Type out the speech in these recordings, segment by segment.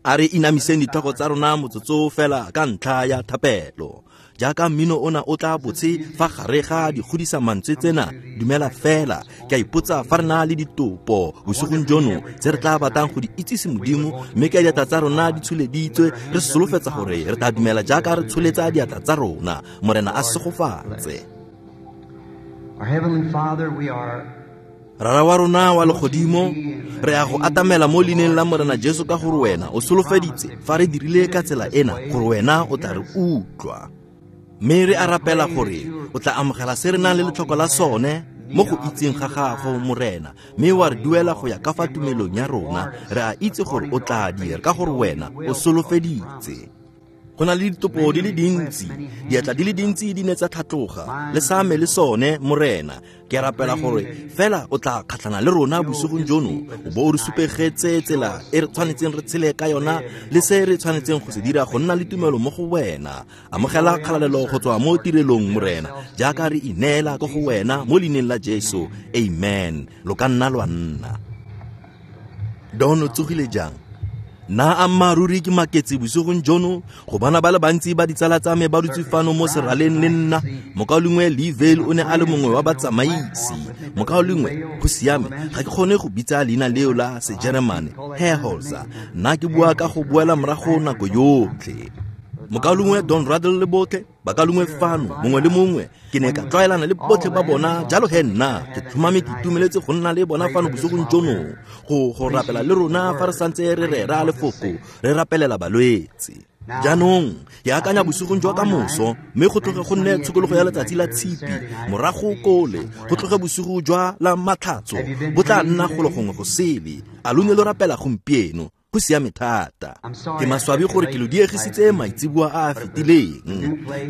A re inamiseng ditlhogo tsa rona motsotso fela ka ntlha ya thapelo. Jaaka mmino ona o tla botse fa gare ga dikgodisa mantswe tsena, dumela fela. Ke a ipotsa fa re na le ditopo bosigong jono tse re tla batlang go di itsise Modimo, mme ka diatla tsa rona di tsholeditswe, re solofetsa gore re tla dumela jaaka re tsholetsa diatla tsa rona. Morena a segofatse. Our Heavenly Father, we are Rara wa rona wa legodimo, re a go atamela mo leineng la Morena Jesu ka gore wena o solofeditse fa re dirile ka tsela ena gore wena o tla re utlwa. Mme re a rapela gore o tla amogela se re nang le letlhoko la sone mo go itseng ga gago, Morena, mme wa re duela go ya ka fa tumelong ya rona. Re a itse gore o tla dira ka gore wena o solofeditse. Go na le ditopo di le dintsi, diatla di le dintsi di ne tsa tlhatloga, le sa me le sone, Morena. Ke rapela gore fela o tla kgatlhana le rona bosigong jono, o bo o re supegetse tsela e re tshwanetseng re tshele ka yona le se re tshwanetseng go se dira go nna le tumelo mo go wena. Amogela kgalalelo go tswa mo tirelong, Morena, jaaka re ineela ko go wena mo leineng la Jesu. Amen. Lo ka nna lwa nna. Don o tsogile jang? Nna ammaaruri ke maketse bosigong jono go bona ba le bantsi ba ditsala tsa me ba dutse fano mo seraleng le nna. Mokaulengwe Lee Vayle o ne a le mongwe wa batsamaisi. Mokaulengwe, go siame, ga ke kgone go bitsa leina leo la Sejeremane, Herholzer. Nna ke bua ka go boela morago nako yotlhe. Mokaulengwe Don Ruddell le botlhe, bakaulengwe fano, mongwe le mongwe, ke ne ka tlwaelana le botlhe ba bona, jalo he nna ke tlhomame ke itumeletse go nna le bona fano bosigong jono go rapela le rona fa re santse re rera lefoko, re rapelela balwetse. Jaanong ke akanya bosigong jwa ka moso, mme go tloge go nne tshokologo ya letsatsi la tshipi, morago kole go tloge bosigo jwa la matlhatso bo tla nna golo gongwe go sele. A lo ne lo rapela gompieno? Go siame thata. Ke maswabi gore ke lo diegisitse maitseboa a a fetileng,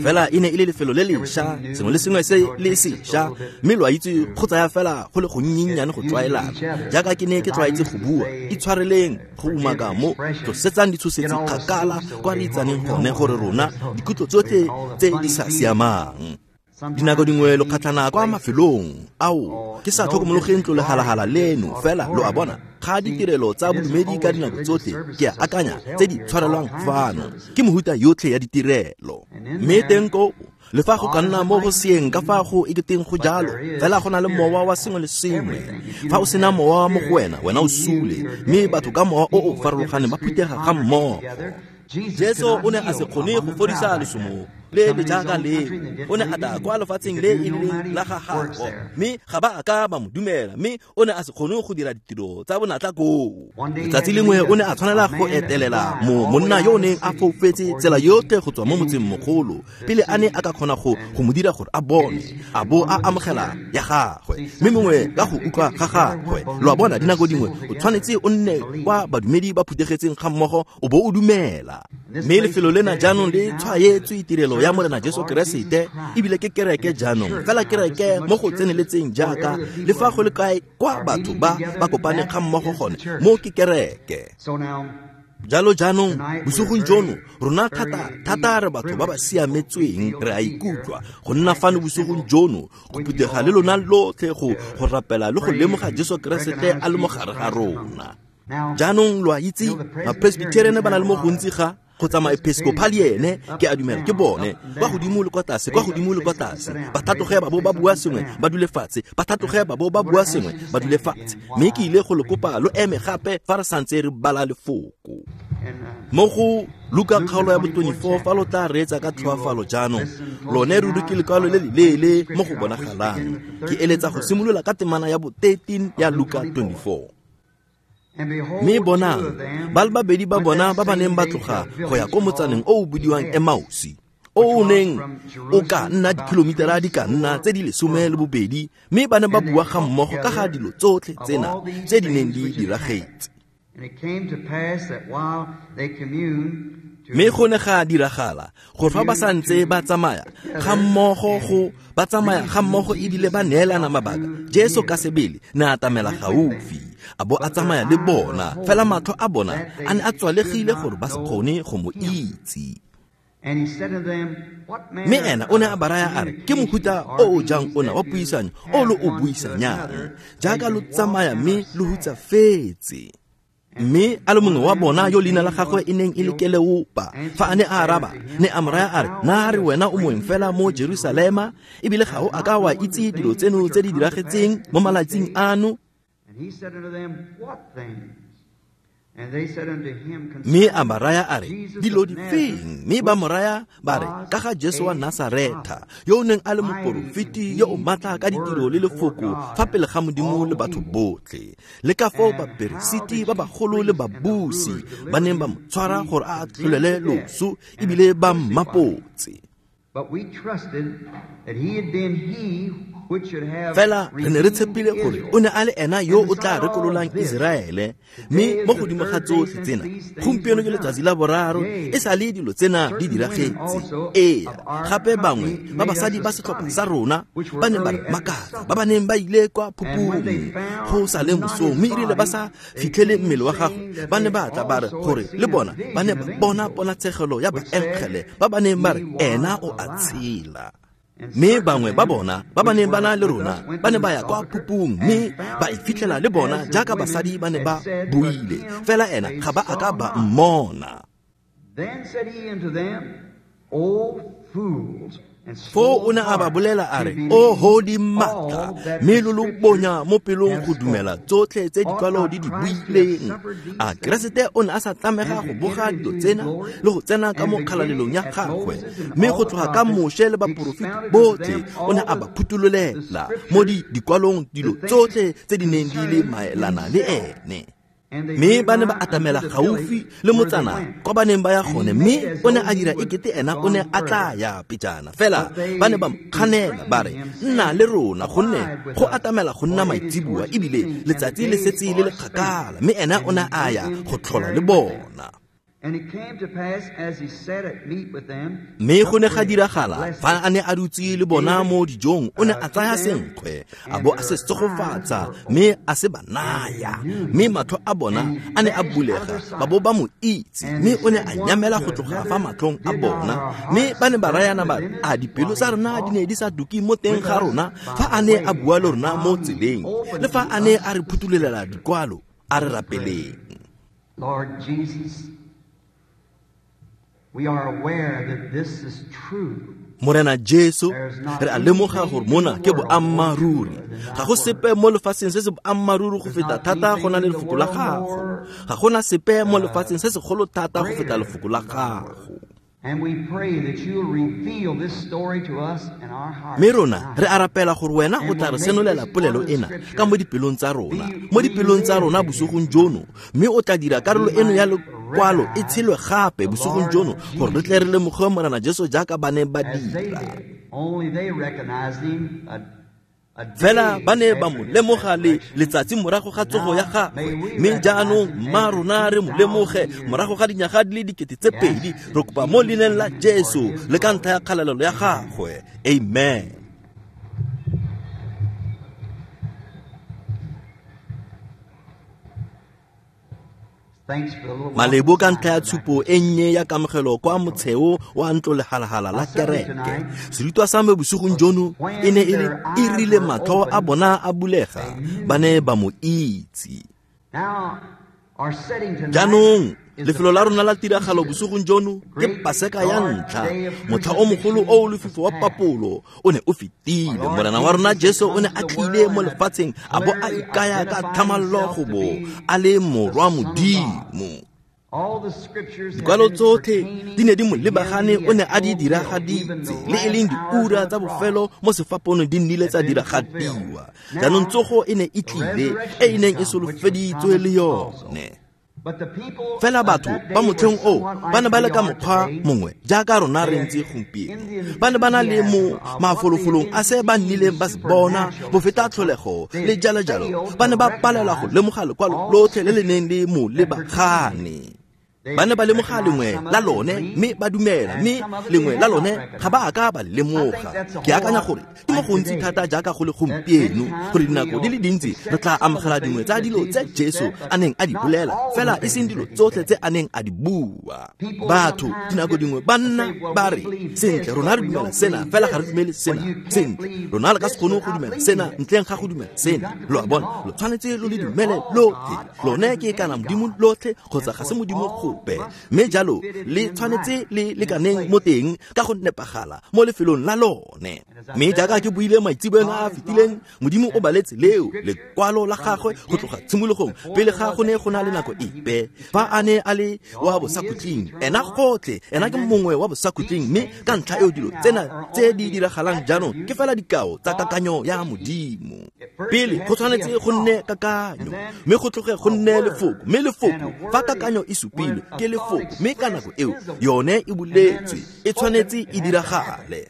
fela e ne e le lefelo le lešwa, sengwe le sengwe se le sešwa, mme lo a itse go tsaya fela go le gonnyennyane go tlwaelana. Jaaka ke ne ke tlwaetse go bua, itshwareleng go umaka mo tlosetsang ditshosetsi kgakala kwa re itsaneng gone gore rona dikutlo tsotlhe tse di sa siamang. Dinako dingwe lo kgatlhana kwa mafelong ao ke sa tlhokomologeng ntlo lehalagala leno, fela lo a bona ga ditirelo tsa bodumedi ka dinako tsotlhe ke a akanya tse di tshwarelwang fano ke mohuta yotlhe ya ditirelo. Mme teng ko le fa go ka nna mo go seeng ka fa go eketeng go jalo, fela go na le mowa wa sengwe le sengwe. Fa o sena mowa mo go wena, wena o sule, mme batho ka mowa o o farologaneng ba phuthega ga mmogo. Jesu o ne a se kgone go fodisa lesomo le le jaaka leo. O ne a tla kwa lefatsheng le e leng la ga gagwe, mme ga ba a ka ba mo dumela, mme o ne a se kgone go dira ditiro tsa bonatla koo. Letsatsi lengwe o ne a tshwanela go etelela monna yo o neng a foufetse tsela yotlhe go tswa mo motseng mogolo pele a ne a ka kgona go mo dira gore a bone, a bo a amogela ya gagwe, mme mongwe ka go utlwa ga gagwe. Lo a bona, dinako dingwe o tshwanetse o nne kwa badumedi ba phuthegetseng ga mmogo o bo o dumela. Mme lefelo lena jaanong le tshwaetswe tirelo ya Morena Jesu Keresete, ebile ke kereke jaanong, fela kereke mo go tseneletseng jaaka le fa go le kae kwa batho ba ba kopaneng ga mmogo gone, mo ke kereke. Jalo jaanong bosigong jono rona thata thata re batho ba ba siametsweng, re a ikutlwa go nna fano bosigong jono go phuthega le lona lotlhe go rapela le go lemoga Jesu Keresete a le mo gare ga rona. Jaanong lo a itse ma-Presbyterian ba na le mo gontsi ga go tsamaya Episcopalian, ke a dumela ke bone kwa godimo le kwa tlase, kwa godimo le kwa tlase, ba tlhatloge ba bo ba bua sengwe ba dule fatshe, ba tlhatloge ba bo ba bua sengwe ba dule fatshe. Mme ke ile go le kopa lo eme gape fa re santse re bala lefoko mo go Luka kgaolo ya bo 24, fa lo tla reetsa ka tlhoafalo jaanong. Lone ruri ke lekwalo le leleele mo go bonagalang. Ke eletsa go simolola ka temana ya bo 13 ya Luka 24. Mme bonang, ba le babedi ba bona ba ba neng ba tloga go ya ko motsaneng o o bidiwang Emausi, o o neng o ka nna dikilomitara di ka nna tse di 12, mme ba ne ba bua ga mmogo ka ga dilo tsotlhe tsena tse di neng di diragetse. Mme go ne ga diragala gore fa ba santse ba tsamaya ga mmogo go ba tsamaya ga mmogo ebile ba neelana mabaka, Jesu ka sebele ne a atamela gaufi, a bo a tsamaya le bona, fela matlho a bona a ne a tswalegile gore ba se kgone go mo itse. Mme ena o ne a ba raya a re, ke mohuta o o jang ona wa puisanyo o lo o buisanyang, jaaka lo tsamaya mme lo hutsafetse? Mme a le mongwe wa bona yo leina la gagwe e neng e le Keleopa, fa a ne a araba, ne a mo raya a re, na re wena o moeng fela mo Jerusalema, ebile ga o a ka wa itse dilo tseno tse di diragetseng mo malatsing ano? Mme a ba raya a re, dilo difeng? Mme ba mo raya ba re, ka ga Jesu wa Nasaretha, yo o neng a le moporofeti yo o maatla ka ditiro le lefoko fa pele ga Modimo le batho botlhe, le ka foo baperesiti ba bagolo le babusi ba neng ba mo tshwara gore a atlholele loso ebile ba mmapotse. Fela re ne re tshepile gore o ne a le ena yo o tla rekololang Iseraele, mme mo godimo ga tsotlhe tsena, gompieno ke letsatsi la boraro e sa le dilo tsena di diragetse. Ee, gape bangwe ba basadi ba setlhopha sa rona ba neng ba re makatsa, ba ba neng ba ile kwa phupung go sa le mosong, mme erile ba sa fitlhele mmele wa gagwe, ba ne ba tla ba re gore le bona ba ne ba bona ponatshegelo ya baengele ba ba neng ba re ena o a tshela. Mme bangwe ba bona ba ba neng ba na le rona ba ne ba ya kwa phupung, mme ba e fitlhela le bona jaaka basadi ba ne ba buile, fela ena ga ba a ka ba mmona. Foo o ne a ba bolela a re, oho dimatla, mme lo lo bonya mo pelong go dumela tsotlhe tse dikwalo di di buileng. A Keresete o ne a sa tlamega go boga dilo tsena le go tsena ka mo kgalalelong ya gagwe? Mme go tloga ka Moshe le baporofeti botlhe o ne a ba phutololela mo dikwalong dilo tsotlhe tse di neng di le maelana le ene. Mme ba ne ba atamela gaufi le motsana kwa ba neng ba ya gone, mme o ne a dira ekete ena o ne a tla ya pejana. Fela ba ne ba mo kganela ba re, nna le rona, gonne go atamela go nna maitseboa, ebile letsatsi le setse le le kgakala. Mme ena o ne a ya go tlhola le bona. Mme go ne ga diragala fa a ne a dutse le bona mo dijong, o ne a tsaya senkgwe a bo a se tsogofatsa, mme a se ba naya. Mme matlho a bona a ne a bulega, ba bo ba mo itse, mme o ne a nyamela go tloga fa matlhong a bona. Mme ba ne ba rayana ba re, a dipelo tsa rona di ne di sa duke mo teng ga rona fa a ne a bua le rona mo tseleng, le fa a ne a re phutulolela dikwalo? A re rapeleng. Lord Jesus, we are aware that this is true. Morena Jesu, re a lemoga gore mona ke boammaaruri. Ga go sepe mo lefatsheng se se boammaaruri go feta thata go na le lefoko la gago. Ga gona sepe mo lefatsheng se segolo thata go feta lefoko la gago. And we pray that you'll reveal this story to us in our hearts. Mme rona re a rapela gore wena o tla re senolela polelo ena ka mo dipelong tsa rona, mo dipelong tsa rona bosigong jono, mme o tla dira karolo eno ya lekwalo e tshelwe gape bosigong jono, gore re tle re lemoge Morena Jesu jaaka ba ne ba dira. Only they recognized him Fela ba ne ba mo lemoga le letsatsi morago ga tsogo ya gagwe, mme jaanong mma rona re mo lemoge morago ga dinyaga di le 2000. Re kopa mo leineng la Jesu le ka ntlha ya kgalalelo ya gagwe. Amen. Malebo ka ntlha ya tshupo e nnye ya kamogelo kwa motsheo wa ntlo lehalhala la kereke. Serutwa sa me bosigong jono e ne e le e rile matlho a bona a bulega, ba ne ba mo itse. Jaanong lefelo la rona la tiragalo bosigong jono ke Paseka ya ntlha, motlha o mogolo o o lefifi wa papolo o ne o fetile. Morena wa rona Jesu o ne a tlile mo lefatsheng a bo a ikaya ka thamallo go bo a le morwa Modimo. Dikwalo tsotlhe di ne di mo lebagane, o ne a di diragaditse, le e leng diura tsa bofelo mo sefapanong di nnile tsa diragadiwa. Jaanong tsogo e ne e tlile, e e neng e solofeditswe le yone. Fela batho ba motlheng oo ba ne ba le ka mokgwa mongwe jaaka rona re ntse gompieno. Ba ne ba na le mo mafolofolong a se ba nnileng ba se bona, bofeta tlholego le jalo jalo. Ba ne ba palelwa go lemoga lekwalo lotlhe le le neng le mo lebagane. Ba ne ba lemoga lengwe la lone mme ba dumela, mme lengwe la lone ga ba a ka ba lemoga. Ke akanya gore ke mo gontsi thata jaaka go le gompieno, gore dinako di le dintsi re tla amogela dingwe tsa dilo tse Jesu a neng a di bolela, fela e seng dilo tsotlhe tse a neng a di bua. Batho dinako dingwe ba nna ba re, sentle, rona re dumela sena, fela ga re dumele sena. Sentle, rona re ka se kgone go dumela sena ntleng ga go dumela sena. Lo a bona, lo tshwanetse lo le dumele lotlhe. Lone ke kana Modimo lotlhe kgotsa ga se Modimo gope. Mme jalo le tshwanetse le lekaneng mo teng ka go nepagala mo lefelong la lone. Mme jaaka ke buile maitseboeng a a fetileng, Modimo o baletse leo lekwalo la gagwe go tloga tshimologong pele ga go ne go na le nako epe. Fa a ne a le wa bosakhutleng, ena gotlhe, ena ke mongwe wa bosakhutleng, mme ka ntlha eo dilo tsena tse di diragalang jaanong ke fela dikao tsa kakanyo ya Modimo. Pele go tshwanetse go nne kakanyo, mme go tloge go nne lefoko, mme lefoko fa kakanyo e supilwe ke lefoko, mme ka nako eo yone e boletswe, e tshwanetse e diragale.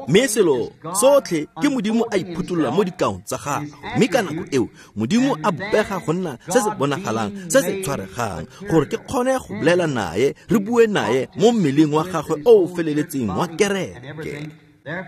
Mme selo sotlhe ke Modimo a iphutolola mo dikaong tsa gagwe, mme ka nako eo Modimo a bopega go nna se se bonagalang, se se tshwaregang, gore ke kgone go bolela naye, re bue naye mo mmeleng wa gagwe o o feleletseng wa kereke.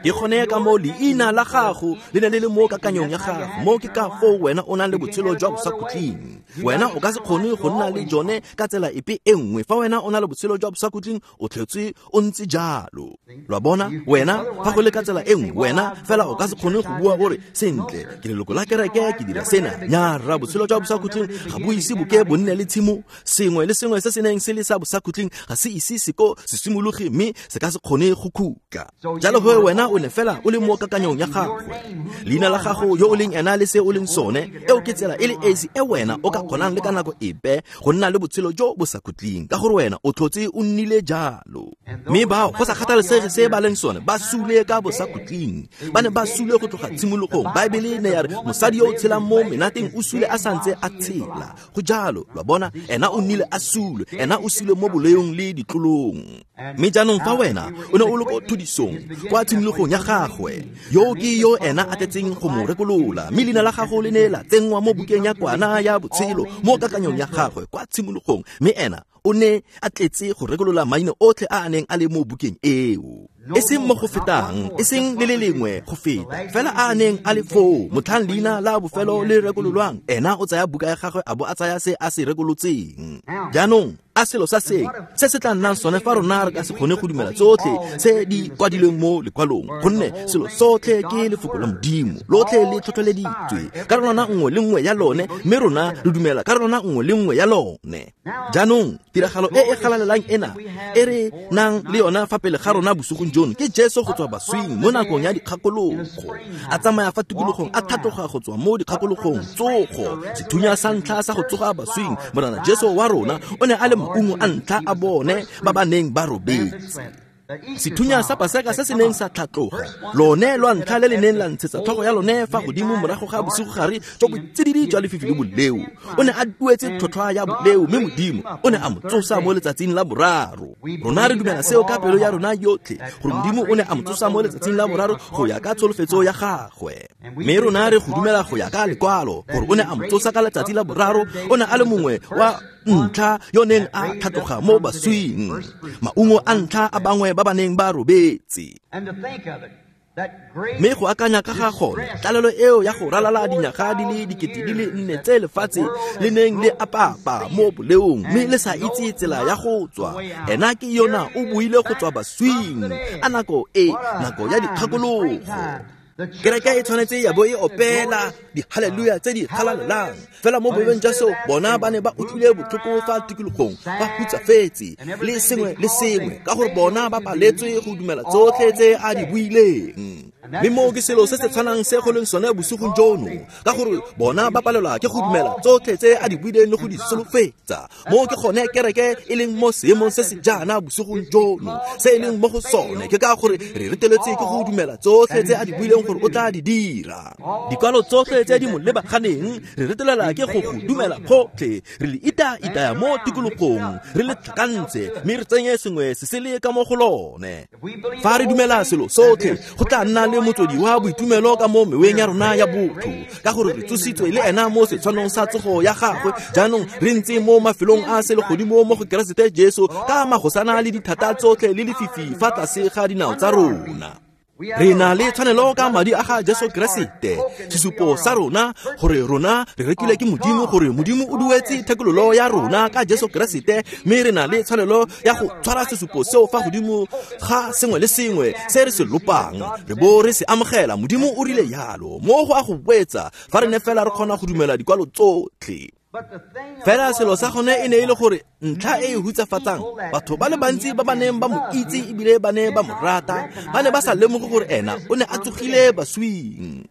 Ke gone ka mo leina la gago le ne le le mo kakanyong ya gago, mo ke ka foo wena o nang le botshelo jwa bosakhutleng. Wena o ka se kgone go nna le jone ka tsela epe e nngwe. Fa wena o na le botshelo jwa bosakhutleng, o tlhetswe o ntse jalo. Lo a bona, wena fa go le ka tsela e nngwe, wena fela o ka se kgone go bua gore sentle ke leloko la kereke, ke dira sena. Nya rra, botshelo jwa bosakhutleng ga bo ise boke bo nne le tshimo. Sengwe le sengwe se se neng se le sa bosakhutleng ga se ise se ko se simologe, mme se ka se kgone go khutla. Jalo he wena o ne fela o le mo kakanyong ya gagwe. Leina la gago, yo o leng ena le se o leng sone, eo ke tsela e le esi e wena o ka kgonang le ka nako epe go nna le botshelo jo bo sa khutleng, ka gore wena o tlhotse o nnile jalo. Mme bao, go sa kgathalesege se ba leng sone, ba sule ka bosakhutleng. Ba ne ba sule go tloga tshimologong. Baebele ne ya re mosadi yo o tshelang mo menateng o sule a santse a tshela. Go jalo, lo a bona, ena o nnile a sule, ena o sule mo boleong le ditlolong. Mme jaanong fa wena o ne o le ko thudisong kwa tshimologong ya gagwe, yo ke yo ena a tletseng go mo rekolola, mme leina la gago le ne la tsenngwa mo bukeng ya kwana ya botshelo mo kakanyong ya gagwe kwa tshimologong, mme ena o ne a tletse go rekolola maina otlhe a a neng a le mo bukeng eo. E seng mo go fetang, e seng le le lengwe go feta, fela a a neng a le foo motlhang leina la bofelo le rekololwang, ena o tsaya buka ya gagwe a bo a tsaya se a se rekolotseng. Jaanong a selo sa seng se se tla nnang sone fa rona re ka se kgone go dumela tsotlhe tse di kwadilweng mo lekwalong, gonne selo sotlhe ke lefoko la Modimo, lotlhe le tlhotlheleditswe karolwana nngwe le nngwe ya lone, mme rona re dumela karolwana nngwe le nngwe ya lone. Jaanong tiragalo e e galalelang ena e re nang le yona fa pele ga rona bosigong jono ke Jesu go tswa baswing mo nakong ya dikgakologo, a tsamaya fa tikologong, a tlhatloga go tswa mo dikgakologong, tsogo, sethunya sa ntlha sa go tsoga baswing. Morena Jesu wa rona o ne a le maungo a ntlha a bone ba ba neng ba robetse. Sethunya sa Paseka se se neng sa tlhatloga, lone lwa ntlha le le neng la ntshetsa tlhogo ya lone fa godimo morago ga bosigogare jwa botsididi jwa lefifi le boleo. O ne a duetse tlhotlhwa ya boleo, mme Modimo o ne a mo tsosa mo letsatsing la boraro. Rona re dumela seo ka pelo ya rona yotlhe, gore Modimo o ne a mo tsosa mo letsatsing la boraro go ya ka tsholofetso ya gagwe. Mme rona re go dumela go ya ka lekwalo, gore o ne a mo tsosa ka letsatsi la boraro. O ne a le mongwe wa ntlha yo neng a tlhatloga mo baswing, maungo a ntlha a bangwe ba ba neng ba robetse. Mme go akanya ka ga gone, tlalelo eo ya go ralala dinyaga di le 4000 tse lefatshe le neng le apapa mo boleong, mme le sa itse tsela ya go tswa, ena ke yona o buile go tswa baswing. A nako e, nako ya dikgakologo. Kereke e tshwanetse ya bo e opela dihaleluya tse di galalelang. Fela mo boemong jwa seo, bona ba ne ba utlwile botlhoko fa tikologong, ba hutsafetse le sengwe le sengwe, ka gore bona ba paletswe go dumela tsotlhe tse a di buileng. Mme moo ke selo se se tshwanang se go leng sone bosigong jono, ka gore bona ba palelwa ke go dumela tsotlhe tse a di buileng le go di solofetsa. Moo ke gone kereke e leng mo seemong se se jaana bosigong jono, se e leng mo go sone ke ka gore re reteletswe ke go dumela tsotlhe tse a di buileng gore o tla di dira. Dikwalo tsotlhe tse di mo lebaganeng re retelela ke go go dumela gotlhe, re le ita-itaya mo tikologong, re le tlhakantse, mme re tsenye sengwe se se le ka mo go lone. Fa re dumela selo sotlhe, go tla nna le le motswedi wa boitumelo ka mo meweng ya rona ya botho, ka gore re tsositswe le ena mo setshwanong sa tsogo ya gagwe. Jaanong re ntse mo mafelong a selegodimo mo go Keresete Jesu, ka magosana le dithata tsotlhe le lefifi fa tlase ga dinao tsa rona. Re na le tshwanelo ka madi a ga Jesu Keresete, sesupo sa rona gore rona re rekilwe ke Modimo, gore Modimo o duetse thekololo ya rona ka Jesu Keresete, mme re na le tshwanelo ya go tshwara sesupo seo fa godimo ga sengwe le sengwe se re se lopang, re bo re se amogela. Modimo o rile yalo mo go a go boetsa fa re ne fela re kgona go dumela dikwalo tsotlhe. Fela selo sa gone e ne e le gore ntlha e e hutsafatsang, batho ba le bantsi ba ba neng ba mo itse ebile ba ne ba mo rata, ba ne ba sa lemoge gore ena o ne a tsogile baswing.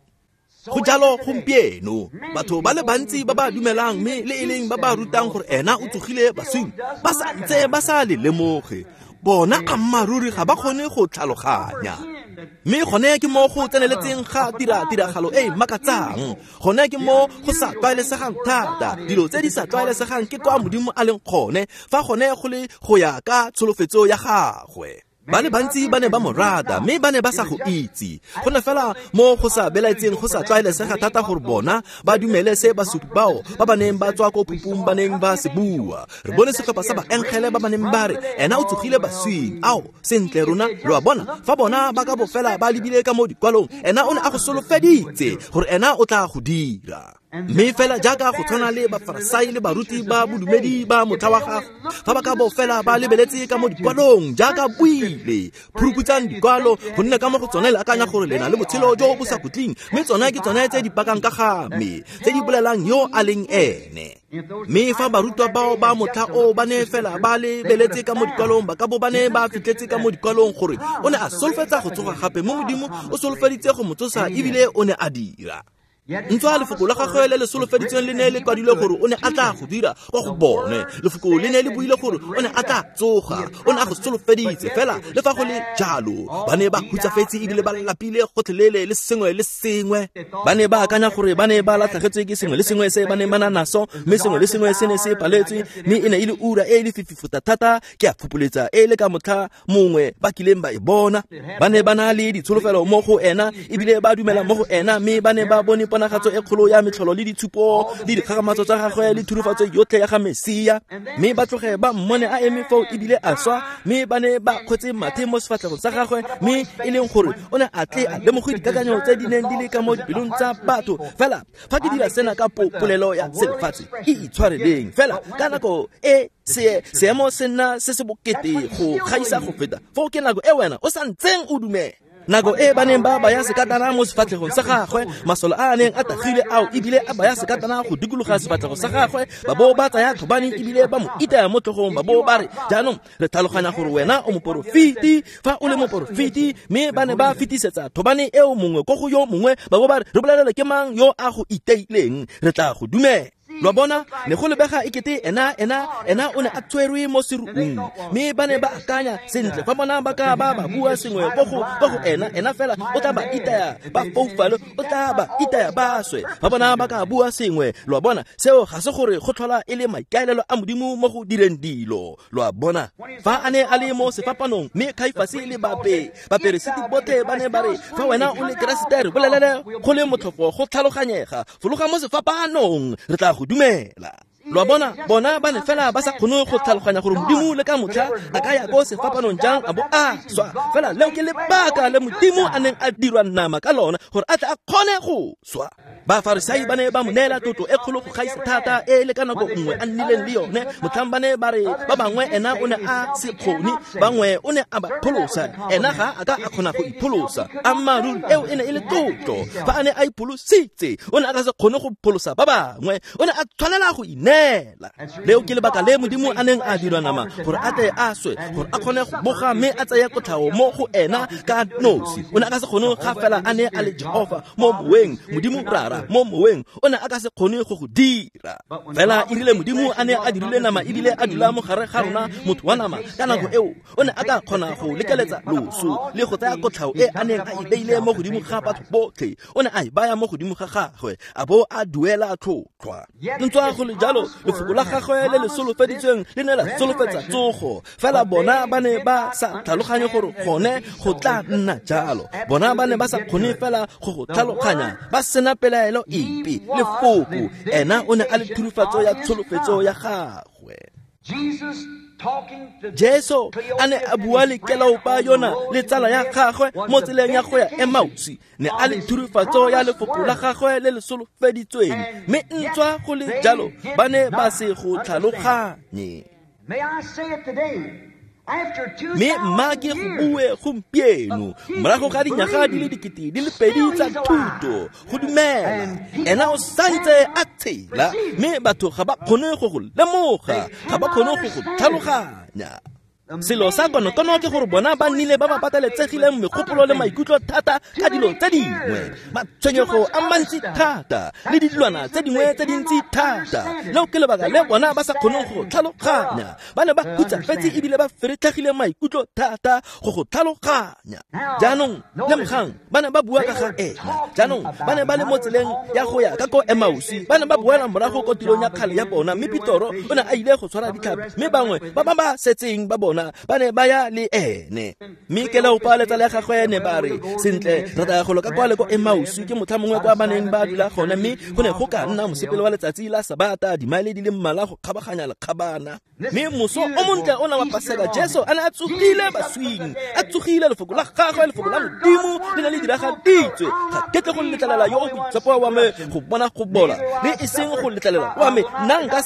Go jalo gompieno, batho ba le bantsi ba ba dumelang mme le e leng ba ba rutang gore ena o tsogile baswing, ba sa ntse ba sa le lemoge. Bona ammaruri ga ba kgone go tlhaloganya. Mme gone ke mo go tseneletseng ga tiragalo e e makatsang, gone ke mo go sa tlwaelesegang thata. Dilo tse di sa tlwaelesegang ke kwa Modimo a leng gone, fa gone go le go ya ka tsholofetso ya gagwe. Ba le bantsi ba ne ba mo rata, mme ba ne ba sa go itse. Go ne fela mo go sa belaetseng go sa tlwaelesega thata gore bona ba dumele se basupi bao ba ba neng ba tswa ko phupung ba neng ba se bua. Re bone setlhopha sa baengele ba ba neng ba re ena o tsogile baswing. Ao, sentle rona, lo a bona, fa bona ba ka bo fela ba lebile ka mo dikwalong, ena o ne a go solofeditse gore ena o tla go dira. Mme fela jaaka go tshwana le Bafarasai le baruti ba bodumedi ba motlha wa gagwe, fa ba ka bo fela ba lebeletse ka mo dikwalong jaaka buile, phuruputsang dikwalo, gonne ka mo go tsone le akanya gore le na le botshelo jo bo sa khutleng, mme tsone ke tsone tse di pakang ka ga me, tse di bolelang yo a leng ene. Mme fa barutwa bao ba motlha o ba ne fela ba lebeletse ka mo dikwalong, ba ka bo ba ne ba fitlhetse ka mo dikwalong gore o ne a solofetsa go tsoga gape, mo Modimo o solofeditse go mo tsosa ebile o ne a dira. Ntswa lefoko la gagwe le le solofeditsweng le ne le kwadilwe gore o ne a tla go dira kwa go bone. Lefoko le ne le buile gore o ne a tla tsoga, o ne a go solofeditse. Fela le fa go le jalo, ba ne ba hutsafetse ebile ba lapile gotlhelele le sengwe le sengwe. Ba ne ba akanya gore ba ne ba latlhegetswe ke sengwe le sengwe se ba neng ba na naso, mme sengwe le sengwe se ne se paletswe, mme e ne e le ura e le fifi thata, ke a phupoletsa e le ka motlha mongwe ba kileng ba e bona. Ba ne ba na le ditsholofelo mo go ena ebile ba dumela mo go ena, mme ba ne ba bone ponagatso e kgolo ya metlholo le ditshupo le dikgakgamatso tsa gagwe le thurufatso yotlhe ya ga Mesia, mme ba tloge ba mmone a eme foo ebile a swa, mme ba ne ba kgwetse mathe mo sefatlhegong sa gagwe, mme e leng gore o ne a tle a lemoge dikakanyo tse di neng di le ka mo dipelong tsa batho. Fela fa ke dira sena ka polelo ya selefatshe e itshwareleng, fela ka nako e seemo se nna se se bokete go gaisa go feta, foo ke nako e wena o sa ntseng o dumela. Nako e ba neng ba baya sekatana mo sefatlhegong sa gagwe, masole a a neng a tagile ao ebile a baya sekatana go dikologa sefatlhego sa gagwe, ba bo ba tsaya thobane ebile ba mo itaya mo tlhogong, ba bo ba re, jaanong re tlhaloganya gore wena o moporofeti, fa o le moporofeti. Mme ba ne ba fetisetsa thobane eo mongwe ko go yo mongwe, ba bo ba re, re bolelele ke mang yo a go iteileng, re tla go dumela. Lo bona, ne go lebega ekete ena o ne a tshwerwe mo seruung, mme ba ne ba akanya sentle fa bona ba ka ba ba bua sengwe ko go ena fela o tla ba itaya ba foufale, o tla ba itaya ba swe. Fa bona ba ka bua sengwe, lo bona, seo ga se gore go tlhola e le maikaelelo a Modimo mo go direng dilo. Lo a bona, fa a ne a le mo sefapanong, mme Kaifase le baperesiti botlhe ba ne ba re, fa wena o le Keresete, re bolelele go le motlhofo go tlhaloganyega, fologa mo sefapanong, re tla go dumela. Lo a bona, bona ba ne fela ba sa kgone go tlhaloganya gore Modimo le ka motlha a ka ya ko sefapanong jang a bo a swa. Fela leo ke lebaka le Modimo a neng a dirwa nama ka lona, gore a tle a kgone go swa. Bafarisai ba ne ba mo neela tlotlo e kgolo go gaisa thata e le ka nako nngwe a nnileng le yone. Motlhang ba ne ba re ba bangwe ena o ne a se kgone, bangwe o ne a ba pholosa, ena ga a ka a kgona go ipholosa. Ammaaruri eo e ne e le tlotlo. Fa a ne a ipholositse, o ne a ka se kgone go pholosa ba bangwe, o ne a tshwanela go ineela. Leo ke lebaka le Modimo a neng a dirwa nama, gore a tle a swe, gore a kgone go boga mme a tseye kotlhao mo go ena ka nosi. O ne a ka se kgone ga fela a ne a le Jehova mo moweng, Modimo Rara mo moweng, o ne a ka se kgone go go dira. Fela e rile Modimo a ne a dirile nama ebile a dula mo gare ga rona, motho wa nama, ka nako eo o ne a ka kgona go lekeletsa loso le go tsaya kotlhao e a neng a e beile mo godimo ga batho botlhe. O ne a e baya mo godimo ga gagwe, a bo a duela tlhotlhwa. Ntswa go le jalo, Lefoko la gagwe le le solofeditsweng le ne la solofetsa tsogo. Fela bona ba ne ba sa tlhaloganye gore gone go tla nna jalo. Bona ba ne ba sa kgone fela go go tlhaloganya, ba sena pelaelo epe. Lefoko, ena o ne a le thurifatso ya tsholofetso ya gagwe. Jesu a ne a bua le Kleopa yona le tsala ya gagwe mo tseleng ya go ya Emausi, ne a le thurifatso ya lefoko la gagwe le le solofeditsweng, mme ntswa go le jalo ba ne ba se go tlhaloganye. Mme mma ke go bue gompieno, morago ga dinyaga di le 2000 tsa thuto, go dumela ena o santse a tshela, mme batho ga ba kgone go go lemoga, ga ba kgone go go tlhaloganya. Selo sa konokono ke gore bona ba nnile ba ba pateletsegileng megopolo le maikutlo thata ka dilo tse dingwe, matshwenyego a mantsi thata le dilwana tse dingwe tse dintsi thata. Leo ke lebaka le bona ba sa kgoneng go tlhaloganya. Ba ne ba hutsafetse ebile ba feretlhegile maikutlo thata go go tlhaloganya. Jaanong lemogang, ba ne ba bua ka ga ena. Jaanong ba ne ba le mo tseleng ya go ya ka ko Emausi, ba ne ba boela morago ko tirong ya kgale ya bona, mme Petoro o ne a ile go tshwara ditlhapi, mme bangwe ba ba ba setseng ba bona ba ne ba ya le ene. Mme Kleopa le tsala ya gagwe ne ba re, sentle, re tla ya golo ka kwa le ko Emausi, ke motlha mongwe kwa ba neng ba dula gone, mme go ne go ka nna mosepele wa letsatsi la Sabata, dimaele di le mmalwa go kgabaganya lekgabana. Mme moso o montle ona wa Paseka, Jesu a ne a tsogile baswing, a tsogile. Lefoko la gagwe, lefoko la Modimo le ne le diragaditswe. Ga ke tle go letlelela yo o boitshepo wa me go bona go bola, le e seng go letlelela wa me. Nna nka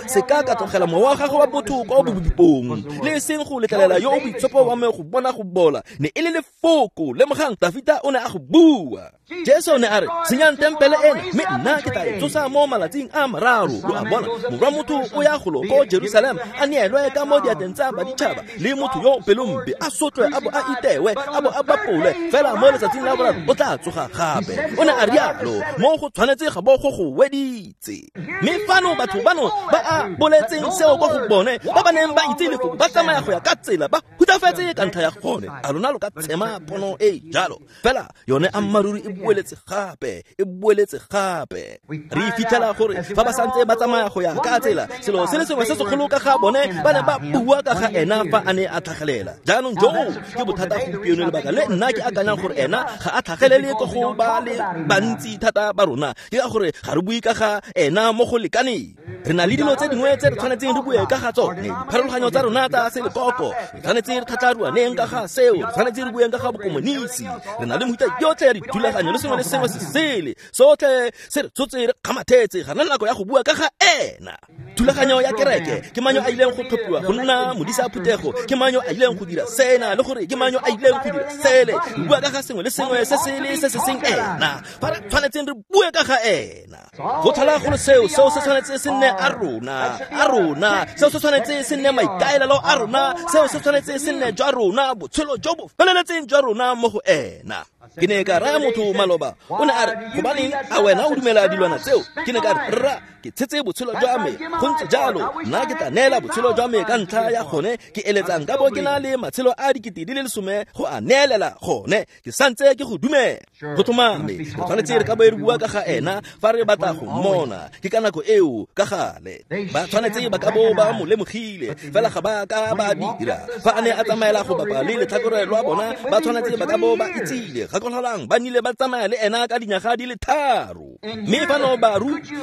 seka ka tlogela mowa wa gagwe wa botho kwa bobipong, le e seng go letlelela yo o boitshepo wa me go bona go bola. Ne e le lefoko. Lemogang, Dafita o ne a go bua. Jesu ne a re, senyang tempele ena, mme nna ke tla e tsosa mo malatsing a mararo. Lo a bona, morwa motho o ya golo ko Jerusalem, a neelwe ka mo diatleng tsa baditšhaba, le motho yo pelompe a sotlwe, a bo a itewe, a bo a bapolwe, fela mo letsatsing la boraro o tla tsoga gape. O ne a rialo, mo go tshwanetse ga bo go go weditse. Mme fano batho bano ba a boletseng seo kwa go bone, ba ba neng ba itse lefoko, ba tsamaya go ya ka tsela, ba hutsafetse ka ntlha ya gone. A lona lo ka tshema pono e jalo? Fela yone ammaruri e boeletse gape, e boeletse gape. Re fitlhela gore fa ba santse ba tsamaya go ya ka tsela, selo se le sengwe se segolo ka ga bone, ba ne ba bua ka ga ena fa a ne a tlhagelela. Jaanong joo ke bothata gompieno, lebaka le nna ke akanyang gore ena ga a tlhagelele ko go ba le bantsi thata ba rona, ke ka gore ga re bue ka ga ena mo go lekaneng. Re na le dilo tse dingwe tse re tshwanetseng re bue ka ga tsone, dipharologanyo tsa rona tsa selekoko, re tshwanetse re tlhatlharuaneng ka ga seo, re tshwanetse re bueng ka ga bokomonisi. Re na le mehuta yotlhe ya dithulaganyo le sengwe le sengwe se sele, sotlhe se re tshotse re kgamathetse, ga na nako ya go bua ka ga ena. Thulaganyo ya kereke, ke mang yo a ileng go tlhophiwa go nna modisa phuthego, ke mang yo a ileng go dira sena, le gore ke mang yo a ileng go dira sele. Re bua ka ga sengwe le sengwe se sele se se seng ena, fa re tshwanetseng re bue ka ga ena. Go tlhola go le seo, seo se tshwanetse se nne a rona, seo se tshwanetse se nne maikaelelo a rona, seo se tshwanetse se nne jwa rona, botshelo jo bo feleletseng jwa rona mo go ena. Ke ne ka raya motho maloba, o ne a re, gobaneng a wena o dumela dilwana tseo? Ke ne ka re, rra, ke tshetse botshelo jwa me, go ntse jalo, nna ke tla neela botshelo jwa me ka ntlha ya gone. Ke eletsang ka bo ke na le matshelo a 10,000 go a neelela gone, ke santse ke go dumela. Go tlhomame, re tshwanetse re ka bo re bua ka ga ena fa re batla go mmona. Ke ka nako eo ka gale ba tshwanetse ba ka bo ba mo lemogile, fela ga ba ka ba dira. Fa a ne a tsamaela go bapa le letlhakore lwa bona, ba tshwanetse ba ka bo ba itsile. Gakologelang, ba nnile ba tsamaya le ena ka dinyaga di le 3. Mme fano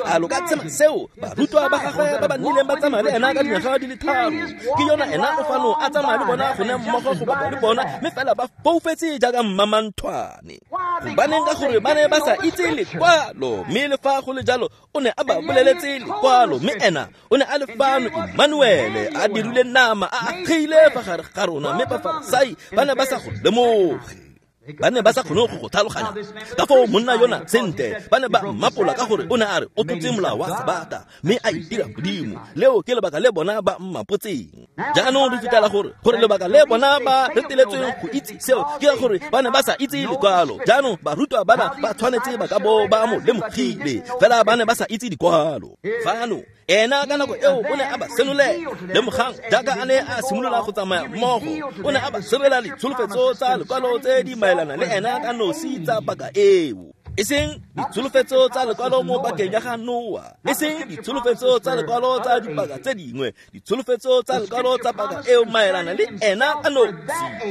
a lo ka tshema seo? Barutwa ba gagwe ba ba nnileng ba tsamaya le ena ka dinyaga di le 3, ke yona ena o fano a tsamaya le bona gone mmogo go bapa le bona, mme fela ba foufetse jaaka mmamanthwane. Gobaneng? Ka gore ba ne ba sa itse lekwalo, mme le fa go le jalo o ne a ba boleletse lekwalo. Mme ena o ne a le fano, Emmanuele, a dirile nama, a agile fa gare ga rona, mme Bafarasai ba ne ba sa go lemoge. Ba ne ba sa kgone go go tlhaloganya ka foo monna yona sentle. Ba ne ba mmapola ka gore o ne a re o tlotse molao wa Sabata, mme a itira Modimo. Leo ke lebaka le bona ba mmapotseng. Jaanong re fitlhela gore lebaka le bona ba reteletsweng go itse seo ke ka gore ba ne ba sa itse lekwalo. Jaanong barutwa bana ba tshwanetse ba ka bo ba mo lemogile, fela ba ne ba sa itse dikwalo. Fano ena ka nako eo o ne a ba senolela. Lemogang, jaaka a ne a simolola go tsamaya mmogo, o ne a ba senolela ditsholofetso tsa lekwalo tse di maelana le ena ka nosi tsa paka eo. E seng ditsholofetso tsa lekwalo mo pakeng ya ga Noa, e seng ditsholofetso tsa lekwalo tsa dipaka tse dingwe, ditsholofetso tsa lekwalo tsa paka eo maelana le ena a nosi,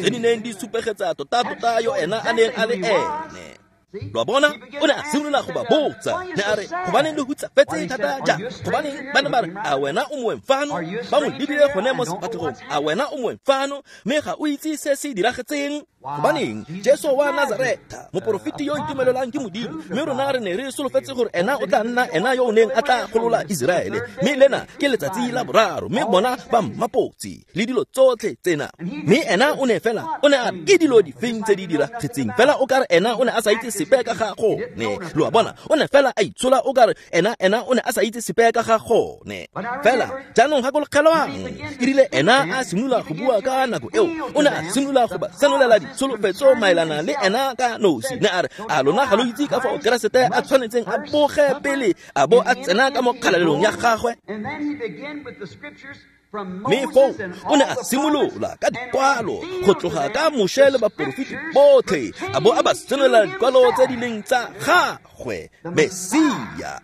tse di neng di supegetsa tota-tota yo ena a neng a le ene. Lo a bona, o ne a simolola go ba botsa, ne a re, gobaneng le hutsafetse thata jang? Gobaneng ba ne ba re, a wena o moeng fano? Ba mo lebile gone mo sefatlhegong, a wena o moeng fano? Mme ga o itse se se diragetseng? Gobaneng, Jesu wa Nazareta, moporofeti yo itumelelwang ke Modimo, mme rona re ne re solofetse gore ena o tla nna ena yo o neng a tla golola Iseraele, mme lena ke letsatsi la boraro, mme bona ba mmapotse le dilo tsotlhe tsena. Mme ena o ne fela, o ne a re, ke dilo difeng tse di diragetseng? Fela o kare ena o ne a sa itse sepe ka ga gone. Lo a bona, o ne fela a itshola o kare ena o ne a sa itse sepe ka ga gone. Fela jaanong gakologelwang, e rile ena a simolola go bua ka nako eo, o ne a simolola go ba senolela ditsholofetso maelana le ena ka nosi. Ne a re, a lona ga lo itse ka fao Keresete a tshwanetseng a boge pele a bo a tsena ka mo kgalalelong ya gagwe? Mme foo o ne a simolola ka dikwalo go tloga ka Moshe le baporofeti botlhe, a bo a ba senolela dikwalo tse di leng tsa gagwe, Mesia.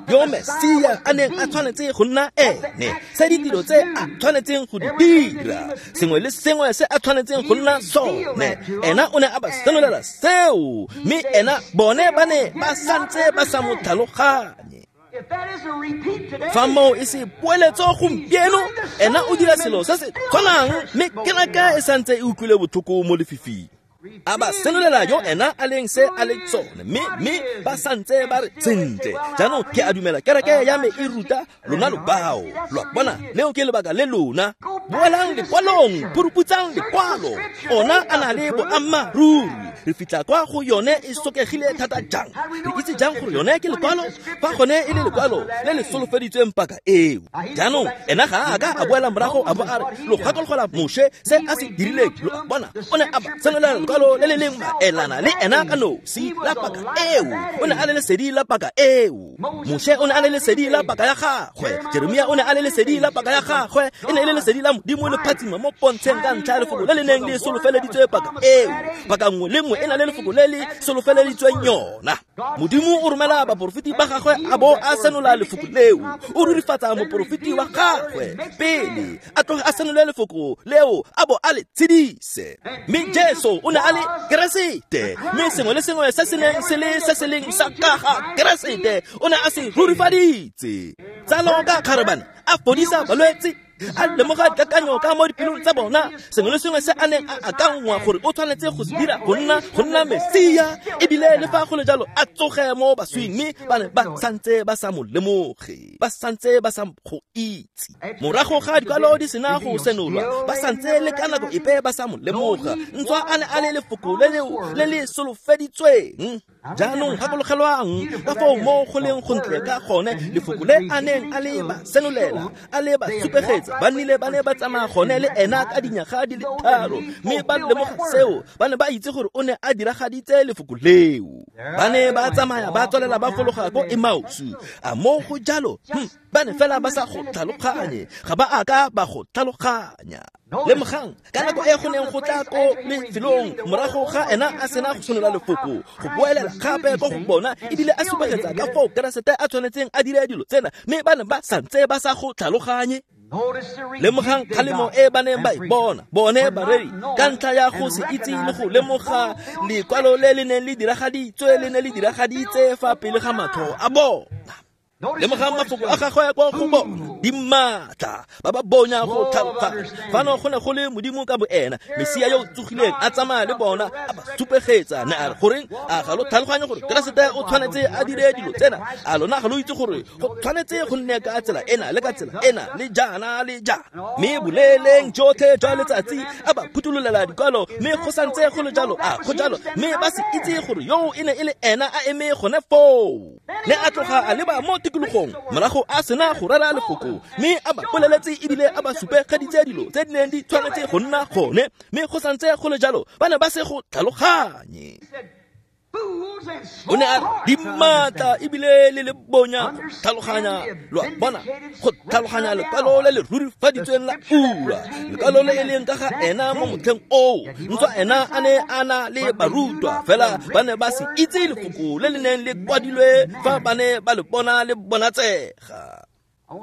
Yo Mesia a neng a tshwanetse go nna ene, se ditiro tse a tshwanetseng go di dira, sengwe le sengwe se a tshwanetseng go nna sone, ena o ne a ba senolela seo, mme ena bone ba ne ba santse ba sa mo tlhaloganye. Fa moo e se poeletso gompieno, ena o dira selo se se tshwanang, mme kereke e santse e utlwile botlhoko mo lefifing. A ba senolela yo ena a leng se a leng sone, mme ba santse ba re, sentle, jaanong ke a dumela kereke ya me e ruta lona lo bao. Lo a bona, leo ke lebaka le lona. Boelang lekwalong, phuruputsang lekwalo. Ona a na le boammaaruri. Re fitlha kwa go yone e sokegile thata jang? Re itse jang gore yone ke lekwalo? Fa gone e le lekwalo le le solofeditsweng paka eo. Jaanong ena ga a ka a boela morago a bo a re, lo gakologelwa Moshe se a se dirileng. Lo a bona, o ne a ba senolela lekwalo le le leng maelana le ena ka nosi la paka eo. O ne a le lesedi la paka eo. Moshe o ne a le lesedi la paka ya gagwe. Jeremia o ne a le lesedi la paka ya gagwe. E ne e le lesedi la Modimo le phatsima mo pontsheng ka ntlha ya lefoko le le neng le solofeleditswe paka eo. Paka nngwe le nngwe e na le lefoko le le solofeleditsweng yona. Modimo o romela baporofeti ba gagwe a bo a senola lefoko leo. O rurifatsa moporofeti wa gagwe pele a tloge a senole lefoko leo a bo a le tshedise. Mme Jesu o ne a le Keresete, mme sengwe le sengwe se se neng se le se se leng sa ka ga Keresete o ne a se rurifaditse. Tsalo ka kgarebane, a fodisa balwetse, a lemoga dikakanyo ka mo dipelong tsa bona, sengwe le sengwe se a neng a akangwa gore o tshwanetse go se dira go nna Mesia, ebile le fa go le jalo a tsoge mo baswing, mme ba ne ba santse ba sa mo lemoge, ba santse ba sa go itse. Morago ga dikwalo di sena go senolwa, ba santse le ka nako epe ba sa mo lemoga, ntswa a ne a le lefoko le leo le le solofeditsweng. Jaanong gakologelwang ka foo mo go leng gontle ka gone lefoko le a neng a le ba senolela, a le ba supegetsa, ba nnile ba ne ba tsamaya gone le ena ka dinyaga di le tharo, mme ba lemoga seo, ba ne ba itse gore o ne a diragaditse lefoko leo. Ba ne ba tsamaya ba tswelela ba fologa ko Emausu. A mo go jalo, ba ne fela ba sa go tlhaloganye, ga ba a ka ba go tlhaloganya. Lemogang, ka nako e go neng go tla ko lefelong morago ga ena a sena go senola lefoko, go boelela gape ko go bona, ebile a supegetsa ka foo Keresete a tshwanetseng a dire dilo tsena, mme ba ne ba santse ba sa go tlhaloganye. Lemogang kgalemo e ba neng ba e bona, bone bareri, ka ntlha ya go se itse le go lemoga lekwalo le le neng le diragaditswe, le ne le diragaditse fa pele ga matlho a bona. Lemogang mafoko a gagwe kwa go bona, di maatla, ba ba bonya go tlhaloganya. Fano go ne go le Modimo ka boena, Mesia yo o tsogileng a tsamaya le bona, a ba supegetsa. Ne a re, goreng a ga lo tlhaloganye gore Keresete o tshwanetse a dire dilo tsena? A lona ga lo itse gore go tshwanetse go nne ka tsela ena le ka tsela ena le jaana le jaana? Mme boleleng jotlhe jwa letsatsi a ba phuthulolela dikwalo, mme go santse go le jalo, a go jalo, mme ba se itse gore yo e ne e le ena a eme gone foo. Ne a tloga a leba mo tikologong morago a sena go rera lefoko, mme a ba boleletse ebile a ba supegeditse dilo tse di neng di tshwanetse go nna gone, mme go santse go le jalo ba ne ba se go tlhaloganye. O ne a di maatla ebile le le bonya go tlhaloganya, lo a bona, go tlhaloganya lekwalo le le rurifaditsweng la ura, lekwalo le e leng ka ga ena mo motlheng oo. Ntswa ena a ne a na le barutwa, fela ba ne ba se itse lefoko le le neng le kwadilwe fa ba ne ba le bona le bonatsega.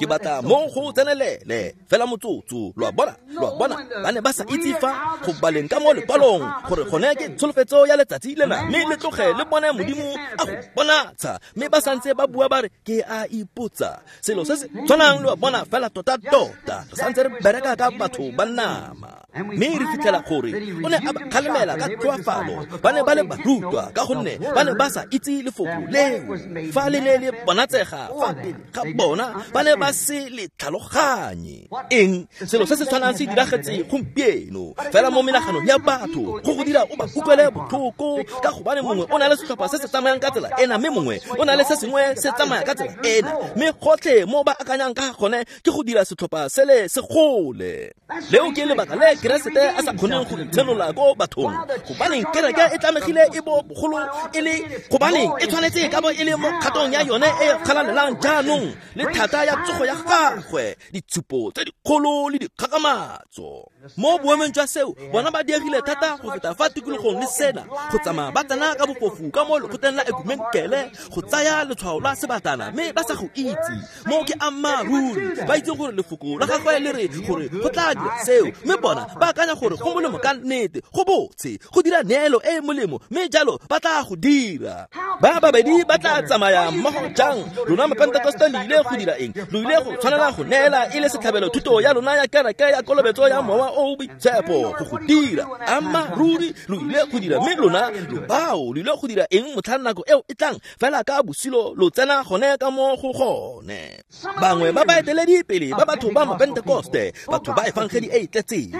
Ke batla mo go tsenelele fela motsotso, lo a bona, lo a bona, ba ne ba sa itse fa go baleng ka mo lekwalong gore gone ke tsholofetso ya letsatsi lena, mme le tloge le bone Modimo a go bonatsha, mme ba santse ba bua ba re ke a ipotsa selo se se tshwanang, lo a bona, fela tota-tota re santse re bereka ka batho ba nama. Mme re fitlhela gore o ne a ba kgalemela ka tlhoafalo, ba ne ba le barutwa ka gonne ba ne ba sa itse lefoko leo fa le ne le bonatsega fa pele ga bona, ba ne ba se le tlhaloganye. Eng selo se se tshwanang se diragetse gompieno fela mo menaganong ya batho, go go dira o ba utlwele botlhoko, ka gobane mongwe o na le setlhopha se se tsamayang ka tsela ena, mme mongwe o na le se sengwe se tsamaya ka tsela ena, mme gotlhe mo ba akanyang ka gone ke go dira setlhopha sele se gole. Leo ke lebaka le Keresete a sa kgoneng go itshenola ko bathong, gobaneng kereke e tlamegile e bo bogolo e le, gobaneng e tshwanetse e ka bo e le mo kgatong ya yone e kgalalelang jaanong le thata ya tsogo ya gagwe, ditshupo tse dikgolo le dikgakgamatso. Mo boemong jwa seo, bona ba diegile thata go feta fa tikologong le sena, go tsamaya ba tsena ka bofofu ka mo lekgotleng la ekumenkele go tsaya letshwao la sebatana, mme ba sa go itse. Mo ke ammaaruri, ba itse gore lefoko la gagwe le re gore go tla dira seo, mme bona ba akanya gore go molemo ka nnete, go botse, go dira neelo e e molemo, mme jalo ba tla go dira. Ba babedi ba tla tsamaya mmogo jang? Lona Mapentekoste le ile go dira eng? Lo ile go tshwanela go neela e le setlhabelo thuto ya lona ya kereke ya kolobetso ya mowa o boitshepo go go dira. Ammaaruri lo ile go dira, mme lona lo bao lo ile go dira eng motlhang nako eo e tlang? Fela ka bosilo lo tsena gone ka mo go gone. Bangwe ba baeteledipele ba batho ba Mapentekoste, batho ba efangedi e e tletseng,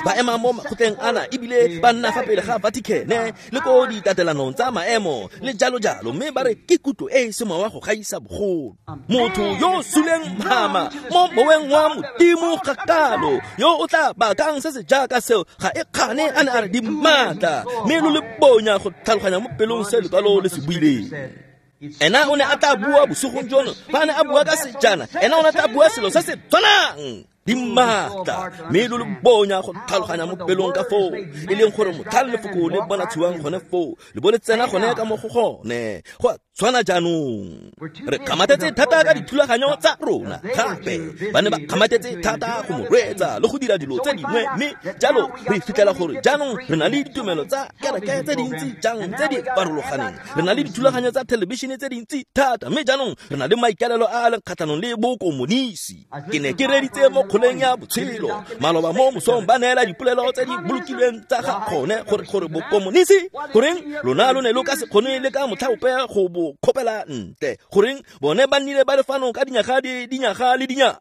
ba ema mo makgotleng ana ebile ba nna fa pele ga Vatican le ko ditatelanong tsa maemo le jalo jalo, mme ba re ke kutlo e e semowa go gaisa bogolo. Motho yo o suleng mama mo moweng wa Modimo gakalo, yo o tla bakang se se jaaka seo, ga e kgane a ne a re di maatla, mme lo le bonya go tlhaloganya mo pelong se lekwalo le se buileng. Ena o ne a tla bua bosigong jono, fa a ne a bua ka sejana, ena o ne a tla bua selo se se tshwanang. Di maatla, mme lo le bonya go tlhaloganya mo pelong ka foo e leng gore motlhang lefoko le bonatshiwang gone foo, le bo le tsena gone ka mo go gone. Go a tshwana jaanong. Re kgamatetse thata ka dithulaganyo tsa rona, gape ba ne ba kgamatetse thata go mo reetsa le go dira dilo tse dingwe, mme jalo re fitlhela gore jaanong re na le ditumelo tsa kereke tse dintsi jang tse di farologaneng, re na le dithulaganyo tsa thelebišene tse dintsi thata, mme jaanong re na le maikaelelo a a leng kgatlhanong le bokomonisi. Ke ne ke reditse mo kgoleng ya botshelo maloba mo mosong, ba neela dipolelo tse di bolokilweng tsa ga gone gore bokomonisi, goreng lona lo ne lo ka se kgone le ka motlha ope go bo kgopela ntle, goreng bone ba nnile ba le fano ka dinyaga dinyaga le dinyaga.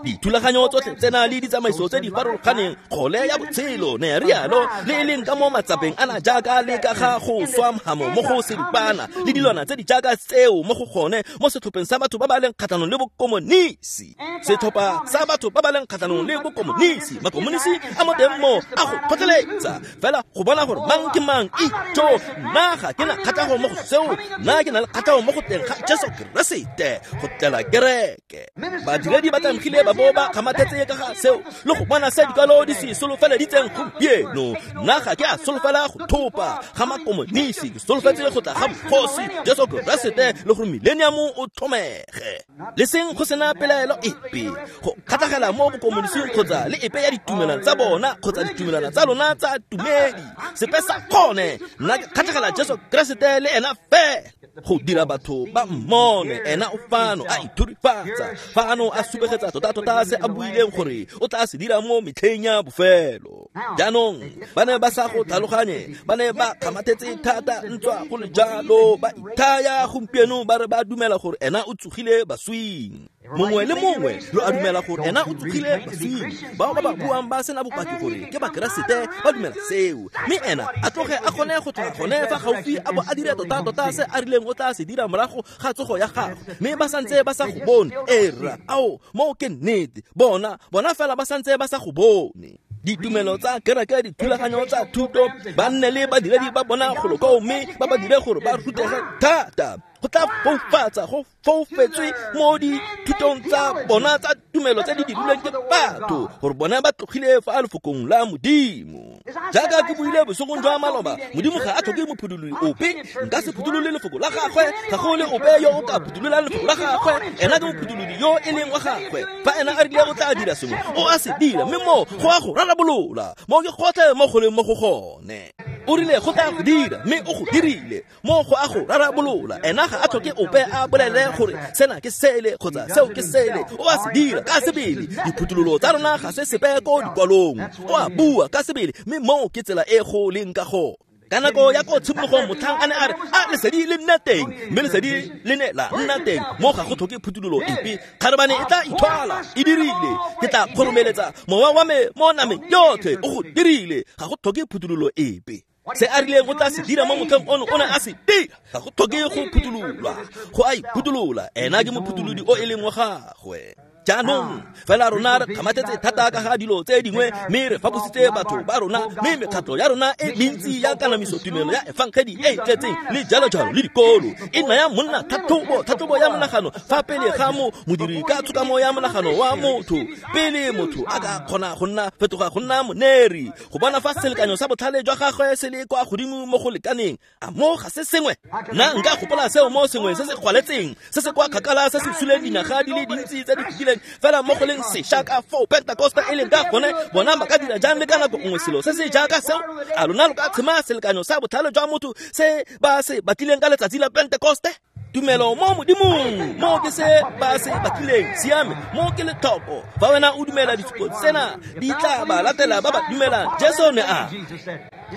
Dithulaganyo tsotlhe tsena le ditsamaiso tse di farologaneng, kgole ya botshelo ne rialo, le e leng ka mo matsapeng ana jaaka le ka ga go swa mhamo mo go seripana le dilwana tse di jaaka tseo mo go gone mo setlhopheng sa batho ba ba leng kgatlhanong le bokomonisi. Setlhopha sa batho ba ba leng kgatlhanong le bokomonisi, makomonisi a mo teng mo a go kgotleletsa fela go bona gore mang ke mang. Itjo, nna ga ke na kgatlhego mo go seo, nna ke na le kgatlhego mo go teng ga Jesu Keresete go tlela kereke. Badiredi ba tlamegile ba bo ba kgamathetse ka ga seo le go bona se dikwalo di se solofeleditseng gompieno. Nna ga ke a solofela go thopa ga makomonisi, ke solofetse go tla ga bogosi Jesu Keresete le gore millennium o thomege, le seng go sena pelaelo epe go kgatlhagela mo bokomonising kgotsa le epe ya ditumelano tsa bona kgotsa ditumelano tsa lona tsa tumedi, sepe sa gone. Nna ke kgatlhagela Jesu Keresete le ena fela, go dira batho ba mmone. Ena o fano a ithurifatsa, fano a supegetsa tota-tota se a buileng gore o tla se dira mo metlheng ya bofelo. Jaanong ba ne ba sa go tlhaloganye, ba ne ba kgamathetse thata ntswa go le jalo, ba ithaya gompieno ba re ba dumela gore ena o tsogile baswing. Mongwe le mongwe lo a dumela gore ena o tsogile baswing. Bao ba ba buang ba sena bopaki gore ke Bakeresete ba dumela seo, mme ena a tloge a kgone go tloga gone fa gaufi a bo a dire tota-tota se a rileng o tla se dira morago ga tsogo ya gagwe, mme ba santse ba sa go bone. Era ao, moo ke nnete, bona fela ba santse ba sa go bone. Ditumelo tsa kereke, dithulaganyo tsa thuto, ba nne le badiredi ba bona golo koo mme ba ba dire gore ba rutege thata. Go tla foufatsa, go foufetswe mo dithutong tsa bona tsa tumelo tse di dirilweng ke batho, gore bona ba tlogile fa lefokong la Modimo. Jaaka ke buile bosigong jwa maloba, Modimo ga a tlhoke mophuthololi ope. Nka se phutholole lefoko la gagwe, ga go le ope yo o ka phuthololang lefoko la gagwe. Ena ke mophutholodi yo e leng wa gagwe. Fa ena a rile o tla dira sengwe, o a se dira, mme mo go a go rarabolola. Mo ke gotlhe mo go leng mo go gone. O rile go tla go dira, mme o go dirile. Mo go a go rarabolola. Ena ga a tlhoke ope a bolele gore sena ke sele kgotsa seo ke sele. O a se dira ka sebele. Diphuthololo tsa rona ga se sepe ko dikwalong. O a bua ka sebele, mme mo ke tsela e go leng ka gone. Ka nako ya ko tshimologong motlhang a ne a re, a lesedi le nne teng, mme lesedi le ne la nna teng. Mo ga go tlhoke phuthololo epe. Kgarebane e tla ithwala, e dirile. Ke tla kgoromeletsa mowa wa me mo nameng yotlhe, o go dirile. Ga go tlhoke phuthololo epe. Se a rileng o tla se dira mo motlheng ono, o ne a se dira. Ga go tlhoke go phuthololwa, go a iphutolola. Ena ke mophutholodi o e leng wa gagwe. Jaanong fela rona re kgamathetse thata ka ga dilo tse dingwe, mme re fapositse batho ba rona, mme mekgatlho ya rona e mentsi ya kanamiso tumelo ya efangedi e e tletseng le jalo jalo le dikolo e naya monna tlhatlhobo ya monagano fa pele ga mo modiri ka tshokamo ya monagano wa motho, pele motho a ka kgona go nna fetoga go nna moneri, go bona fa selekanyo sa botlhale jwa gagwe se le kwa godimo mo go lekaneng. A mo ga se sengwe? Nna nka gopola seo mo sengwe se se gwaletseng, se se kwa kgakala, se se suleng dinaga di le dintsi tse di fetileng, fela mo go leng sešwa ka foo Pentekoste e leng ka gone. Bona ba ka dira jang le ka nako nngwe selo se se jaaka seo? A lona lo ka tshema selekanyo sa botlhale jwa motho se ba se batlileng ka letsatsi la Pentekoste? Tumelo mo Modimong, mo ke se ba se batlileng. Siame, mo ke letlhoko. Fa wena o dumela ditshupo tsena, di tla ba latela ba ba dumelang. Jesu ne a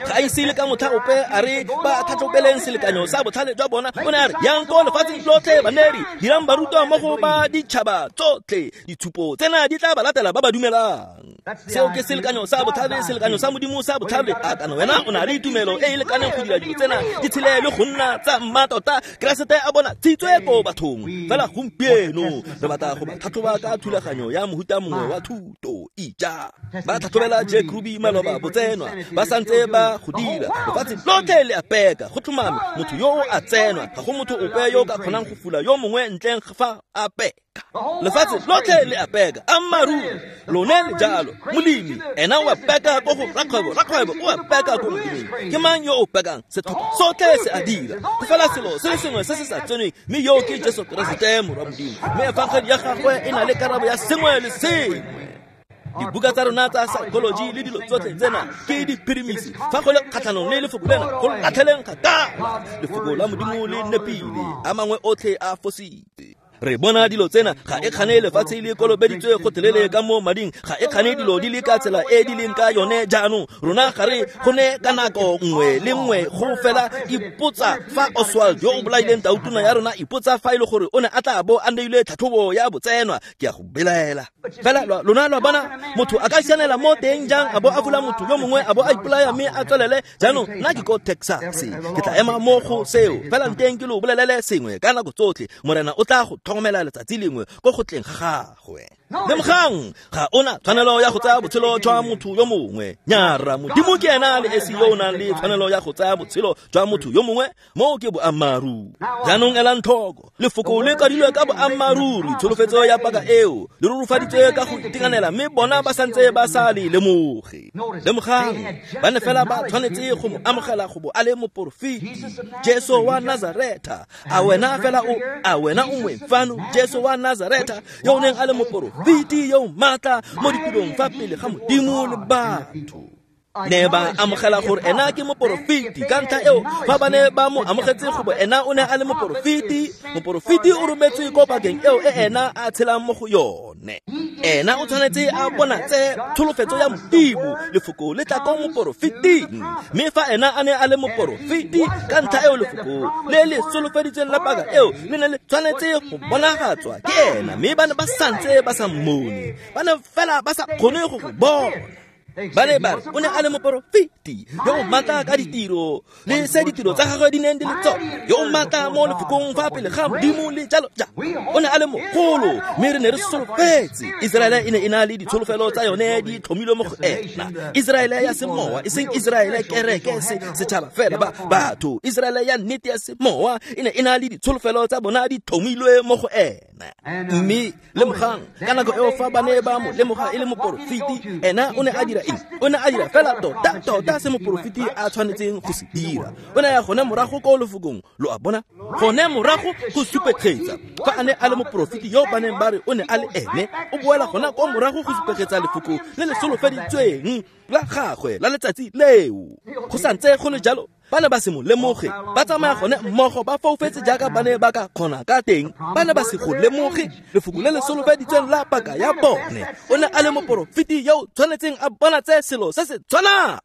ga ise le ka motlha ope a re ba tlhatlhobeleng selekanyo sa botlhale jwa bona. O ne a re, yang ko lefatsheng lotlhe baneri, dirang barutwa mo go ba ditšhaba tsotlhe. Ditshupo tsena di tla ba latela ba ba dumelang. Seo ke selekanyo sa botlhale, selekanyo sa Modimo sa botlhale. A kana wena o na le tumelo e e lekaneng go dira dilo tsena di tshele le go nna tsa mmatota? Keresete a bona tshitswe ko bathong. Fela gompieno re batla go ba tlhatlhoba ka thulaganyo ya mohuta mongwe wa thuto. Ija ba tlhatlhobela Jack Ruby maloba botsenwa, ba santse ba go dira. Lefatshe lotlhe le a peka, go tlhomame motho yo a tsenwa. Ga go motho ope yo ka kgonang go fula yo mongwe ntleng fa a peka. Lefatshe lotlhe le a peka. Ammaaruri lone le jalo. Molemi ena o a peka ko go rakgwebo, rakgwebo o a peka ko moleming. Ke mang yo o pekang? Setlhopha sotlhe se a dira. Go fela selo se le sengwe se se sa tsenweng, mme yo ke Jesu Keresete morwa Modimo. Mme efangedi ya gagwe e na le karabo ya sengwe le sengwe. Dibuka tsa rona tsa psychology le dilo tsotlhe tsena ke diphirimisi. Fa go le kgatlhanong le lefoko lena, go latlheleng kgakala. Lefoko la Modimo le nepile, a mangwe otlhe a fositse. Re bona dilo tsena ga e kgane lefatshe le kolobeditswe gotlhelele ka mo mading, ga e kgane dilo di le ka tsela e di leng ka yone jaanong. Rona ga re go ne ka nako nngwe le nngwe go fela ipotsa fa Oswald yo o bolaileng tautona ya rona, ipotsa fa e le gore o ne a tla bo a neilwe tlhatlhobo ya botsenwa. Ke a go belaela. Fela lona lwa bona motho a ka sianela mo teng jang a bo a fula motho yo mongwe a bo a ipolaya mme a tswelele. Jaanong nna ke ko Texas, ke tla ema mo go seo. Fela nteng ke lo bolelele sengwe ka nako tsotlhe, Morena o tla go tlhokomela letsatsi lengwe ko go tleng ga gagwe. Lemogang, ga ona tshwanelo ya go tsaya botshelo jwa motho yo mongwe. Nyara, Modimo ke ena le esi yo o nang le tshwanelo ya go tsaya botshelo jwa motho yo mongwe. Mo ke boammaaruri. Jaanong elang tlhoko, lefoko le kwadilwe ka boammaaruri, tsholofetso ya paka eo le rurufaditswe ka go itekanela, mme bona ba santse ba sa le lemoge. Lemogang, ba ne fela ba tshwanetse go mo amogela go bo a le moporofeti, Jesu wa Nazaretha. A wena fela o, a wena o moeng fano? Jesu wa Nazaretha yo o neng a le moporofeti yo o maatla mo ditirong fa pele ga Modimo le batho. Ne ba amogela gore ena ke moporofeti. Ka ntlha eo, fa ba ne ba mo amogetse go bo ena o ne a le moporofeti, moporofeti o rometswe ko pakeng eo e ena a tshelang mo go yone. Ena o tshwanetse a bonatse tsholofetso ya Modimo, lefoko le tla ko moporofeting. Mme fa ena a ne a le moporofeti, ka ntlha eo lefoko le le solofeditsweng la paka eo le ne le tshwanetse go bonagatswa ke ena. Mme ba ne ba santse ba sa mmone, ba ne fela ba sa kgone go go bona. Ba ne ba re o ne a le moporofeti yo o maatla ka ditiro le se ditiro tsa gagwe di neng di le tsone, yo o maatla mo lefokong fa pele ga Modimo le jalo jalo. O ne a le mogolo, mme re ne re solofetse. Iseraele e ne e na le ditsholofelo tsa yone di tlhomilwe mo go ena. Iseraele ya semowa, e seng Iseraele kereke setšhaba fela ba batho. Iseraele ya nnete ya semowa e ne e na le ditsholofelo tsa bona di tlhomilwe mo go ena. Mme lemogang ka nako eo fa ba ne ba mo lemoga e le moporofeti, ena o ne a dira eng? O ne a dira fela tota se moporofeti a tshwanetseng go se dira. O ne a ya gone morago ko lefokong, lo a bona, gone morago go supegetsa fa a ne a le moporofeti yo ba neng ba re o ne a le ene. O boela gona ko morago go supegetsa lefoko le le solofeditsweng la gagwe la letsatsi leo. Go santse go le jalo, ba ne ba se mo lemoge, ba tsamaya gone mmogo ba foufetse jaaka ba ne ba ka kgona ka teng. Ba ne ba se go lemoge lefoko le le solofeditsweng la paka ya bone. O ne a le moporofeti yo o tshwanetseng a bona tse selo se se tshwanang.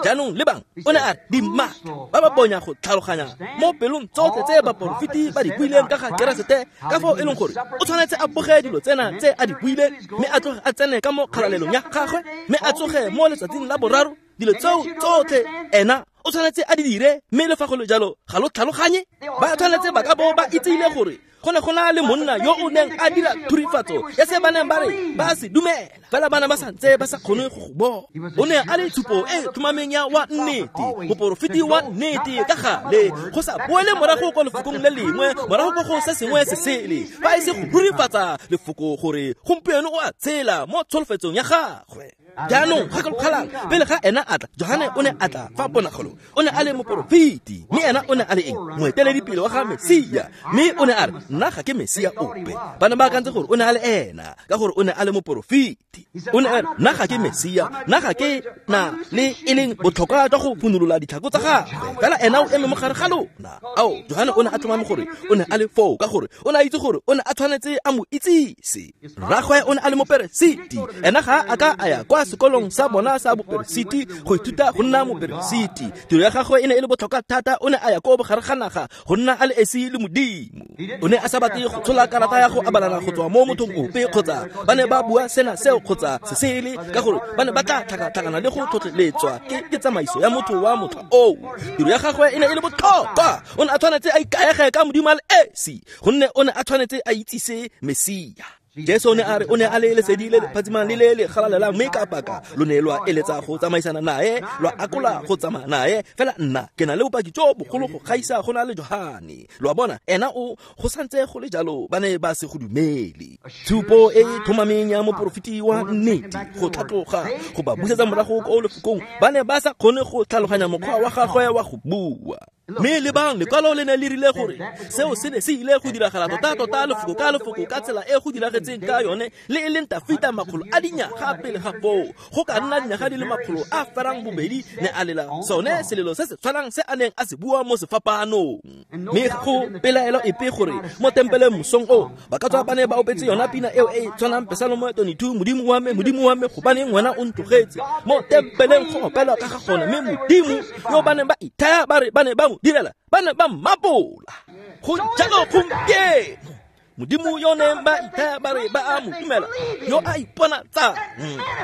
Jaanong lebang, o ne a re dimaka ba ba bonya go tlhaloganya mo pelong tsotlhe tse baporofeti ba di buileng ka ga Keresete, ka foo e leng gore o tshwanetse a boge dilo tsena tse a di buileng, mme a tloge a tsene ka mo kgalalelong ya gagwe, mme a tsoge mo letsatsing la boraro. Dilo tseo tsotlhe ena o tshwanetse a di dire, mme le fa go le jalo ga lo tlhaloganye. Ba tshwanetse ba ka bo ba itsile gore go ne go na le monna yo o neng a dira thurifatso ya se ba neng ba re ba se dumela, fela ba ne ba santse ba sa kgone go go bona. O ne a le tshupo e tlhomameng ya wa nnete, moporofeti wa nnete ka gale, go sa boele morago ko lefokong le lengwe, morago ko go se sengwe se sele, fa e se go rurifatsa lefoko gore gompieno o a tshela mo tsholofetsong ya gagwe. Jaanong gakologelang, pele ga ena a tla, Johane o ne a tla fa ponagalo. O ne a le moporofeti, mme ena o ne a le eng? Moeteledipele wa ga Mesia. Mme o ne a re, nna ga ke Mesia ope. Ba ne ba akantse gore o ne a le ena, ka gore o ne a le moporofeti. O ne a re, nna ga ke Mesia, nna ga ke na le e leng botlhokwa jwa go phunolola ditlhako tsa gagwe, fela ena o eme mo gare ga lona. Ao, Johane o ne a tlhomame gore o ne a le foo, ka gore o ne a itse gore o ne a tshwanetse a mo itsise. Rragwe o ne a le moperesiti, ena ga a ka a ya kwa sekolong sa bona sa boperesiti go ithuta go nna moperesiti. Tiro ya gagwe e ne e le botlhokwa thata. O ne a ya ko bogare ga naga go nna a le esi le Modimo. O ne a sa batle go tshola karata ya go abalana go tswa mo mothong ope, kgotsa ba ne ba bua sena seo kgotsa se sele, ka gore ba ne ba tla tlhakatlhakana le go tlhotlheletswa ke tsamaiso ya motho wa motlha oo. Tiro ya gagwe e ne e le botlhokwa. O ne a tshwanetse a ikaege ka Modimo a le esi, gonne o ne a tshwanetse a itsise Mesia. Jesu o ne a re o ne a le lesedi le le phatsimang le le le galalelang, mme ka paka lo ne lwa eletsa go tsamaisana nae, lwa akola go tsamaya nae. Fela nna ke na le bopaki jo bogolo go gaisa go na le Johane. Lo a bona, ena o go santse go le jalo ba ne ba se go dumele. Tshupo e e tlhomameng ya moporofeti wa nnete go tlhatloga go ba busetsa morago ko lefokong, ba ne ba sa kgone go tlhaloganya mokgwa wa gagwe wa go bua. Mme lebang, lekwalo le ne le rile gore seo se ne se ile go diragala tota-tota lefoko ka lefoko ka tsela e go diragetseng ka yone, le e leng Tafita makgolo a dinyaga pele ga foo, go ka nna dinyaga di le makgolo a ferang bobedi, ne a lela sone selelo se se tshwanang se a neng a se bua mo sefapanong. Mme go pelaelo epe gore mo tempeleng mosong o ba ka tswa ba ne ba opetse yona pina eo e tshwanang, Pesalomo 22, Modimo wa me, Modimo wa me, gobaneng wena o ntlogetse? Mo tempeleng go opelwa ka ga gone, mme Modimo yo ba neng ba ithaya ba re ba ne ba mo direla, ba ne ba mmapola. Go jalo gompieno, Modimo yo neng ba ithaya ba re ba a mo dumela, yo a iponatsang,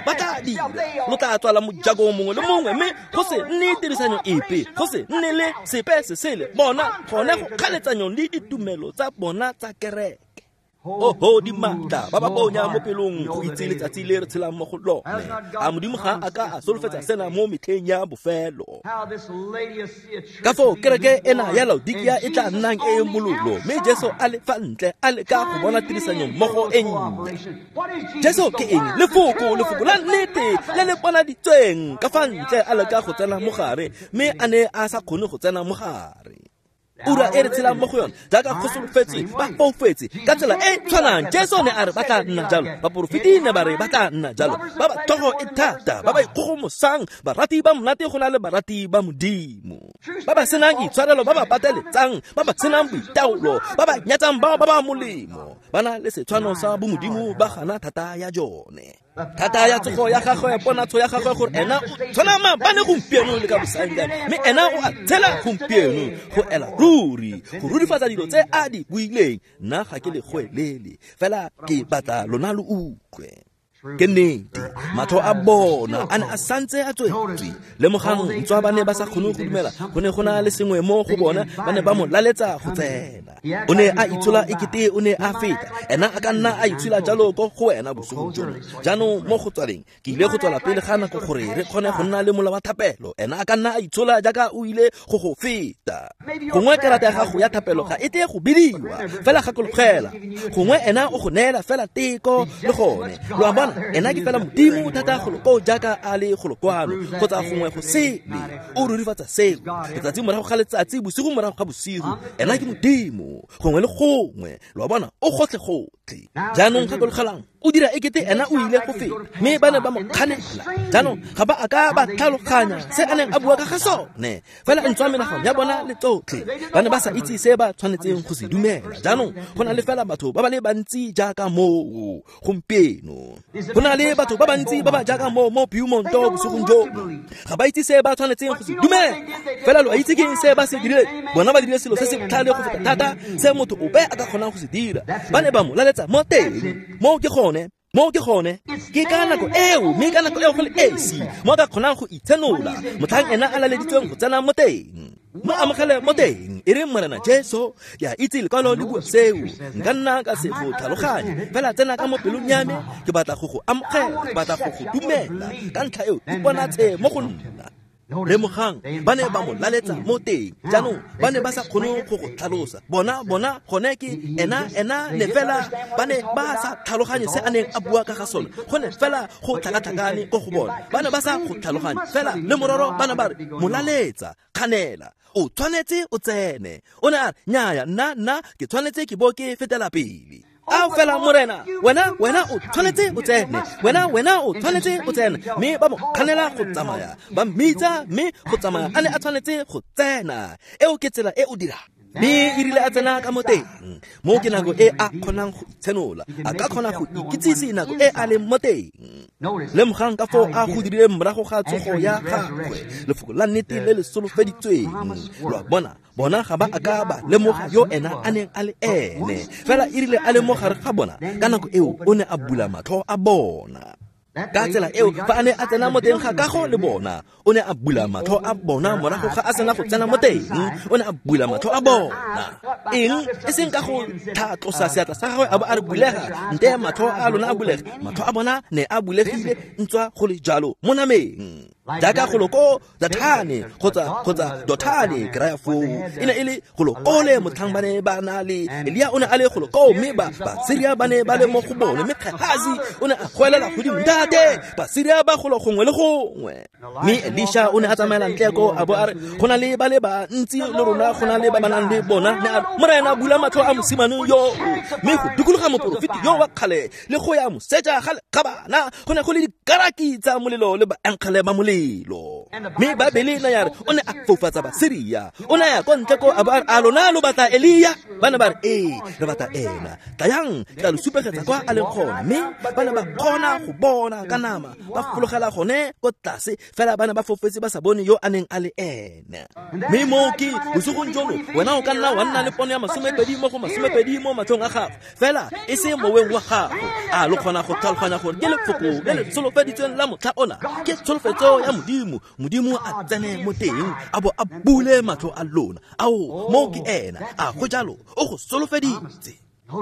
ba tla dira. Lo tla tswala mojako mongwe le mongwe, mme go se nne tirisanyo epe, go se nne le sepe se sele. Bona gone go kganetsanyong le ditumelo tsa bona tsa kereke. Oho dimatla ba ba bonya mo pelong go itse letsatsi le re tshelang mo go lone. A Modimo ga a ka a solofetsa sena mo metlheng ya bofelo? Ka foo kereke ena ya Laodikia e tla nnang e e mololo, mme Jesu a le fa ntle a leka go bona tirisanyo mmogo e nnye. Jesu ke eng? Lefoko, lefoko la nnete le le bonaditsweng ka fa ntle, a leka go tsena mo gare, mme a ne a sa kgone go tsena mo gare. Ura e re tshelang mo go yone, jaaka go solofetswe, ba foufetse ka tsela e tshwanang. Jesu ne a re ba tla nna jalo, baporofeti ne ba re ba tla nna jalo, ba ba tlhogo e thata, ba ba ikgogomosang, barati ba monate go na le barati ba Modimo, ba ba senang itshwarelo, ba ba pateletsang, ba ba senang boitaolo, ba ba nyatsang bao ba ba molemo, ba na le setshwano sa bomodimo, ba gana thata ya jone. Thata ya tsogo ya gagwe, ponatsho ya gagwe, gore ena o tshwana maabane gompieno le ka bosaengkae, mme ena o a tshela gompieno go ela ruri, go rurifatsa dilo tse a di buileng. Nna ga ke le goelele, fela ke batla lona lo utlwe. Ke nnete, matlho a bona a ne a santse a tswetswe. Lemogang, ntswa ba ne ba sa kgone go dumela, go ne go na le sengwe mo go bona, ba ne ba mo laletsa go tsena. O ne a itshola ekete o ne a feta, ena a ka nna a itshola jalo ko go wena bosigong jono. Jaanong mo go tswaleng, ke ile go tswala pele ga nako gore re kgone go nna le mola wa thapelo. Ena a ka nna a itshola jaaka o ile go go feta. Gongwe karata ya gago ya thapelo ga e tle go bidiwa, fela gakologela. Gongwe ena o go neela fela teko le gone. Lo a bona, ena ke fela Modimo thata go lo jaaka a le go lo kwano, kgotsa gongwe go sele. O rurifatsa seo letsatsi morago ga letsatsi, bosigo morago ga bosigo. Ena ke Modimo gongwe le gongwe. Lo a bona, o gotlhe gotlhe. Jaanong gakologelang, o dira ekete ena o ile go feta, mme ba ne ba mo kganela. Jaanong ga ba a ka ba tlhaloganya se a neng a bua ka ga sone, fela ntswa menagano ya bona le tsotlhe, ba ne ba sa itse se ba tshwanetseng go se dumela. Jaanong go na le fela batho ba ba le bantsi jaaka moo gompieno. Go na le batho ba bantsi ba ba jaaka moo mo Beaumonto bosigong jono. Ga ba itse se ba tshwanetseng go se dumela, fela lo a itse ke eng se ba se dirileng. Bona ba dirile selo se se botlhale go feta thata se motho ope a ka kgonang go se dira. Ba ne ba mo laletsa mo teng. Moo ke gone, moo ke gone. Ke ka nako eo, mme ka nako eo go le esi mo a ka kgonang go itshenola, motlhang ena a laleditsweng go tsena mo teng. Mo amogele mo teng, e reng Morena Jesu, ke a itse lekwalo le bua seo, nka nna ka se go tlhaloganye, fela tsena ka mo pelong ya me, ke batla go go amogela, ke batla go go dumela. Ka ntlha eo, iponatshe mo go nna. Lemogang, ba ne ba mo laletsa mo teng. Jaanong ba ne ba sa kgone go go tlhalosa. Bona gone ke ena ne fela ba ne ba sa tlhaloganye se a neng a bua ka ga sone. Go ne fela go tlhakatlhakane ko go bona. Ba ne ba sa go tlhaloganye, fela le mororo ba ne ba re mo laletsa, kganela, o tshwanetse o tsene. O ne a re, nnyaya, nna ke tshwanetse ke bo ke fetela pele. A fela Morena, wena o tshwanetse o tsene, wena o tshwanetse o tsene. Mme ba mo kganela go tsamaya, ba mmitsa, mme go tsamaya a ne a tshwanetse go tsena. Eo ke tsela e o dirang. Mme e rile a tsena ka mo teng, mo ke nako e a kgonang go itshenola, a ka kgona go ikitsise nako e a leng mo teng. Lemogang ka foo a go dirileng morago ga tsogo ya gagwe, lefoko la nnete le le solofeditsweng. Lo a bona, bona ga ba a ka ba lemoga yo ena a neng a le ene, fela e rile a le mo gare ga bona, ka nako eo o ne a bula matlho a bona. Ka tsela eo, fa a ne a tsena mo teng ga kago le bona, o ne a bula matlho a bona. Morago ga a sena go tsena mo teng, o ne a bula matlho a bona. Eng? E seng ka go tlhatlosa seatla sa gagwe a bo a re bulega, nte matlho a lona a bulege. Matlho a bona ne a bulegile ntswa go le jalo mo nameng. Jaaka go lo ko Dathane kgotsa Dothane, ke raya foo. E ne e le go lo kole motlhang ba ne ba na le Elia, o ne a le go lo koo, mme Basiria ba ne ba le mo go bone. Mme Gehazi o ne a goelela godimo, ntate, Basiria ba golo gongwe le gongwe. Mme Elisha o ne a tsamaela ntle ko a bo a re, go na le ba le bantsi le rona, go na le ba ba nang le bona. Ne a re, Morena, bula matlho a mosimane yo. Mme go dikologa moporofeti yo wa kgale le go ya moseja ga lekgabana, go ne go le dikaraki tsa molelo le baenkgele ba molelo. Mme Baebele na ya re o ne a foufatsa Basiria. O ne a ya ko ntle ko a bo a re, a lona lo batla Elia? Ba ne ba re, ee, re batla ena. Tlayang, ke tla lo supegetsa kwa a leng gone. Mme ba ne ba kgona go bona ka nama, ba fologela gone ko tlase, fela ba ne ba fofetse ba sa bone yo a neng a le ene. Mme moo ke bosigong jono, wena o ka nna wa nna le pono ya 20 mo go 20 mo matlhong a gago, fela e se moweng wa gago. A lo kgona go tlhaloganya gore ke lefoko le le solofeditsweng la motlha ona, ke tsholofetso ya Modimo. Modimo a tsene mo teng, a bo a bule matlho a lona. Ao, moo ke ena. A go jalo, o go solofeditse.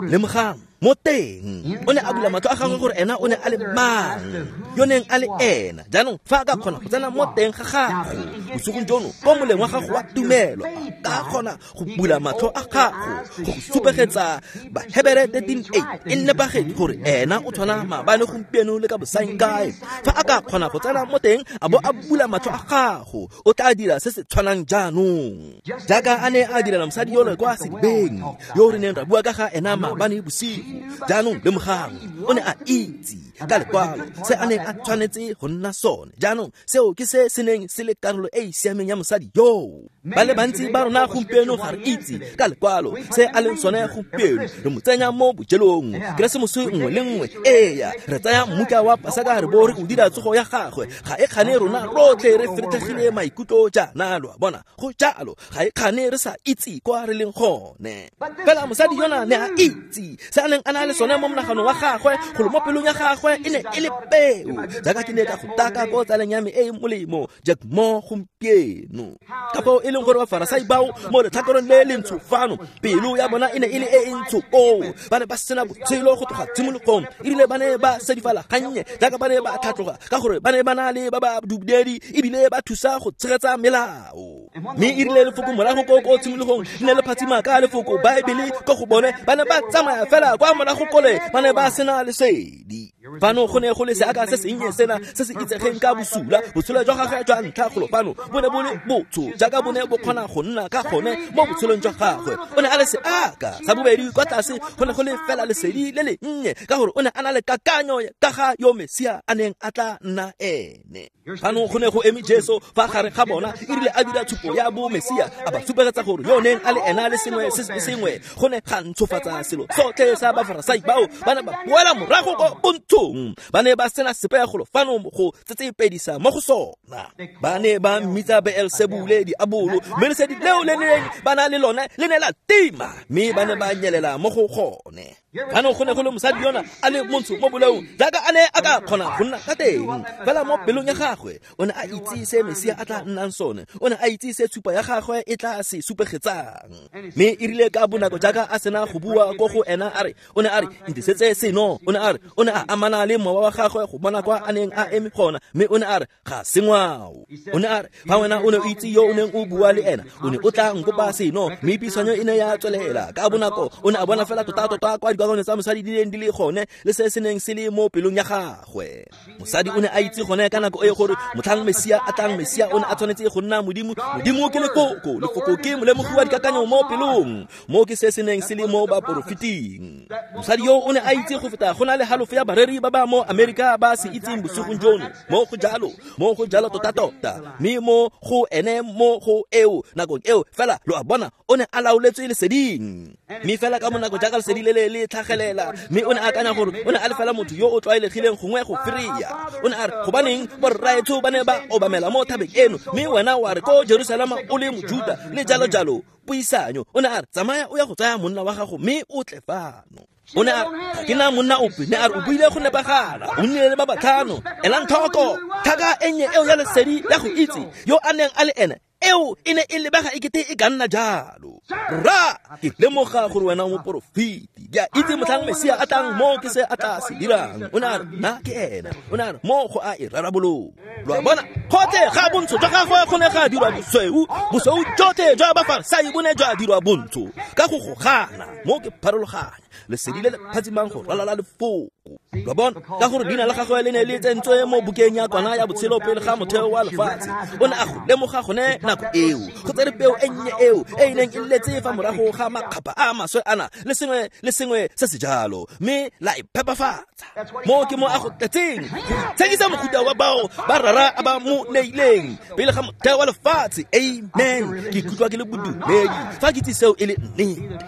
Lemogang, mo teng o ne a bula matlho a gagwe gore ena o ne a le mang, yo neng a le ena. Jaanong fa a ka kgona go tsena mo teng ga gago bosigong jono, ko moleng wa gago wa tumelo, a ka kgona go bula matlho a gago go go supegetsa Bahebere 13:8 e nepagetse gore ena o tshwana maabane, gompieno le ka bosaengkae. Fa a ka kgona go tsena mo teng a bo a bula matlho a gago, o tla dira se se tshwanang jaanong jaaka a ne a direla mosadi yole kwa sedibeng yo re neng ra bua ka ga ena maabane bosigo. Jaanong lemogang, o ne a itse ka lekwalo se a neng a tshwanetse go nna sone. Jaanong seo ke se se neng se le karolo e e siameng ya mosadi yoo. Ba le bantsi ba rona gompieno ga re itse ka lekwalo se a leng sone gompieno. Re mo tsenya mo bojelong Keresemose nngwe le nngwe. Eya, re tsaya mmuka wa Pasaka re bo re o dira tsogo ya gagwe. Ga e kgane rona rotlhe re feretlhegile maikutlo jaana, lo a bona. Go jalo, ga e kgane re sa itse kwa re leng gone. Fela mosadi yona ne a itse se a neng a na le sone mo monaganong wa gagwe, golo mo pelong ya gagwe. gagwe e ne e le peo, jaaka ke ne ka go taka ko tsaleng ya me e e molemo Jack Moore gompieno. Ka fao e leng gore Bafarasai bao mo letlhakoreng le le ntsho fano, pelo ya bona e ne e le e e ntsho koo. Ba ne ba sena botshelo go tloga tshimologong, ebile ba ne ba sedifala gannye jaaka ba ne ba tlhatloga, ka gore ba ne ba na le ba ba bodumedi ebile ba thusa go tshegetsa melao. Mme e rile lefoko morago ko tshimologong le ne le phatsima ka lefoko Baebele ko go bone, ba ne ba tsamaya fela kwa morago kole, ba ne ba sena lesedi. Fano go ne go le seaka se sennye sena se se itsegeng ka bosula. Botshelo jwa gagwe jwa ntlha golo fano bo ne bo le botsho jaaka bo ne bo kgona go nna ka gone mo botshelong jwa gagwe. O ne a le seaka. Sa bobedi kwa tlase go ne go le fela lesedi le le nnye, ka gore o ne a na le kakanyo ka ga yo Mesia a neng a tla nna ene. Fano go ne go eme Jesu fa gare ga bona, erile a dira tshupo ya bo Mesia, a ba supegetsa gore yo neng a le ena le sengwe se sengwe. Go ne ga ntshofatsa selo sotlhe sa Bafarasai bao ba ne ba boela morago ko bontshong. Ba ne ba sena sepe golo fano go tsetsepedisa mo go sona. Ba ne ba mmitsa Beelsebule diabolo, mme lesedi leo le neng ba na le lone le ne la tima, mme ba ne ba nyelela mo go gone. Fano go ne go le mosadi yona a le montsho mo bolaong jaaka a ne a ka kgona go nna ka teng, fela mo pelong ya gagwe o ne a itse se Mesia a tla nnang sone, o ne a itse se tshupa ya gagwe e tla se supegetsang. Mme e rile ka bonako jaaka a sena go bua ko go ena, a re o ne a re ntisetse seno, o ne a re o ne a amana le mowa wa gagwe go bona kwa a neng a eme gona, mme o ne a re ga se ngwao. O ne a re fa wena o ne o itse yo o neng o bua le ena, o ne o tla nkopa seno. Mme puisanyo e ne ya tswelela ka bonako. O ne a bona fela tota-tota kwa dikakanyo tsa mosadi di neng di le gone le se se neng se le mo pelong ya gagwe. Mosadi o ne a itse gone ka nako e gore motlhang Mesia a tlang, Mesia o ne a tshwanetse go nna Modimo. Modimo ke lefoko, lefoko ke molemogi wa dikakanyo mo pelong. Mo ke se se neng se le mo baporofeting. Mosadi yo o ne a itse go feta go na le halofo ya bareri ba ba mo Amerika ba se itseng bosigong jono. Mo go jalo tota-tota. Mme mo go ene mo go eo nakong eo fela lo a bona o ne a laoletswe leseding. Mme fela ka bonako jaaka lesedi le le tlhagelela, mme o ne a akanya gore o ne a le fela motho yo o tlwaelegileng gongwe go fereya. O ne a re gobaneng borraetsho ba ne ba obamela mo thabeng eno, mme wena wa re ko Jerusalema o le Mojuta le jalo jalo. Puisanyo. O ne a re tsamaya o ya go tsaya monna wa gago mme o tle fano. O ne a re ga ke na monna ope, ne a re o buile go nepagala, o nnile le ba batlhano. Elang tlhoko tlhaka e nnye eo ya lesedi ya go itse yo a neng a le ene, eo e ne e lebega ekete e ka nna jalo. Rra, ke lemoga gore wena o moporofeti, ke a itse motlhang Mesia a tlang mo ke se a tla se dirang. O ne a re nna ke ena. O ne a re mo go a e rarabolola. Lo a bona, gotlhe ga bontsho jwa gagwe go ne ga dirwa bosweu, bosweu jotlhe jwa Bafarasai bo ne jwa dirwa bontsho ka go gogana. Mo ke pharologanya lesedi le le phatsimang go ralala lefoko. Lo a bona, ka gore leina la gagwe le ne le tsentswe mo bukeng ya kwana ya botshelo pele ga motheo wa lefatshe. O ne a go lemoga gone nako eo, go tsere peo e nnye eo e e neng e letse fa morago ga makgapha a maswe ana le sengwe le sengwe se se jalo, mme la e phepafatsa. Mo ke mo a go tletseng go itshekisa mofuta wa bao ba rara a ba mo neileng pele ga motheo wa lefatshe. Amen. Ke ikutlwa ke le bodumedi fa ke itse seo e le nnete.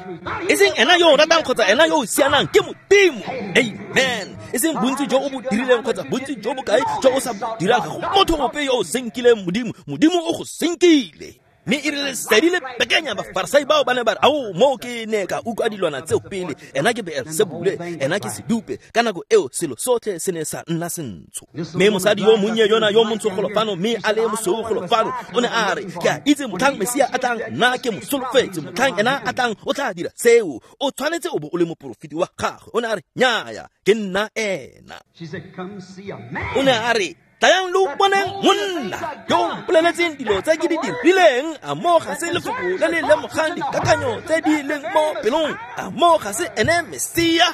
E seng ena yo o ratang kgotsa ena yo o sianang, ke Modimo. Amen. E seng bontsi jo o bo dirileng kgotsa bontsi jo bokae jo o sa bo dirang, ga go motho ope yo o senkileng Modimo. Modimo o go senkile. Mme e rile lesedi le bekenya, Bafarasai bao ba ne ba re ao, mo ke ne ka utlwa dilwana tseo pele, ena ke Beelsebule, ena ke sedupe. Ka nako eo selo sotlhe se ne sa nna sentsho. Mme mosadi yo monnye yona yo montsho golo fano, mme a le mosweu golo fano, o ne a re ke a itse motlhang Mesia a tlang, nna ke mo solofetse, motlhang ena a tlang o tla dira seo, o tshwanetse o bo o le moporofeti wa gagwe. O ne a re nnyaya, ke nna ena. O ne a re tlayang lo boneng monna yo o mpoleletseng dilo tse ke di dirileng. A mo ga se lefoko le le lemogang dikakanyo tse di leng mo pelong? A mo ga se ene Mesia?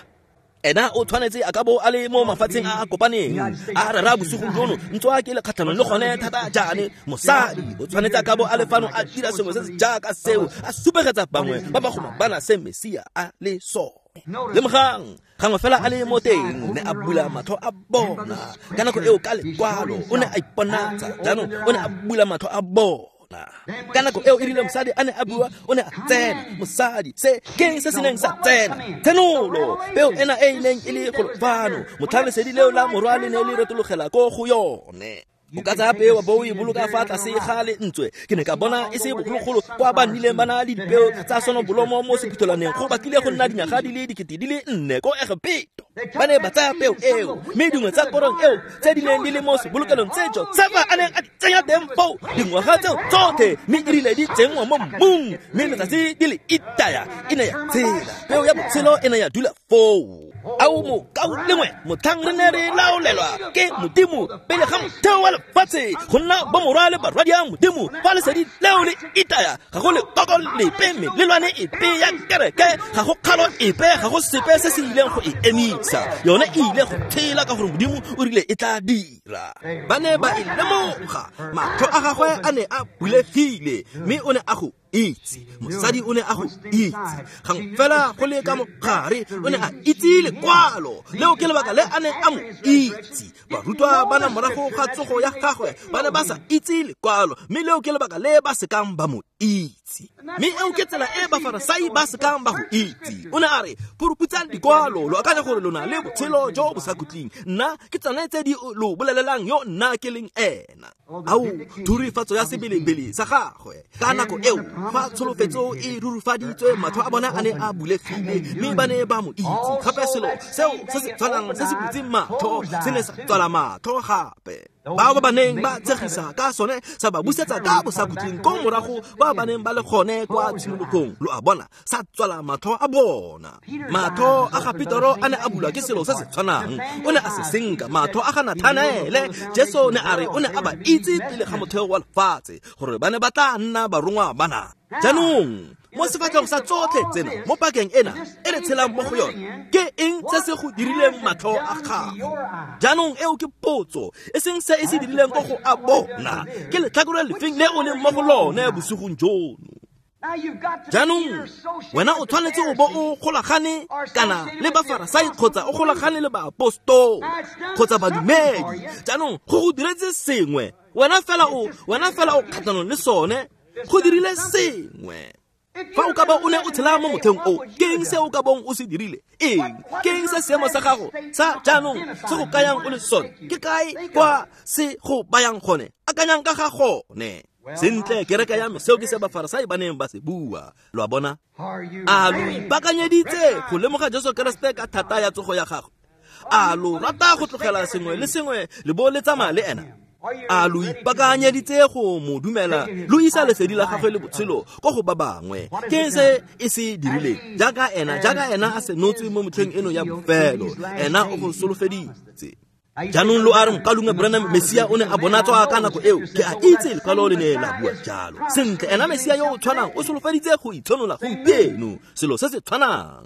Ena o tshwanetse a ka bo a le mo mafatsheng a a kopaneng a rera bosigong jono, ntswa ke le kgatlhanong le gone thata jaane. Mosadi o tshwanetse a ka bo a le fano a dira sengwe se se jaaka seo, a supegetsa bangwe ba ba go bana se Mesia a le sone. Lemogang gangwe fela a le mo teng, ne a bula matlho a bona. Ka nako eo ka lekwalo o ne a iponatsa, jaanong o ne a bula matlho a bona. Ka nako eo e rile mosadi a ne a bua, o ne a tsena. Mosadi, se keng se se neng sa tsena? Tshenolo, peo ena e e neng e le golo fano, motlhang lesedi leo la morwa le ne le retologela ko go yone. O ka tsaya peo bo o e boloka fa tlase ga lentswe. Ke ne ka bona e se bogologolo kwa ba nnileng ba na le dipeo tsa sonobolomo mo sephuthelwaneng go batlile go nna dinyaga di le 4,000 ko Egepeto. Ba ne ba tsaya peo eo, mme dingwe tsa korong eo tse di neng di le mo sebolokelong tse Josefa a neng a di tsenya teng foo dingwaga tseo tsotlhe, mme e rile di tsenngwa mo mmung, mme letsatsi di le itaya, e ne ya tshela. Peo ya botshelo e ne ya dula foo. Ao mokaulengwe, motlhang re ne re laolelwa ke Modimo pele ga motheo wa lefatshe go nna bomorwa le barwadi a Modimo, fa lesedi leo le itaya, ga go lekoko lepe, melelwane epe ya kereke, ga go kgalo epe, ga go sepe se se ileng go e emisa. Yone e ile go tshela ka gore Modimo o rile e tla dira. Ba ne ba e lemoga, matlho a gagwe a ne a bulegile, mme o ne a go itse. Mosadi o ne a go itse gang fela go le ka mogare, o ne a itse lekwalo leo, ke lebaka le a neng a mo itse. Barutwa ba na morago ga tsogo ya gagwe ba ne ba sa itse lekwalo, mme leo ke lebaka le ba sekang ba mo itse. Mme eo ke tsela e Bafarasai ba sekang ba go itse. O ne a re, phuruphutsa dikwalo, lo akanya gore lona le botshelo jo bo sa khutleng, nna ke tsone tse di lo bolelelang yo nna ke leng ena. Ao thurifatso ya sebelebele sa gagwe ka nako eo, fa tsholofetso e rurufaditswe, matlho a bona a ne a bulegile, mme ba ne ba mo itse. Gape selo seo se se tshwanang se se butseng matlho se ne sa tswala matlho gape. Bao ba ba neng ba tshegisa ka sone sa ba busetsa ka bosakhutleng ko morago ba ba neng ba le gone kwa tshimologong. Lo a bona, sa tswala matlho a bona. Matlho a ga Petero a ne a bulwa ke selo se se tshwanang, o ne a se senka. Matlho a ga Nathanaele, Jesu ne a re o ne a ba itse pele ga motheo wa lefatshe gore ba ne ba tla nna barongwa bana. Jaanong mo sefatlhego sa tsotlhe tsena mo pakeng ena e re tshelang mo go yone, ke eng se se go dirileng matlho a gago? Jaanong eo ke potso, e seng se e se dirileng ko go a bona, ke letlhakore lefeng le o leng mo go lone bosigong jono. Jaanong wena o tshwanetse o bo o golagane kana le Bafarasai kgotsa o golagane le baapostolo kgotsa badumedi. Jaanong go go diretse sengwe, wena fela o kgatlhanong le sone, go dirile sengwe. Fa o ka ba o ne o tshela mo motlheng o, ke eng se o ka bong o se dirile? Eng? Ke eng se seemo sa gago sa jaanong se go kayang o le sone? Ke kae kwa se go bayang gone? Akanyang ka ga gone. Sentle, kereke ya me, seo ke se Bafarasai ba neng ba se bua. Lo a bona? A lo ipaakanyeditse go lemoga Jesu Keresete ka thata ya tsogo ya gagwe? A lo rata go tlogela sengwe le sengwe le bo le tsamaya le ena? A lo ipaakanyeditse go mo dumela lo isa lesedi la gagwe le botshelo ko go ba bangwe? Ke se e se dirileng jaaka ena a senotswe mo motlheng eno ya bofelo, ena o go solofeditse. Jaanong lo a re, mokalunga Branham, Mesia o ne a bonatswa ka nako eo. Ke a itse lekwalo le ne la bua jalo. Sentle, ena Mesia yo o tshwanang o solofeditse go itshenola gompieno, selo se se tshwanang.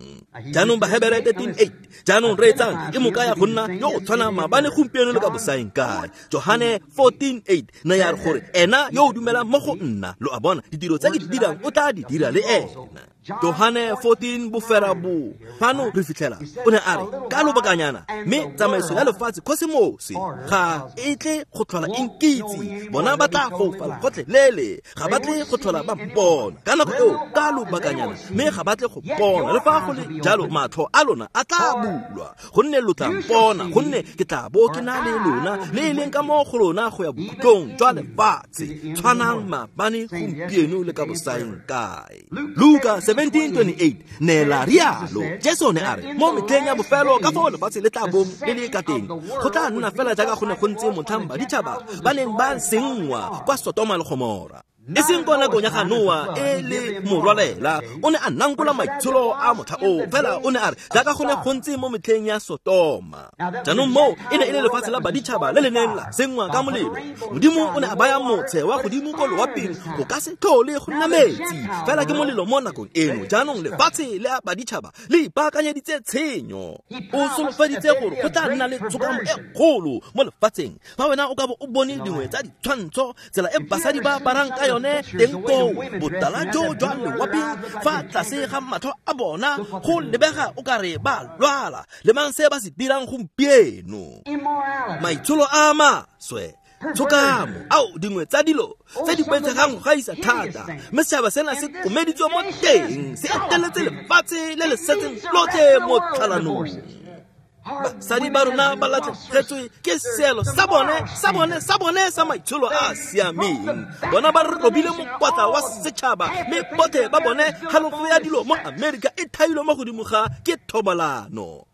Jaanong Bahebere 13:8, jaanong reetsang, e mo kaya go nna yo o tshwanang maabane, gompieno le ka bosaeng kae. Johane 14:8 ne ya re gore ena yo o dumelang mo go nna, lo a bona, ditiro tse ke di dirang o tla di dira le ena. Johane 14 boferabo fano re fitlhela o ne a re ka lobakanyana, mme tsamaiso ya lefatshe kosemose ga e tle go tlhola e nkitse, bona ba tla foufala gotlhelele, ga ba tle go tlhola ba mpona ka nako eo ka lobakanyana, mme ga ba tle go bona. Le fa go le jalo, matlho a lona a tla bulwa, gonne lo tla mpona, gonne ke tla bo ke na le lona le e leng ka mo go lona go ya bokhutlong jwa lefatshe. Tshwanang maabane, gompieno le ka bosaeng kae. Luka 17:28 ne la rialo. Jesu ne a re mo metlheng ya bofelo ka foo lefatshe le tla bong le le ka teng, go tla nna fela jaaka go ne go ntse motlhang baditšhaba ba neng ba senngwa kwa Sotoma le Gomora. E seng ko nakong ya ga Noa e le morwalela, o ne a nankola maitsholo a motlha oo, fela o ne a re jaaka go ne go ntse mo metlheng ya Sotoma. Jaanong moo e ne e le lefatshe la baditšhaba le le neng la senngwa ka molelo. Modimo o ne a baya motshe wa godimo ko loaping go ka se tlhole go nna metsi, fela ke molelo mo nakong eno. Jaanong lefatshe le a baditšhaba le ipaakanyeditse tshenyo. O solofeditse gore go tla nna le tshokamo e kgolo mo lefatsheng. Fa wena o ka bo o bone dingwe tsa ditshwantsho, tsela e basadi ba aparang ka yone teng koo, botala jo jwa lewaping fa tlase ga matlho a bona, go lebega o ka re ba lwala. Lemang se ba se dirang gompieno, maitsholo a maswe, tshokamo, ao dingwe tsa dilo tse di boitshegang go gaisa thata. Mme setšhaba sena se komeditswe mo teng, se eteletse lefatshe le le setseng lotlhe mo tlhalanong. Basadi ba rona ba latlhegetswe ke seelo sa bone sa maitsholo a a siameng. Bona ba robile mokwatla wa setšhaba, mme botlhe ba bone halofo ya dilo mo Amerika e thailwe mo godimo ga ke thobalano.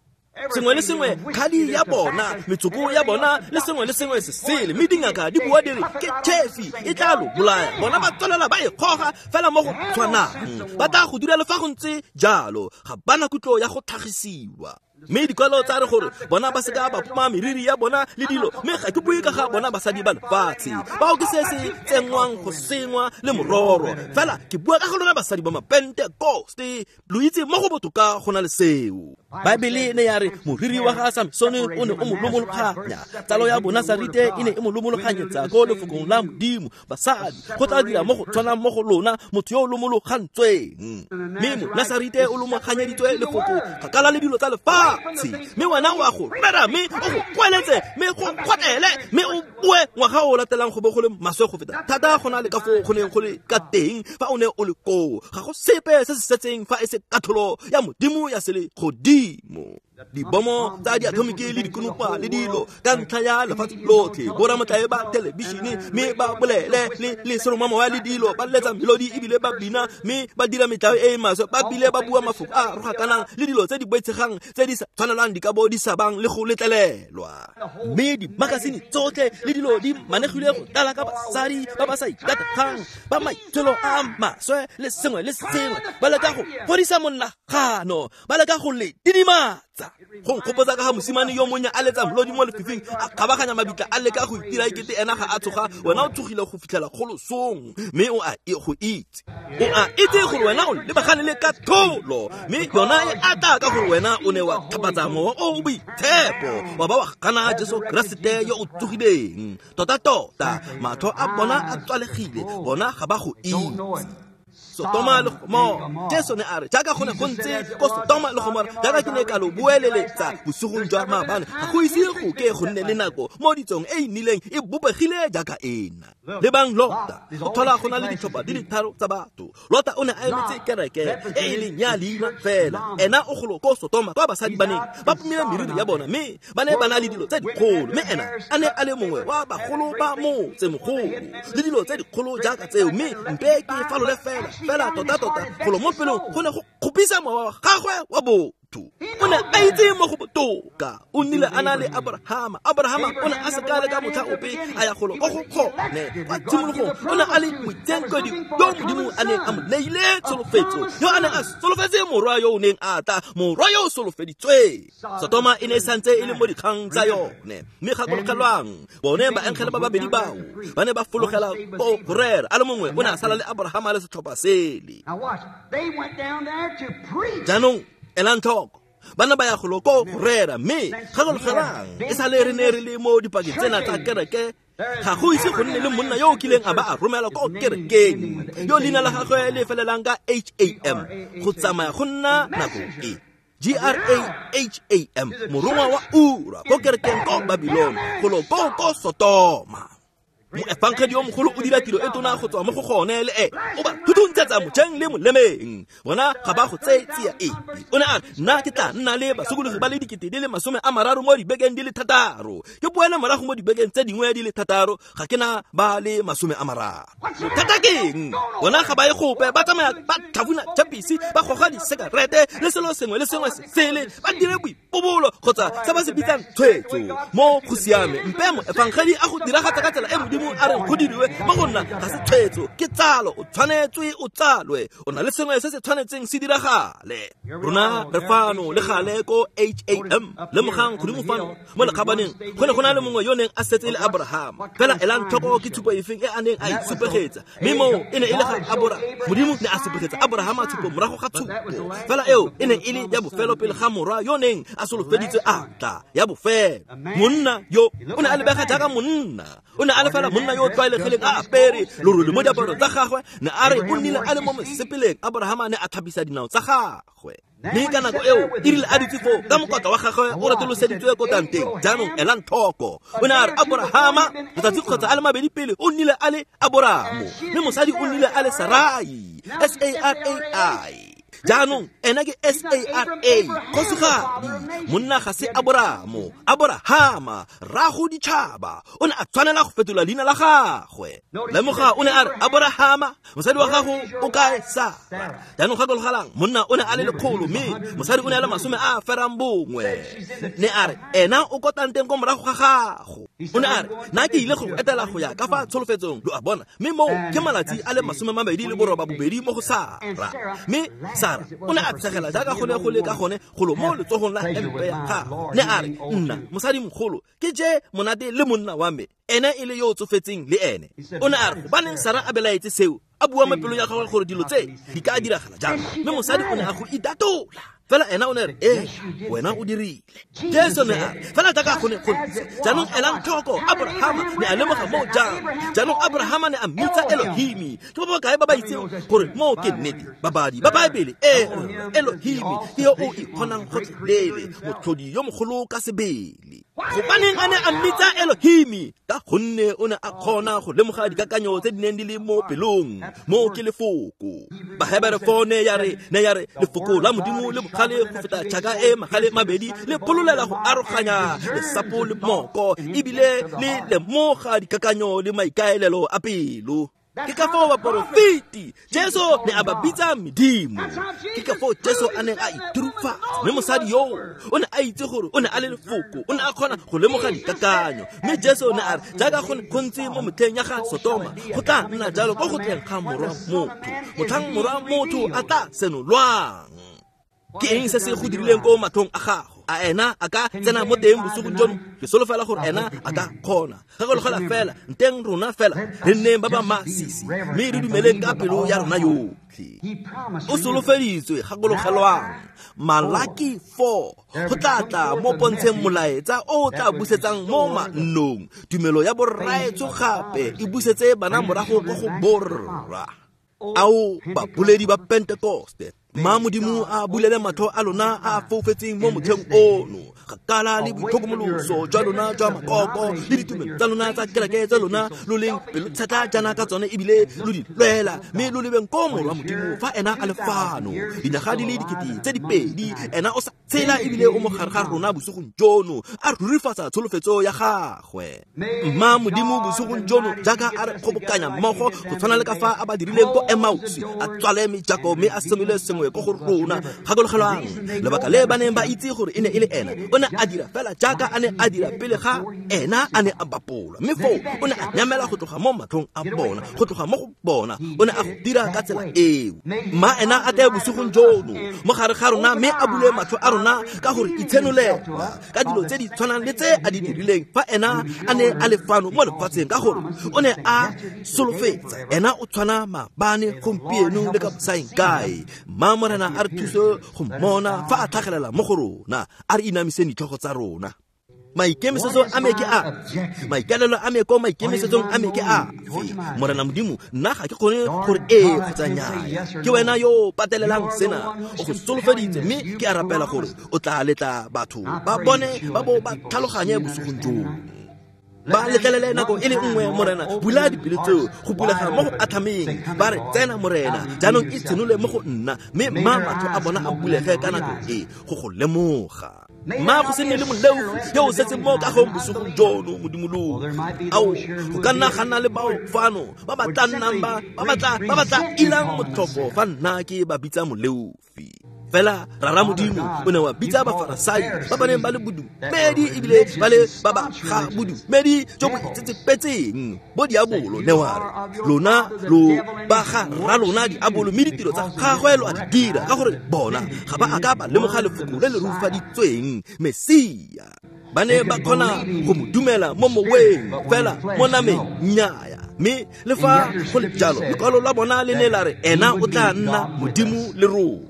Sengwe le sengwe, khadi ya bona, metsoko ya bona, le sengwe le sengwe se sele, mme dingaka di bua di re ke chefi e tla lo bolaya. Bona ba tswelela ba e kgoga fela mo go tshwanang, ba tla go dira le fa go ntse jalo, ga bana kutlo ya go tlhagisiwa. Mme dikwalo tsa re gore bona ba seka ba poma meriri ya bona le dilo, mme ga ke bue ka ga bona basadi ba lefatshe bao ke se se tsenngwang go sengwa le mororo, fela ke bua ka go lona basadi ba Mapentekoste. Lo itse mo go botoka go na le seo. Baebele ne ya re moriri wa ga Samsone o ne o mo lomologanya, tsalo ya Bonasarite e ne e mo lomologanyetsa ko lefokong la Modimo. Basadi, go tla dira mo go tshwanang mo go lona motho yo o lomologantsweng, mme Monasarite o lomoganyeditswe lefoko kgakala le dilo tsa lefatshe, mme wena o a go rera, mme o go kweletse, mme go kgotlele, mme o boe ngwaga o latelang go bo go le maswe go feta thata go na le ka foo go neng go le ka teng fa o ne o le koo. Ga go sepe se se setseng fa e se katlholo ya Modimo ya selegodimo. Dibomo tsa diatomiki le dikonopa le dilo ka ntlha ya lefatshe lotlhe, boramotlae ba thelebišene mme ba bolele le seromamowa le dilo, ba letsa melodi ebile ba bina, mme ba dira metlae e e maswe, ba bile ba bua mafoko a rogakanang le dilo tse di boitshegang tse di sa tshwanelang di ka bo di sa bang le go letlelelwa. Mme dimakasine tsotlhe le dilo di manegilwe go tlala ka basadi ba ba sa ikategang, ba maitsholo a maswe le sengwe le sengwe, ba leka go fodisa monagano, ba leka go le didimatsa. Go nkgopotsa ka ga mosimane yo monnye a letsa melodi mo lefifing, a kgabaganya mabitla, a leka go itira ekete ena ga a tsoga. Wena o tsogile go fitlhela kgolosong, mme o a go itse, o a itse gore wena o lebagane le katlholo, mme yona e ata ka gore wena o ne wa tlhapatsa mowa o o boitshepo, wa ba wa gana Jesu Keresete yo o tsogileng. Tota-tota matlho a bona a tswalegile, bona ga ba go itse. Sotoma le Gomora, Jesu ne a re jaaka go ne go ntse ko Sotoma le Gomora, jaaka ke ne ka lo boeleletsa bosigong jwa maabane, ga go ise go ke go nne le nako mo ditsong e e nnileng e bopegile jaaka ena. Lebang Lota, go tlhola go na le ditlhopha di le tharo tsa batho. Lota o ne a emetse kereke e e leng ya leina fela, ena o golo ko Sotoma kwa basadi ba neng ba pomile meriri ya bona, mme ba ne ba na le dilo tse dikgolo, mme ena a ne a le mongwe wa bagolo ba motsemogolo le dilo tse dikgolo jaaka tseo, mme mpe ke falole fela tota-tota golo mo pelong go ne go kgopisa mowa wa gagwe wa botho. O ne a itse mo go botoka. O nnile a na le Abrahama. Abrahama o ne a se ka le ka motlha ope a ya golo ko go kgone. Kwa tshimologong o ne a le moitsenkedi yo Modimo a neng a mo neile tsholofetso, yo a neng a solofetse morwa yo o neng a tla, morwa yo o solofeditsweng. Sotoma e ne e santse e le mo dikgang tsa yone, mme gakologelwang bone baengele ba babedi bao ba ne ba fologela ko go rera, a le mongwe o ne a sala le Abrahama le setlhopha sele. Jaanong elang tlhoko, ba ne ba ya golo ko go rera, mme gakologelwang e sale re ne re le mo dipakeng tsena tsa kereke, ga go ise go nne le monna yo o kileng a ba a romela ko kerekeng yo leina la gagwe le felelang ka HAM go tsamaya go nna nako e Graham, morongwa wa ura ko kerekeng ko Babylon, golo ko ko Sotoma. Moefangedi yo mogolo o dira tiro e tona go tswa mo go gone le e o ba thuthuntshetsa mojeng le molemeng, bona ga ba go tseye tsia e. O ne a re nna ke tla nna le basokologi ba le 30,000 mo dibekeng di le 6, ke boele morago mo dibekeng tse dingwe di le 6, ga ke na ba le 30. Bothata ke eng? Bona ga ba ye gope, ba tsamaya ba tlhafuna chapisi, ba goga disekarete le selo sengwe le sengwe se sele, ba dire boipobolo kgotsa se ba se bitsang tshwetso. Mo go siame, mpe moefangedi a go diragatsa ka tsela e Modimo a re go diriwe mo go nna ga se tshwetso, ke tsalo. O tshwanetswe o tsalwe, o na le sengwe se se tshwanetseng se diragale. Rona re fano le gale ko HAM. Lemogang godimo fano mo lekgabaneng go ne go na le mongwe yo neng a setse le Abrahama, fela elang tlhoko ke tshupo efeng e a neng a e supegetsa, mme moo e ne e le ga Abrahama. Modimo ne a supegetsa Abrahama tshupo morago ga tshupo, fela eo e ne e le ya bofelo pele ga morwa yo neng a solofeditswe a tla, ya bofelo. Monna yo o ne a lebega jaaka monna, o ne a le fela monna yo o tlwaelegileng a apere lorole mo diaparong tsa gagwe, ne a re o nnile a le mo mosepeleng. Abrahama ne a tlhapisa dinao tsa gagwe, mme ka nako eo e rile a dutse foo ka mokotla wa gagwe o retoloseditswe ko tanteng. Jaanong elang tlhoko, o ne a re Abrahama letsatsi kgotsa a le mabedi pele o nnile a le Aboramo, mme mosadi o nnile a le Sarai, S-A-R-A-I. Jaanong ena ke S-A-R-A, kgosigadi. Monna ga se Aboramo, Aborahama, rrago ditšhaba. O ne a tshwanela go fetola leina la gagwe. Lemoga, o ne a re, Aborahama, mosadi wa gago o kae? Sara. Jaanong gakologelang, monna o ne a le 100 mme mosadi o ne a le 91. Ne a re, ena o ko tanteng ko morago ga gago. O ne a re, nna ke ile go etela go ya ka fa tsholofetsong, lo a bona. Mme moo ke malatsi a le 29 mo go Sara. Mme Sara o ne a tshegela jaaka go ne go le ka gone golo mo letsogong la hempe ya gagwe. Ne a re, nna mosadimogolo ke je monate le monna wa me, ene e le yo o tsofetseng le ene. O ne a re, gobaneng Sara a belaetse seo? A bua mo pelong ya gagwe gore dilo tse di ka diragala jang. Mme mosadi o ne a go itatola. Fela ena o ne re, ee, wena o dirile. Jesu ne a re, fela jaaka go ne go ntse. Jaanong elang tlhoko, Abrahama ne a lemoga moo jang. Jaanong Abrahama ne a mmitsa Elohimi. Ke ba ba kae ba ba itseng gore moo ke nnete? Babadi ba Baebele, ee, Elohimi ke yo o ikgonang gotlhelele, motlhodi yo mogolo ka sebele. Gobaneng a ne a mmitsa Elohimi? Ka gonne o ne a kgona go lemoga dikakanyo tse di neng di le mo pelong. Moo ke lefoko. Bahebere 4 ne ya re, lefoko la Modimo le bogale go feta tšhaka e magale mabedi, le phololela go aroganya lesapo le moko, ebile le lemoga dikakanyo le maikaelelo a pelo. Ke ka foo baporofeti Jesu ne a ba bitsa medimo. Ke ka foo Jesu a neng a iturufatsa. Mme mosadi yoo o ne a itse gore o ne a le lefoko, o ne a kgona go lemoga dikakanyo. Mme Jesu ne a re, jaaka go ntse mo motlheng ya ga Sotoma, go tla nna jalo ko go tleng ga Morwa Motho, motlhang Morwa Motho a tla senolwang. Ke eng se se go dirileng ko matlhong a gago? A ena a ka tsena mo teng bosigong jono? Ke solofela gore ena a ka kgona. Gakologela fela, nteng rona fela re nneng ba ba masisi, mme re dumeleng ka pelo ya rona yotlhe. O solofeditswe, gakologelwang, Malaki 4, go tla tla mo pontsheng molaetsa o tla busetsang mo mannong. Tumelo ya borraetsho gape e busetse bana morago ko go borra. Ao baboledi ba Pentekoste, ma Modimo a bulele matlho a lona a foufetseng mo motlheng ono. Gakala le boitlhokomoloso jwa lona jwa makoko le ditumelo tsa lona tsa kereke tsa lona lo leng pelotshetlha jaana ka tsone, ebile lo di lwela, mme lo lebeng ko Morwa Modimo fa ena a le fano. Dinyaga di le 2000, ena o sa tshela ebile o mo gare ga rona bosigong jono, a rurifatsa tsholofetso ya gagwe. Mma Modimo bosigong jono, jaaka a re kgobokanya mmogo go tshwana le ka fa a ba dirileng ko Emausi, a tswale mejako mme a senole sengwe ko go rona. Gakologelwang, lebaka le ba neng ba itse gore e ne e le ena, o ne a dira fela jaaka a ne a dira pele ga ena a ne a bapolwa. Mme foo o ne a nyamela go tloga mo matlhong a bona, go tloga mo go bona, o ne a go dira ka tsela eo. Mma ena a tle bosigong jono mo gare ga rona, mme a bule matlho a rona ka gore itshenolela ka dilo tse di tshwanang le tse a di dirileng fa ena a ne a le fano mo lefatsheng, ka gore o ne a solofetsa. Ena o tshwana maabane, gompieno le ka bosaeng kae. Mma Morena a re thuse go mmona fa a tlhagelela mo go rona. A re inamiseng ditlhogo tsa rona. Maikemisetso a me ke a, maikaelelo a me ko maikemisetsong a me ke a. Morena Modimo, nna ga ke kgone gore ee kgotsa nnyaa. Ke wena yo patelelang sena, o go solofeditse, mme ke a rapela gore o tla letla batho ba bone ba bo ba tlhaloganye bosigong jono. Ba letlelele nako e le nngwe, Morena, bula dipelo tseo go bulega mo go atlhameng. Ba re, tsena Morena, jaanong e tshenole mo go nna, mme mma matlho a bona a bulege ka nako e go go lemoga. Mma go se nne le moleofi yo o setseng mo kagong bosigong jono, Modimo. Ao, go ka nna ga nna le bao fano ba ba tla nnang ba ba tla ilang motlhofo fa nna ke ba bitsa moleofi. Fela Rara Modimo o ne wa bitsa Bafarasai ba ba neng ba le bodumedi ebile ba le ba ba ga bodumedi jo bo itsetsepetseng bo diabolo. Ne wa re, lona lo ba ga rra lona diabolo, mme ditiro tsa gagwe lo a di dira, ka gore bona ga ba a ka ba lemoga lefoko le le rurifaditsweng, Mesia. Ba ne ba kgona go mo dumela mo moweng, fela mo nameng nnyaya. Mme le fa go le jalo, lekwalo la bona le ne la re ena o tla nna Modimo le rona.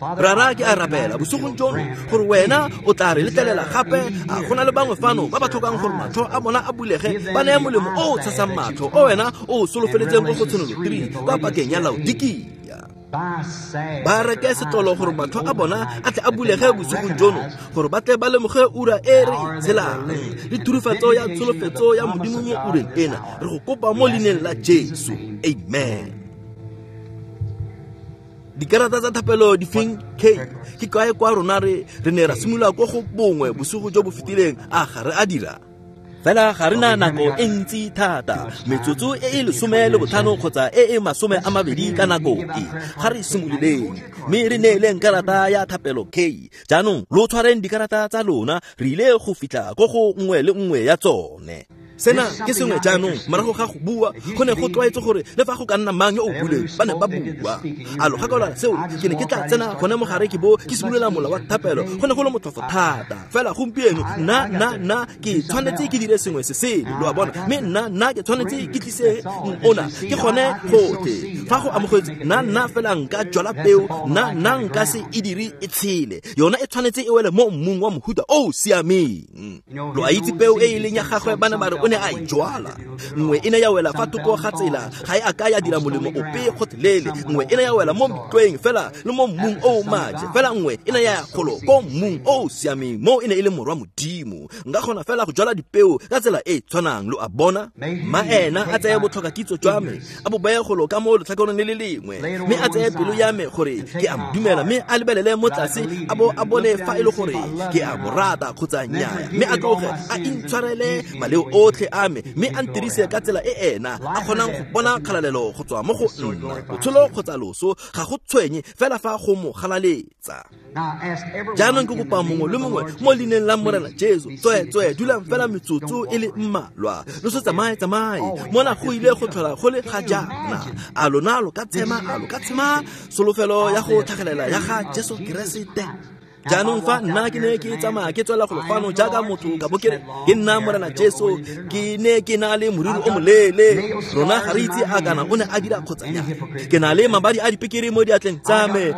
Rara, ke a rapela bosigong jono gore wena o tla re letlelela gape. A go na le bangwe fano ba ba tlhokang gore matlho a bona a bulege, ba neye molemo o o tshasang matlho o wena o solofeletseng ko go Tshenolo 3 kwa pakeng ya Laodikia. Ba reke setlolo gore matlho a bona a tle a bulege bosigong jono, gore ba tle ba lemoge ura e re e tshelang le thurifatso ya tsholofetso ya Modimo mo ureng ena. Re go kopa mo leineng la Jesu, amen. Dikarata tsa thapelo di feng K? Ke kae kwa rona re ne ra simolola ko go bongwe bosigo jo bo fetileng, a ga re a dira? Fela ga re na nako e ntsi thata, metsotso e e 15 kgotsa e e 20 ka nako e. Ga re simololeng, mme re neeleng karata ya thapelo K. Jaanong lo tshwareng dikarata tsa lona, re ile go fitlha ko go nngwe le nngwe ya tsone. Sena ke sengwe jaanong morago ga go bua, go ne go tlwaetse gore le fa go ka nna mang yo o buleng, ba ne ba bua. A lo gakolola seo? Ke ne ke tla tsena gone mogare ke bo ke simolola mola wa thapelo, go ne go le motlhofo thata. Fela gompieno nna ke tshwanetse ke dire sengwe se sele, lo a bona, mme nna ke tshwanetse ke tlise ona, ke gone gotlhe. Fa go amogetse nna fela nka jwala peo, nna nka se e dire e tshele, yona e tshwanetse e wele mo mmung wa mohuta o o siameng. Lo a itse peo e e leng ya gagwe, ba ne ba re o ne a e jwala. Nngwe e ne ya wela fa thoko ga tsela, ga e a ka ya dira molemo ope gotlhelele. Nngwe e ne ya wela mo metlweng fela le mo mmung o o maje, fela nngwe e ne ya golo ko mmung o o siameng, mo e ne e le morwa Modimo. Nka kgona fela go jwala dipeo ka tsela e tshwanang, lo a bona. Ma ena a tseye botlhoka kitso jwa me, a bo beye golo ka mo letlhakoreng le le lengwe, mme a tseye pelo ya me gore ke a mo dumela, mme a lebelele mo tlase a bo a bone fa e le gore ke a mo rata kgotsa nnyaa, mme a tloge a intshwarele maleo otlhe a me, mme a ntirise ka tsela e ena a kgonang go bona kgalalelo go tswa mo go nna. Botshelo kgotsa loso ga go tshwenye, fela fa go mo galaletsa. Jaanong ke kopa mongwe le mongwe mo leineng la Morena Jesu, tsweetswee dulang fela metsotso e le mmalwa, lo se tsamaye tsamaye, mona go ile go tlhola go le ga jaana. A lona lo ka tshema, a lo ka tshema solofelo ya go tlhagelela ya ga Jesu Keresete? Jaanong fa nna ke ne ke tsamaya ke tswela golo fano jaaka motho ka bo ke re ke nna Morena Jesu, ke ne ke na le moriri o moleele, rona ga re itse a kana o ne a dira kgotsa nya. Ke na le mabadi a dipekere mo diatleng tsa me,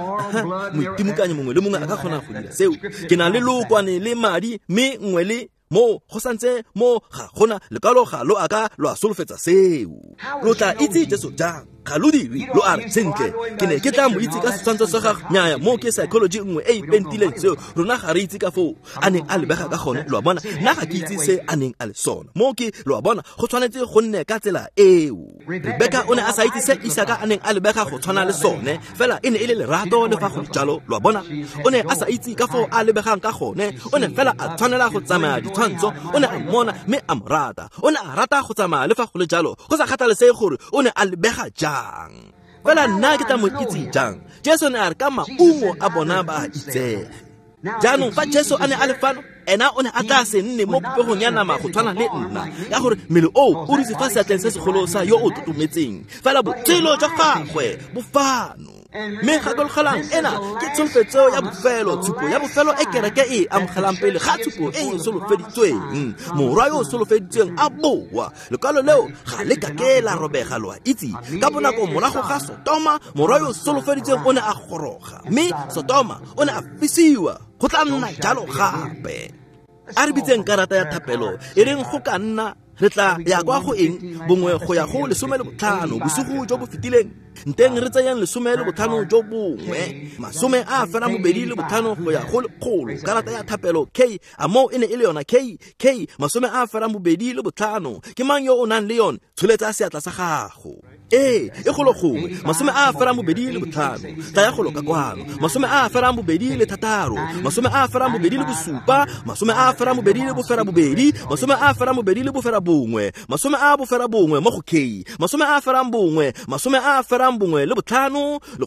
moitimokanyi mongwe le mongwe a ka kgona go dira seo. Ke na le lookwane le madi, mme nngwe le mo go santse mo ga gona lekwalo ga lo a ka lo a solofetsa seo. Lo tla itse Jesu jang? Ga lo dire, lo a re sentle ke ne ke tla mo itse ka setshwantsho sa gagwe. Nnyaya, mo ke psychology nngwe e e pentileng seo. Rona ga re itse ka foo a neng a lebega ka gone, lo a bona. Nna ga ke itse se a neng a le sona. Mo ke, lo a bona, go tshwanetse go nne ka tsela eo. Rebeka o ne a sa itse se Isaka a neng a lebega go tshwana le sone, fela e ne e le lerato le fa go le jalo, lo a bona. O ne a sa itse ka foo a lebegang ka gone, o ne fela a tshwanela go tsamaya ditshwantsho. O ne a mmona mme a mo rata, o ne a rata go tsamaya le fa go le jalo, go sa kgathalesege gore o ne a lebega jang. Fela nna ke tla mo itse jang? Jesu ne a re ka maungo a bona ba a itsege. Jaanong fa Jesu a ne a le fano, ena o ne a tla se nne mo popegong ya nama go tshwana le nna, ka gore mmele oo o dutse fa seatleng se segolo sa yo o totometseng, fela botshelo jwa gagwe bo fano. Mme gakologelang, ena ke tsholofetso ya bofelo, tshupo ya bofelo e kereke e amogelang pele ga tshupo e e solofeditsweng. Morwa yo o solofeditsweng a boa, lekwalo leo ga le kake la robega, lo a itse. Ka bonako morago ga Sotoma, morwa yo o solofeditsweng o ne a goroga, mme Sotoma o ne a fisiwa. Go tla nna jalo gape. A re bitseng karata ya thapelo, e reng go ka nna re tla ya kwa go eng bongwe go ya go 15 bosigo jo bo fetileng, nteng re tseyang 15 jo bongwe, 25 go ya go 100. Karata ya thapelo K, a moo e ne e le yona K, K 25. Ke mang yo o nang le yone? Tsholetsa seatla sa gago. Ee, e golo gongwe 25. Tlaya golo ka kwano, 26, 27, 28, 29, 91 mo go K, 91, 95,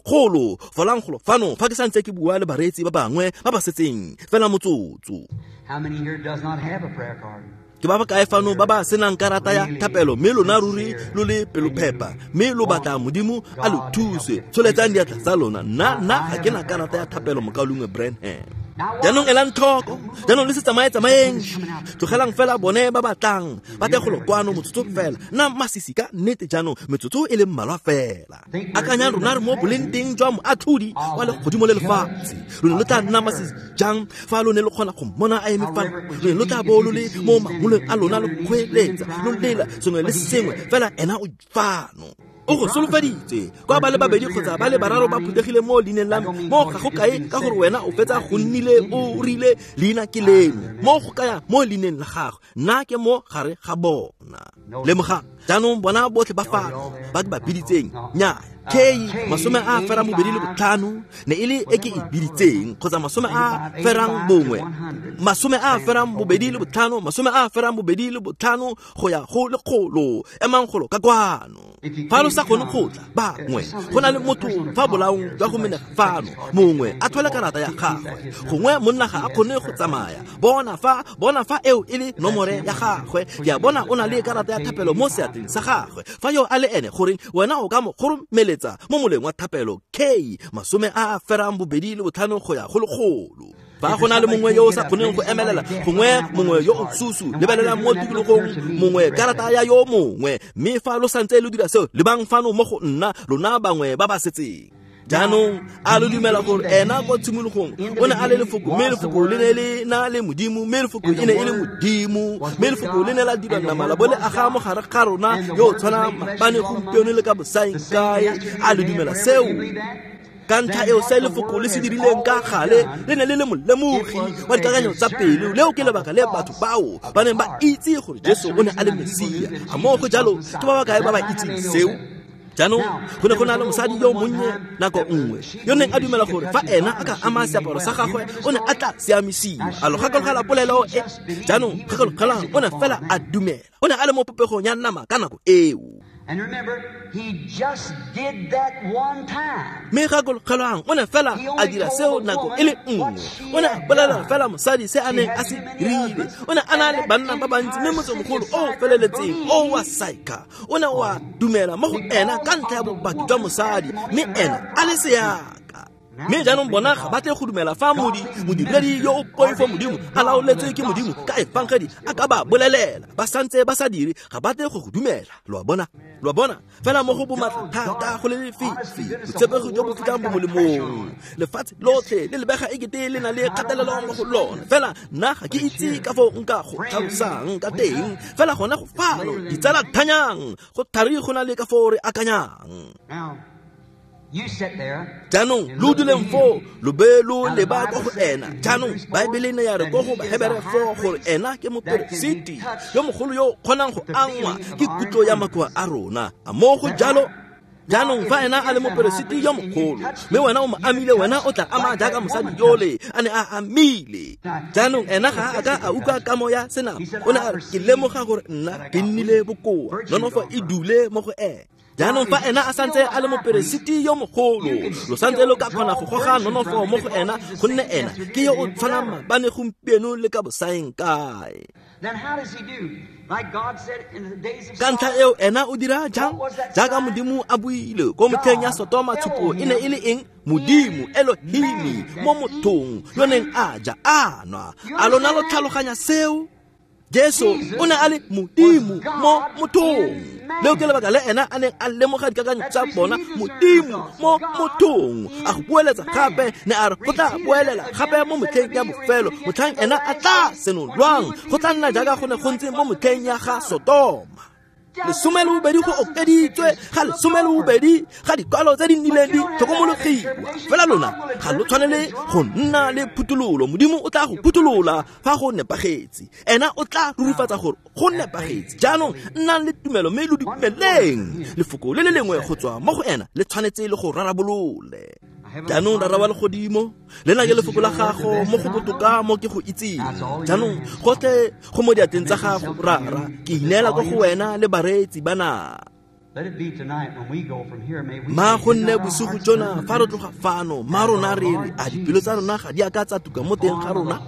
100. Folang golo fano fa ke santse ke bua le bareetsi ba bangwe ba ba setseng fela motsotso. How many here does not have a prayer card? Ke ba ba kae fano ba ba senang karata ya thapelo, mme lona ruri lo le pelophepa, mme lo batla Modimo a lo thuse? Tsholetsang diatla tsa lona. Nna ga ke na karata ya thapelo, mokaulengwe Branham. Jaanong elang tlhoko, jaanong le se tsamaye tsamayeng, tlogelang fela bone ba batlang ba tle golo kwano motsotso fela. Nna masisi ka nnete jaanong, metsotso e le mmalwa fela. Akanyang rona re mo boleng teng jwa moatlhodi wa legodimo le lefatshe. Lo ne lo tla nna masisi jang fa lo ne lo kgona go mmona a eme fano? Lo ne lo tla bo lo le mo mangolong a lona, lo kgweeletsa, lo lela sengwe le sengwe, fela ena o fano. O go solofeditse kwa ba le babedi kgotsa ba le bararo ba phuthegile mo leineng la me, mo ga go kae ka gore wena o fetsa go nnile o rile leina ke leno, mo go kaya mo leineng la gagwe, nna ke mo gare ga bona. Lemogang jaanong bona botlhe ba fano ba ke ba biditseng, nnyaya. K 85 ne e le e ke e biditseng kgotsa 81 85 go ya go 100 emang golo ka kwano. Fa lo sa kgone go tla bangwe go na le motho fa bolaong jwa go menega fano mongwe a thwele karata ya gagwe gongwe monna ga a kgone go tsamaya bona fa eo e le nomore ya gagwe ke a bona o na le karata ya thapelo mo seatleng sa gagwe fa yo a le ene goreng wena o ka mo kgoromeletsa mo moleng wa thapelo K 85 go ya go 100. Fa go na le mongwe yo o sa kgoneng go emelela gongwe mongwe yo o susu lebelelang mo tikologong mongwe karata ya yo mongwe mme fa lo santse lo dira seo lebang fano mo go nna lona bangwe ba ba setseng. Jaanong a lo dumela gore ena kwa tshimologong o ne a le lefoko mme lefoko le ne le na le modimo mme lefoko e ne e le modimo mme lefoko le ne la dira nama la bo le aga mo gare ga rona yo o tshwanang maabane gompieno le ka bosaeng kae. A lo dumela seo? Ka ntlha eo se lefoko le se dirileng ka gale le ne le le molemogi wa dikakanyo tsa pelo. Leo ke lebaka le batho bao ba neng ba itse gore Jesu o ne a le Mesia. A moo go jalo ke ba ba kae ba ba itseng seo? Jaanong go ne go na le mosadi yo monnye nako nngwe yo neng a dumela gore fa ena a ka ama seaparo sa gagwe o ne a tla siamisiwa. A lo gakologela polelo e? Jaanong gakologelang o ne fela a dumela. O ne a le mo popegong ya nama ka nako eo. And remember, he just did that one time. Mme gakologelang o ne fela a dira seo nako e le nngwe. O ne a bolela fela mosadi se a neng a se dirile. O ne a na le banna ba bantsi mme motsemogolo o feleletseng o wa Saika o ne wa dumela mo go ena ka ntlha ya bopaki jwa mosadi mme ena a le seaka. Mme jaanong bona ga ba tle go dumela fa modiredi yo o poifo modimo a laoletswe ke modimo ka efangedi a ka ba bolelela ba santse ba sa dire ga ba tle go go dumela. Lo a bona? Lo a bona? Fela mo go bomatla thata go le lefifi botshepegi jo bo fitlhang bo molemong lefatshe lotlhe le lebega ekete le na le kgatelelo mo go lona fela nna ga ke itse ka foo nka go tlhalosang ka teng fela gona go fano ditsala thanyang go thari go na le ka foo re akanyang. Jaanong lo duleng foo lo be lo leba kwa go ena. Jaanong Baebele ne ya re ko go Bahebere 4 gore ena ke moperesiti yo mogolo yo o kgonang go angwa ke kutlo ya makoa a rona. A moo go jalo? Jaanong fa ena a le moperesiti yo mogolo mme wena o mo amile wena o tla ama jaaka mosadi yole a ne a amile. Jaanong ena ga a ka a utlwa kamo ya senama. O ne a re ke lemoga gore nna ke nnile bokoa nonofo e dule mo go ena. Jaanong fa ena a santse a le moperesiti yo mogolo lo santse lo ka kgona go goga nonofo mo go ena gonne ena ke yo o tshwanang maabane gompieno le ka bosaeng kae. Ka ntlha eo ena o dira jang? Jaaka modimo a buile ko motlheng ya Sotoma tshupo e ne e le eng? Modimo Elohimi mo mothong yo neng a ja a nwa. A lona lo tlhaloganya seo? Jesu o ne a le modimo mo mothong. Leo ke lebaka le ena a neng a lemoga dikakanyo tsa bona modimo mo mothong. A go boeletsa gape ne a re go tla boelela gape mo motlheng ya bofelo motlhang ena a tla senolwang go tla nna jaaka go ne go ntse mo motlheng ya ga Sotoma. 12 go okeditswe ga 12 ga dikwalo tse di nnileng di tlhokomologiwa. Fela lona ga lo tshwanele go nna le phuthololo. Modimo o tla go phutolola fa go nepagetse. Ena o tla rurifatsa gore go nepagetse. Jaanong nnang le tumelo mme lo dumeleng lefoko le le lengwe go tswa mo go ena le tshwanetse le go rarabolole. Jaanong Rara wa legodimo lena ke lefoko la gago mo go botoka mo ke go itseng. Jaanong gotlhe go mo diatleng tsa gago Rara ke ineela ko go wena le bareetsi bana. Ma go nne bosigo jona fa re tloga fano ma rona re re a dipelo tsa rona ga di a ka tsa tuka mo teng ga rona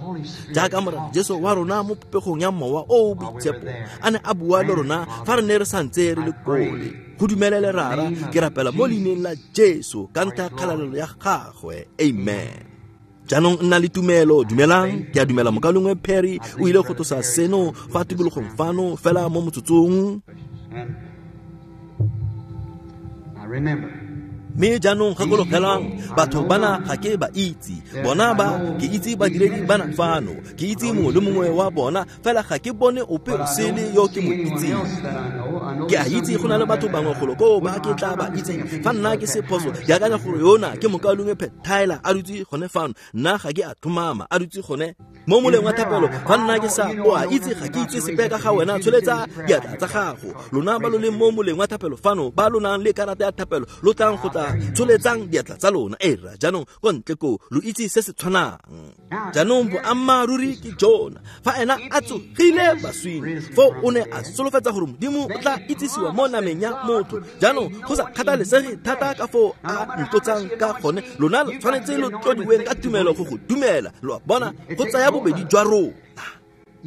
jaaka Morena Jesu wa rona mo popegong ya mowa o o boitshepo a ne a bua le rona fa re ne re santse re le kole. Go dumelele Rara ke rapela mo leineng la Jesu ka ntlha ya kgalalelo ya gagwe. Amen. Jaanong nna le tumelo. Dumelang ke a dumela mokalengwe Perry o ile go tlosa seno fa tikologong fano fela mo motsotsong. Mme jaanong gakologelang batho bana ga ke ba itse bona ba ke itse badiredi bana fano ke itse mongwe le mongwe wa bona fela ga ke bone ope o sele yo ke mo itseng. Ke a itse go na le batho bangwe golo koo ba ke tla ba itseng fa nna ke se phoso ke akanya gore yona ke mokalengwe Pet Tyler a dutse gone fano nna ga ke a tlhomama a dutse gone. Mo moleng wa thapelo fa nna ke sa o a itse ga ke itse sepe ka ga wena, tsholetsa diatla tsa gago. Lona ba lo leng mo moleng wa thapelo fano, ba lo nang le karata ya thapelo, lo tlang go tla tsholetsang diatla tsa lona. Era jaanong ko ntle koo lo itse se se tshwanang. Jaanong boammaaruri ke jona, fa ena a tsogile baswing, foo o ne a solofetsa gore Modimo o tla itsisiwa mo nameng ya motho. Jaanong go sa kgathalesege thata ka foo a ntlotsang ka gone, lona lo tshwanetse lo tlodiweng ka tumelo go go dumela. Lo a bona, go tsaya bobedi jwa rona.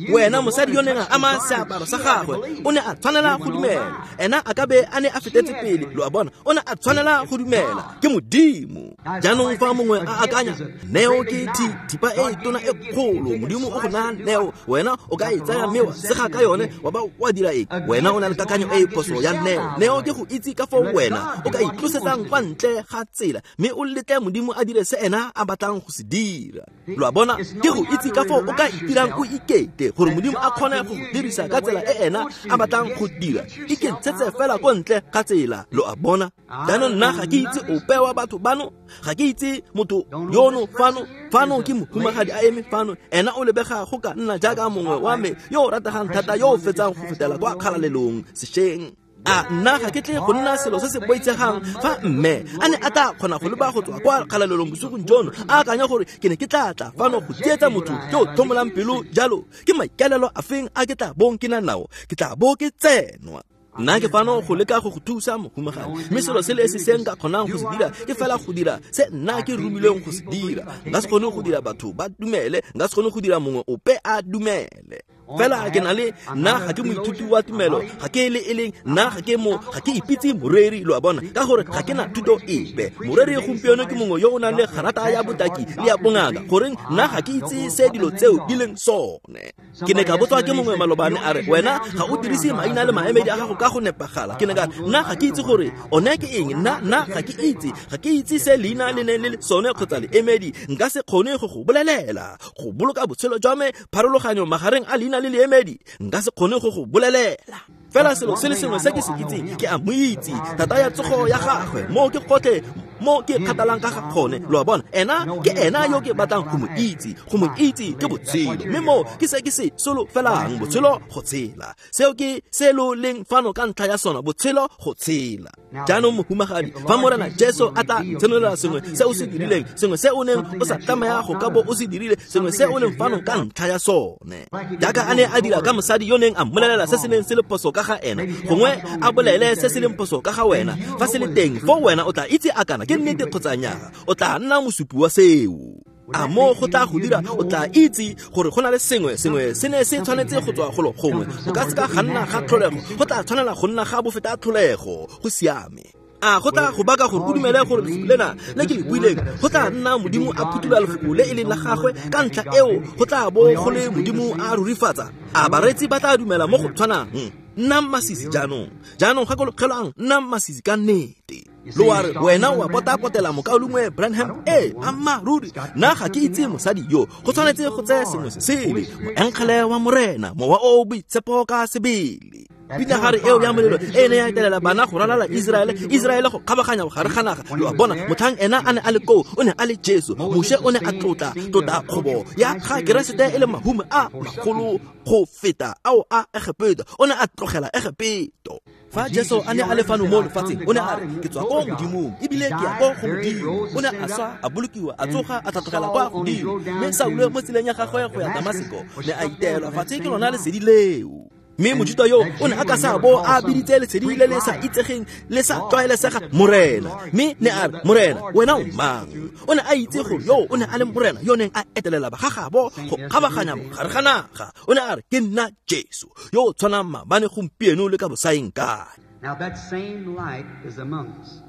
Wena mosadi yo neng a ama seaparo sa gagwe o ne a tshwanela go dumela. Ena a ka be a ne a fetetse pele, lo a bona, o ne a tshwanela go dumela. Ke Modimo. Jaanong fa mongwe a akanya neo ke thipa e tona e kgolo, Modimo o go naya neo, wena o ka e tsaya mme wa sega ka yone wa ba wa dira eng? Wena o na le kakanyo e e phoso ya neo. Neo ke go itse ka foo wena o ka itlosetsang kwa ntle ga tsela mme o letle Modimo a dire se ena a batlang go se dira. Lo a bona, ke go itse ka foo o ka itirang o ikete gore Modimo a kgone go dirisa ka tsela e ena a batlang go dira. Ikentshetse fela ko ntle ga tsela, lo a bona. Jaanong nna ga ke itse ope wa batho bano, ga ke itse motho yono fano. Fano ke mohumagadi a eme fano, ena o lebega go ka nna jaaka mongwe wa me yo o rategang thata yo o fetsang go fetela kwa kgalalelong sešweng. A nna ga ke tle go nna selo se se boitshegang fa mme a ne a tla kgona go leba go tswa kwa kgalalelong bosigong jono, a akanya gore ke ne ke tla tla fano go tsietsa motho yo o tlhomolang pelo jalo. Ke maikaelelo a feng a ke tla bong ke na nao? Ke tla bo ke tsenwa. Nna ke fano go leka go go thusa mohumagadi, mme selo se le esi se nka kgonang go se dira ke fela go dira se nna ke romilweng go se dira. Nka se kgone go dira batho ba dumele, nka se kgone go dira mongwe ope a dumele. Fela ke na le nna ga ke moithuti wa tumelo, ga ke le e leng nna ga ke mo ga ke ipitse moreri, lo a bona, ka gore ga ke na thuto epe. Moreri gompieno ke mongwe yo o nang le garata ya botaki le ya bongaka, goreng nna ga ke itse se dilo tseo di leng sone. Ke ne ka botswa ke mongwe malobane a re, wena ga o dirise maina le maemedi a gago ka go nepagala. Ke ne ka nna ga ke itse gore one ke eng, nna ga ke itse, ga ke itse se leina le ne le le sone kgotsa leemedi. Nka se kgone go go bolelela. Go boloka botshelo jwa me pharologanyo magareng a leina le leemedi, nka se kgone go go bolelela. Fela selo se le sengwe se ke se itseng, ke a mo itse, thata ya tsogo ya gagwe, mo ke gotlhe mo ke kgathalang ka ga gone, lo a bona. Ena ke ena yo ke batlang go mo itse, go mo itse ke botshelo, mme mo ke se ke se solofelang, botshelo go tshela. Seo ke se lo leng fano ka ntlha ya sona, botshelo go tshela. Jaanong mohumagadi, fa Morena Jesu a tla tshenolela sengwe se o se dirileng, sengwe se o neng o sa tlameha go ka bo o se dirile, sengwe se o leng fano ka ntlha ya sone, jaaka a ne a dira ka mosadi yo neng a mmolelela se se neng se le phoso ka ga ena, gongwe a bolele se se leng phoso ka ga wena, fa se le teng foo wena o tla itse a kana ke nnete kgotsa nnyaa, o tla nna mosupi wa seo. A mo go tla go dira, o tla itse gore go na le sengwe sengwe se ne se tshwanetse go tswa golo gongwe. Go ka se ka ga nna ga tlholego, go tla tshwanela go nna ga bofeta tlholego. Go siame. A go tla go baka gore o dumele gore lefoko lena le ke le buileng go tla nna Modimo a phuthola lefoko le e leng la gagwe, ka ntlha eo go tla bo go le Modimo a rurifatsa. A bareetsi ba tla dumela mo go tshwanang? Nnang masisi jaanong. Jaanong gakologelwang, nnang masisi ka nnete. Lo a re, wena wa potapotela mokaulengwe Branham? Ee, ammaaruri, nna ga ke itse mosadi yo. Go tshwanetse go tseye sengwe se sele, moengele wa Morena, mowa o o boitshepo ka sebele. Pinagare eo ya molelo e ne ya etelela bana go ralala Iseraele, Iseraele go kgabaganya gare ga naga. Lo a bona, motlhang ena a ne a le koo, o ne a le Jesu. Moshe o ne a tlotla tlotla kgobo ya ga Keresete e le mahumo a magolo go feta ao a Egepeto. O ne a tlogela Egepeto. Fa Jesu a ne a le fano mo lefatsheng, o ne a re, ke tswa ko Modimong ebile ke ya ko go Modimo. O ne a swa, a bolokiwa, a tsoga, a tlhatlogela kwa godimo. Mme Saulo mo tseleng ya gagwe go ya Damaseko ne a iteelwa fatshe ke lona lesedi leo. Mme Mojuta yo o ne a ka sa bo a biditse lesedi le le sa itsegeng le sa tlwaelesega Morena, mme ne a re, Morena, wena o mang? O ne a itse gore yo o ne a le Morena yo neng a etelela bagagabo go kgabaganya mogare ga naga. O ne a re, ke nna Jesu yo o tshwanang maabane, gompieno le ka bosaeng kae. Now that same light is among us.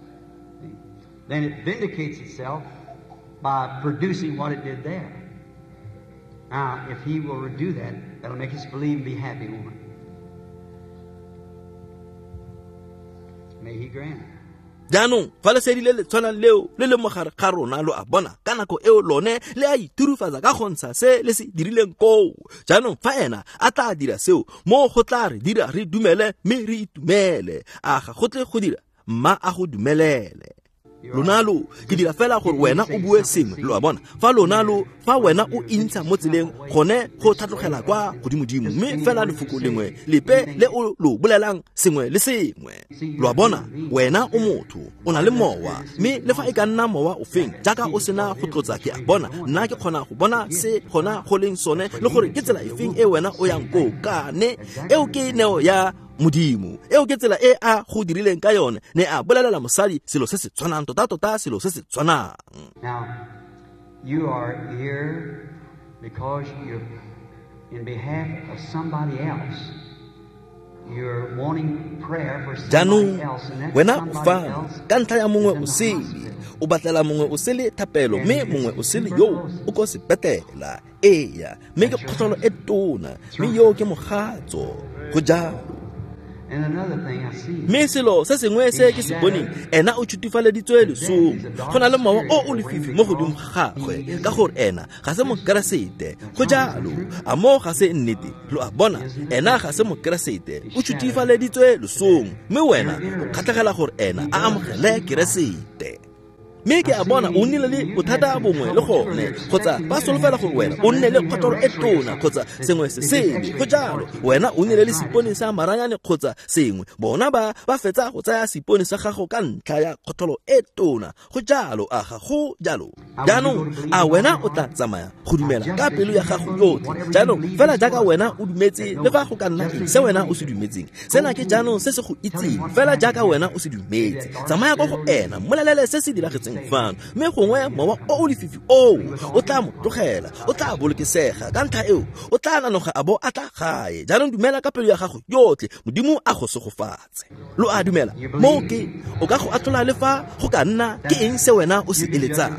Then it vindicates itself by producing what it did there. Now, if he will do that, that'll make us believe and be happy, won't it? May he grant it. Jaanong fa lesedi le le tshwanang leo le le mogare ga rona, lo a bona, ka nako eo lone le a iturufatsa ka go ntsha se le se dirileng koo. Jaanong fa ena a tla dira seo, mo go tla re dira re dumele mme re itumele. A ga go tle go dira? Mma a go dumelele. Lona lo ke dira fela gore wena o bue sengwe, lo a bona. Fa lona lo fa wena o intsha mo tseleng gone go tlhatlogela kwa godimodimo, mme fela lefoko lengwe lepe le o lo bolelang sengwe le sengwe. Lo a bona, wena o motho, o na le mowa, mme le fa e ka nna mowa o feng jaaka o sena go tlotsa, ke a bona nna ke kgona go bona se gona go leng sone le gore ke tsela efeng e wena o yang koo kane. Eo ke neo ya Modimo, eo ke tsela e a go dirileng ka yone. Ne a bolelela mosadi selo se se tshwanang, tota-tota selo se se tshwanang. Now, you are here because you're in behalf of somebody else. You're wanting prayer for somebody Jaanong else, and that wena o somebody fano else ka ntlha ya mongwe is in o the sele, hospital. o batlela mongwe o sele thapelo, mme mongwe o sele yo o ko sepetlela. Eya, mme ke kgotlholo e tona, mme yo ke mogatso. Go jalo. And another thing I see. Mme selo se sengwe se ke se boneng, ena o tšhutifaleditswe lesong. Go na le mowa o o lefifi mo godimo ga gagwe, ka gore ena ga se mokeresete. Go jalo. A mo ga se nnete? Lo a bona, ena ga se mokeresete, o tšhutifaleditswe lesong, mme wena o kgatlhegela gore ena a amogele keresete. Mme ke a bona o nnile le bothata bongwe le gone, kgotsa ba solofela gore wena o nne le kgotlholo e tona kgotsa sengwe se sele. Go jalo, wena o nnile le seipone sa maranyane kgotsa sengwe, bona ba fetsa go tsaya seipone sa gago ka ntlha ya kgotlholo e tona. Go jalo, a ga go jalo? Jaanong a wena o tla tsamaya go dumela ka pelo ya gago yotlhe? Jaanong fela jaaka wena o dumetse, le fa go ka nna eng se wena o se dumetseng, sena ke jaanong se se go itseng, fela jaaka wena o se dumetse. Tsamaya ko go ena, mmolelele se se diragetseng fano, mme gongwe mowa o o lefifi oo o tla mo tlogela, o tla bolokesega. Ka ntlha eo o tla nanoga a bo a tla gae. Jaanong dumela ka pelo ya gago yotlhe, Modimo a go segofatse. Lo a dumela? Moo ke o ka go atlhola le fa go ka nna ke eng se wena o se eletsang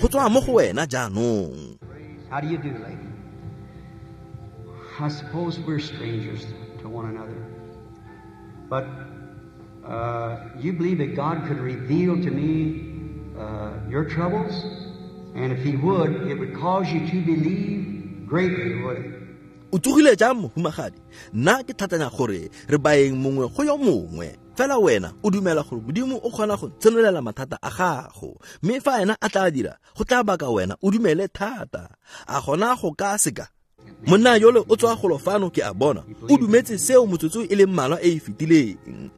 go tswa mo go wena jaanong. How do you do, lady? I suppose we're strangers to one another, but you believe that God could reveal to me your troubles, and if he would, it would cause you to believe greatly, would it? O tsogile jang, mohumagadi? Nna ke thatanya gore re baeng mongwe go yo mongwe, fela wena o dumela gore Modimo o kgona go tsenolela mathata a gago, mme fa ena a tla dira, go tla baka wena o dumele thata. A gona go ka seka? Monna yole o tswa golo fano, ke a bona o dumetse seo motsotso e leng mmalwa e e fetileng.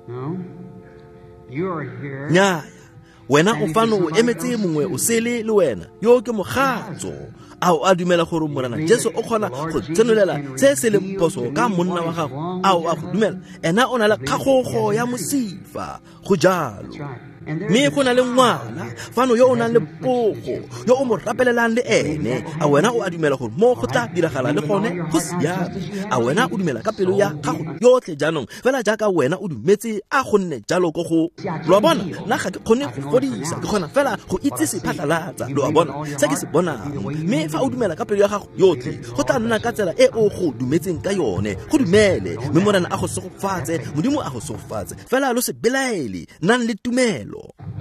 No. You are here. Nnyaya, wena o fano o emetse mongwe o sele le wena, yo ke mogatso. A o a dumela gore Morena Jesu o kgona go tsenolela se se leng phoso ka monna wa gago? A o a go dumela? Ena o na le kgagogo ya mosifa. Go jalo. Mme go na le ngwana fano yo o nang le pogo, yo o mo rapelelang le ene. A wena o a dumela gore mo go tla diragala le gone? Go siame. A wena o dumela ka pelo ya gago yotlhe jaanong, fela jaaka wena o dumetse, a go nne jalo ko go. Lo a bona, nna ga ke kgone go fodisa, ke kgona fela go itsise phatlalatsa. Lo a bona se ke se bonang. Mme fa o dumela ka pelo ya gago yotlhe, go tla nna ka tsela e o go dumetseng ka yone. Go dumele, mme Morena a go segofatse, Modimo a go segofatse. Fela lo se belaele, nnang le tumelo,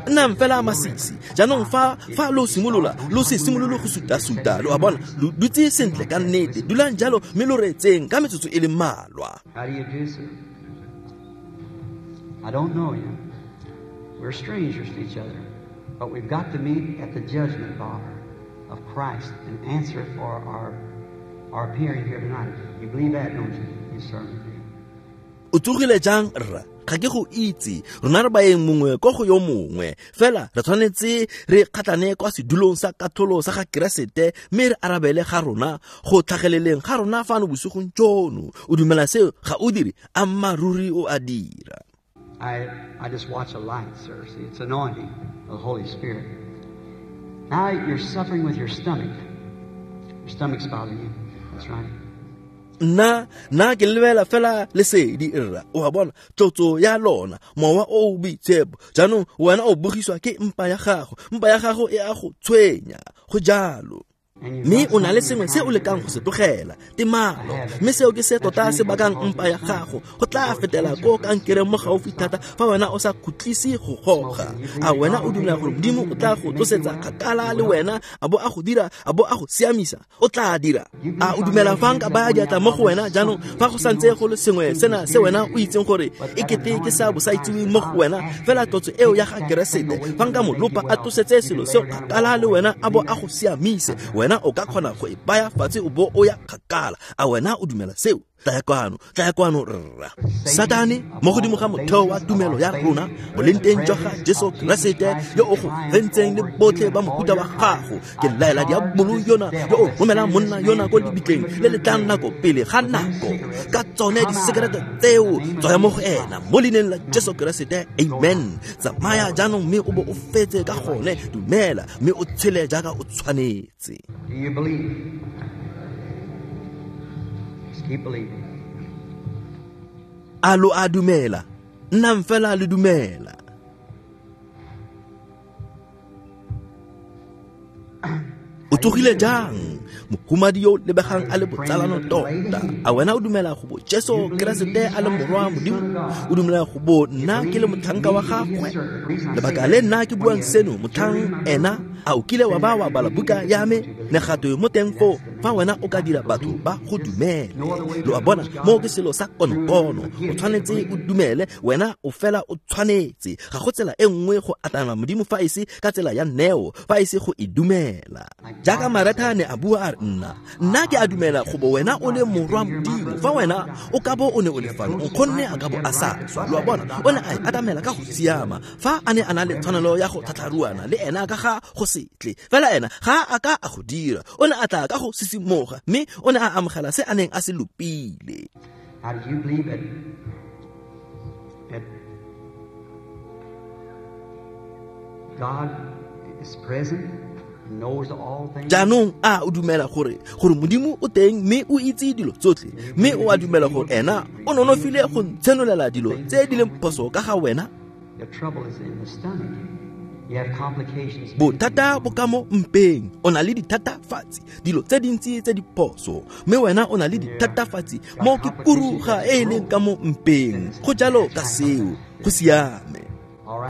nnang fela masisi. Jaanong fa lo simolola, lo se simolole go suta-suta. Lo a bona, lo dutse sentle ka nnete. Dulang jalo mme lo reetseng ka metsotso e le mmalwa. How do you do, sir? I don't know you. We're strangers to each other, but we've got to meet at the judgment bar of Christ and answer for our appearing here tonight. You believe that, don't you? You certainly do. O tsogile jang, rra? Ga ke go itse, rona re baeng mongwe ko go yo mongwe, fela re tshwanetse re kgatlhane kwa sedulong sa katlholo sa ga Keresete, mme re arabele ga rona go tlhageleleng ga rona fano bosigong jono. O dumela seo? Ga o dire? Ammaruri o a dira. I just watch a light, sir. See, it's anointing of the Holy Spirit. Now you're suffering with your stomach. Your stomach's bothering you. That's right. Nna ke lebela fela lesedi, rra. O a bona, tlotso ya lona, mowa o o boitshepo. Jaanong wena o bogiswa ke mpa ya gago, mpa ya gago e a go tshwenya. Go jalo. Mme o na le sengwe se o lekang go se tlogela, temalo. Mme seo ke se tota se bakang mpa ya gago. Go tla fetela ko kankereng mo gaufi thata fa wena o sa khutlise go goga. A wena o dumela gore Modimo o tla go tlosetsa kgakala le wena, a bo a go dira, a bo a go siamisa? O tla dira. A o dumela fa nka baya diatla mo go wena jaanong, fa go santse go le sengwe sena se wena o itseng gore e kete ke sa bosaitseweng mo go wena, fela tlotso eo ya ga Keresete, fa nka mo lopa a tlosetse selo seo kgakala le wena, a bo a go siamise, wena o ka kgona go e baya fatshe o bo o ya kgakala. A wena o dumela seo? Tlaya kwano rra. Satane, mo godimo ga motheo wa tumelo ya rona, bolengteng jwa ga Jesu Keresete yo o go fentseng le botlhe ba mohuta wa gago, ke laela diabolo yona yo o romelang monna yona ko lebitleng le le tlang nako pele ga nako, ka tsone disekerete tseo, tswaya mo go ena mo leineng la Jesu Keresete. Amen. Tsamaya jaanong mme o bo o fetse ka gone. Dumela mme o tshele jaaka o tshwanetse. Do you believe? Just keep believing. A lo a dumela? Nnang fela le dumela. O tsogile jang? Mohumadi yo lebegang a le botsalano tota. A wena o dumela go bo Jesu Keresete a le morwa Modimo? O dumela go bo nna ke le motlhanka wa gagwe? Lebaka le nna ke buang seno, motlhang ena, a o kile wa ba wa bala buka ya me? Ne gatwe mo teng foo, fa wena o ka dira batho ba go dumele. Lo a bona, mo ke selo sa konokono. O tshwanetse o dumele, wena o fela o tshwanetse. Ga go tsela e nngwe go atamela Modimo fa e se ka tsela ya neo, fa e se go e dumela. Jaaka Maretha ne a bua a re, nna ke a dumela go bo wena o le morwa Modimo. Fa wena o ka bo o ne o le fano, nkgonne a ka bo a sa swa. Lo a bona, o ne a e atamela ka go siama. Fa a ne a na le tshwanelo ya go tlhatlharuana le ena ka ga go setle, fela ena ga a ka a go dira. O ne a tla ka go sisimoga, mme o ne a amogela se a neng a se lopile. How do you believe it? That God is present, knows all things. Jaanong a o dumela gore Modimo o teng mme o itse dilo tsotlhe, mme o a dumela gore ena o nonofile go ntshenolela dilo tse di leng phoso ka ga wena? The trouble is in the stomach. You have complications. Bothata bo ka mo mpeng. O na le dithatafatsi, dilo tse dintsi tse di phoso, mme wena o na le dithatafatsi mo ke kuruga e e leng ka mo mpeng. Go jalo ka seo. Go siame.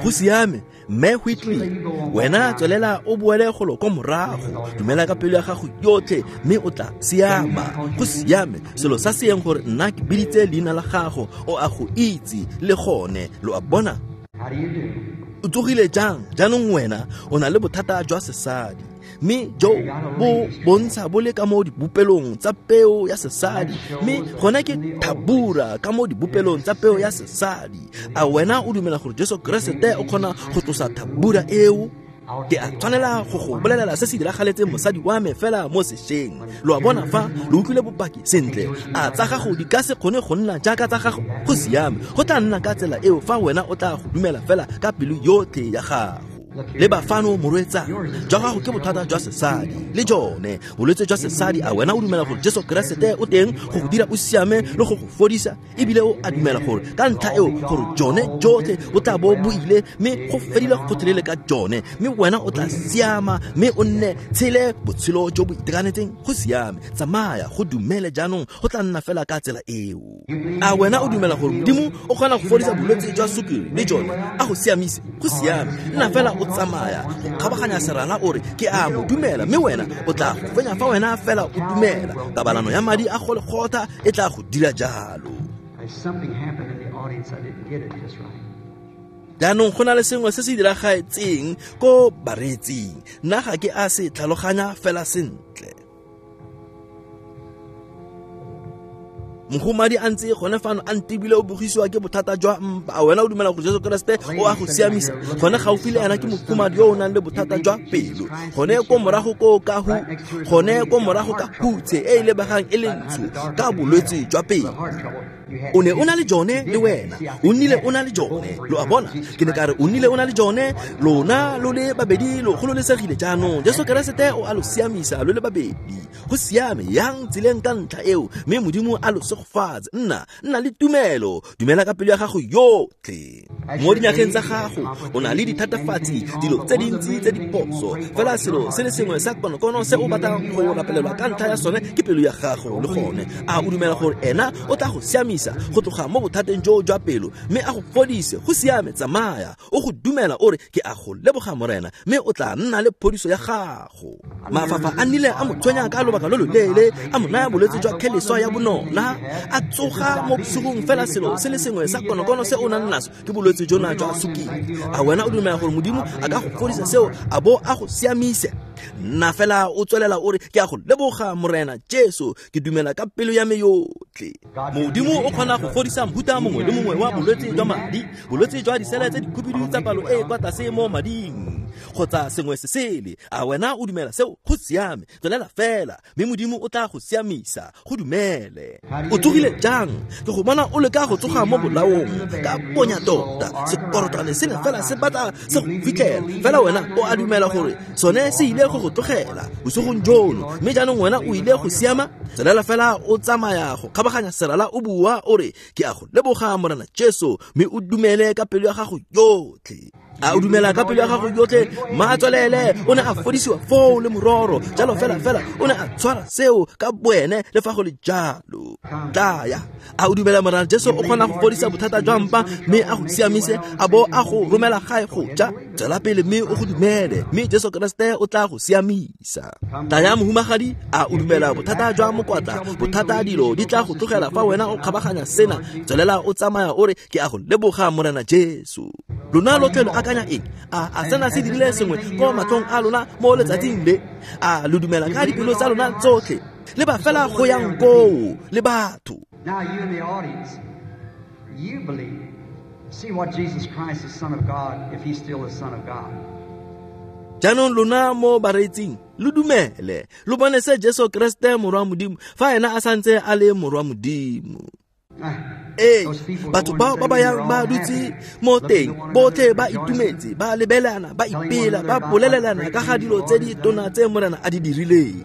Go siame. Mme Whitley, wena tswelela o boele golo ko morago. Dumela ka pelo ya gago yotlhe mme o tla siama. Go siame. Selo sa seeng gore nna ke biditse leina la gago, o a go itse le gone. Lo a bona? How do you do? O tsogile jang? Jaanong wena o na le bothata jwa sesadi, mme jo bo bontsha bo le ka mo dibopelong tsa peo ya sesadi, mme gona ke thabura ka mo dibopelong tsa peo ya sesadi. A wena o dumela gore Jesu Keresete o kgona go tlosa thabura eo? Ke a tshwanela go go bolelela se se diragaletseng mosadi wa me fela mo sešweng. Lo a bona fa lo utlwile bopaki sentle. A tsa gago di ka se kgone go nna jaaka tsa gago? Go siame. Go tla nna ka tsela eo fa wena o tla go dumela fela ka pelo yotlhe ya gago. Le bafano morwetsana, jwa gago ke bothata jwa sesadi le jone bolwetse jwa sesadi. A wena o dumela gore Jesu Keresete o teng go go dira o siame le go go fodisa? Ebile o a dumela gore ka ntlha eo gore jone jotlhe bo tla bo bo ile, mme go fedile gotlhelele ka jone, mme wena o tla siama mme o nne tshele botshelo jo bo itekanetseng. Go siame. Tsamaya, go dumele jaanong, go tla nna fela ka tsela eo. A wena o dumela gore Modimo o kgona go fodisa bolwetse jwa sukiri le jone, a go siamise? Go siame. Nna fela o tsamaya go kgabaganya serala o re ke a mo dumela, mme wena o tla go fenya fa wena fela o dumela. Kabalano ya madi a Golgotha e tla go dira jalo. Something happened in the audience. I didn't get it just right. Jaanong go na le sengwe se se diragetseng ko bareetsing. Nna ga ke a se tlhaloganya fela sentle. Mohumadi a ntse gone fano a ntebile o bogisiwa ke bothata jwa mpa. A wena o dumela gore Jesu Keresete o a go siamisa? Gone gaufi le ena ke mohumadi yo o nang le bothata jwa pelo. Gone ko morago ko ka hu, gone ko morago ka hutshe e e lebegang e le ntsho ka bolwetse jwa pelo. O ne o na le jone le wena. O nnile o na le jone. Lo a bona? Ke ne ka re o nnile o na le jone. Lona lo le babedi lo gololesegile jaanong. Jesu Keresete o a lo siamisa lo le babedi. Go siame, yang tseleng ka ntlha eo, mme Modimo a lo segofatse. Nna le tumelo. Dumela ka pelo ya gago yotlhe. Mo dinageng tsa gago o na le dithatafatsi, dilo tse dintsi tse di phoso, fela selo se le sengwe sa konokono se o batlang go rapelelwa ka ntlha ya sone ke pelo ya gago le gone. A o dumela gore ena o tla go siamisa go tloga mo bothateng jo jwa pelo mme a go fodise? Go siame, tsamaya o go dumela o re ke a go leboga Morena, mme o tla nna le phodiso ya gago. Mafafa a nnile a mo tshwenya ka lobaka lo loleele, a mo naya bolwetse jwa kheleswa ya bonona, a tsoga mo bosigong, fela selo se le sengwe sa konokono se o nang naso ke bolwetse jona jwa sukiri. A wena o dumela gore Modimo a ka go fodisa seo a bo a go siamise? Nna fela o tswelela o re ke a go leboga Morena Jesu, ke dumela ka pelo ya me yotlhe. Modimo o kgona go fodisa mohuta mongwe le mongwe wa bolwetse jwa madi, bolwetse jwa disele tse dikhubidu tsa palo e kwa tlase mo mading kgotsa sengwe se sele. A wena o dumela seo? Go siame, tswelela fela mme Modimo o tla go siamisa. Go dumele. O tsogile jang? Ke go bona o leka go tsoga mo bolaong ka bonya tota, sekorotwane se ne fela se batla se go fitlhela, fela wena o a dumela gore sone se ile go go tlogela bosigong jono, mme jaanong wena o ile go siama. Tswelela fela o tsamaya go kgabaganya serala o bua o re ke a go leboga Morena Jesu, mme o dumele ka pelo ya gago yotlhe. A o dumela ka pelo ya gago yotlhe? Ma tswelele, o ne a fodisiwa foo le mororo jalo, fela fela o ne a tshwara seo ka boene le fa go le jalo. Tlaya. A o dumela Morena Jesu o kgona go fodisa bothata jwa mpa mme a go siamise a bo a go romela gae go ja? Tswela pele mme o go dumele, mme Jesu Keresete o tla go siamisa. Tlaya mohumagadi, a o dumela bothata jwa mokwatla, bothata dilo di tla go tlogela fa wena o kgabaganya sena? Tswelela o tsamaya o re ke a go leboga Morena Jesu. Lona lotlhe lo akanya eng? A sena se dirile sengwe ko matlhong a lona mo letsatsing le? A lo dumela ka dipelo tsa lona tsotlhe? Le ba fela go yang koo le batho. Now you in the audience, you believe. See what Jesus Christ, the Son of God, if he's still the Son of God. Jaanong lona mo bareetsing lo dumele, lo bone se Jesu Keresete morwa Modimo, fa ena a santse a le morwa Modimo. Ee, batho bao ba ba yang ba dutse mo teng botlhe ba itumetse, ba lebelana, ba ipela, ba bolelelana ka ga dilo tse di tona tse Morena a di dirileng.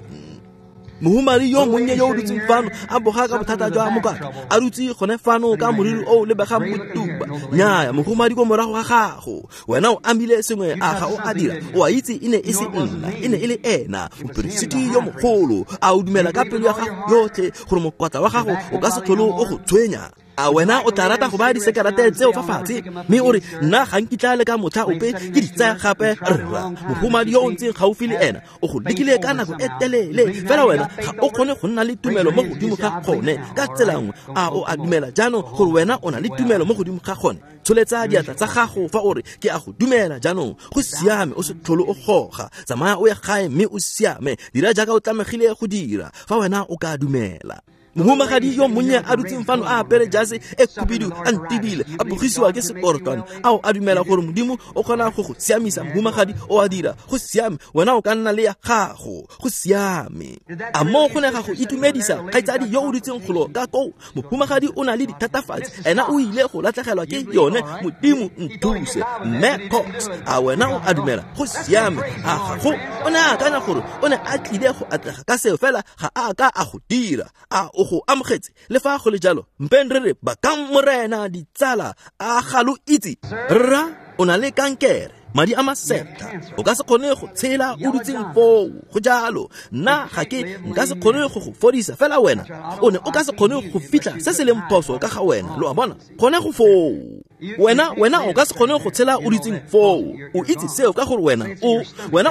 Mohumadi yo monnye yo o dutseng fano a boga ka bothata jwa mokwatla, a dutse gone fano ka moriri o lebegang botuba. Nnyaya, mohumadi ko morago ga gago, wena o amile sengwe, a ga o a dira? O a itse e ne e se nna, e ne e le ena, moperesiti yo mogolo. A o dumela ka pelo ya gago yotlhe gore mokwatla wa gago o ka se tlhole o go tshwenya? A wena o tla rata go baya disekerete tseo fa fatshe mme o re nna ga nkitla le ka motlha ope ke di tsaya gape? Rra, mohumadi yo o ntseng gaufi le ena o go lekile ka nako e telele, fela wena ga o kgone go nna le tumelo mo godimo ga gone ka tsela nngwe. A o a dumela jaanong gore wena o na le tumelo mo godimo ga gone? Tsholetsa diatla tsa gago fa o re ke a go dumela jaanong. Go siame, o se tlhole o goga, tsamaya o ye gae mme o siame. Dira jaaka o tlamegile go dira fa wena o ka dumela. Mohumagadi yo monnye a dutseng fano a apere jase e khubidu a ntibile, a bogisiwa ke sekorotwane. A o a dumela gore Modimo o kgona go go siamisa? Mohumagadi o a dira. Go siame, wena o ka nna le ya gago. Go siame. A mo go ne ga go itumedisa, kgaitsadi yo o dutseng golo ka koo? Mohumagadi o na le dithatafatsi, ena o ile go latlhegelwa ke yone. Modimo nthuse. Mme Cox, a wena o a dumela? Go siame. A gago o ne a akanya gore o ne a tlile go atlega ka seo, fela ga a ka a go dira. A o go amogetse? Le fa go le jalo, mpeng re re bakang Morena ditsala. A ga lo itse? Rra, o na le kankere, madi a masetha, o ka se kgone go tshela o dutseng foo. Go jalo. Nna ga ke nka se kgone go go fodisa, fela wena o ne o ka se kgone go fitlha se se leng phoso ka ga wena. Lo a bona? Gone go foo. Wena o ka se kgone go tshela o dutseng foo. O itse seo ka gore wena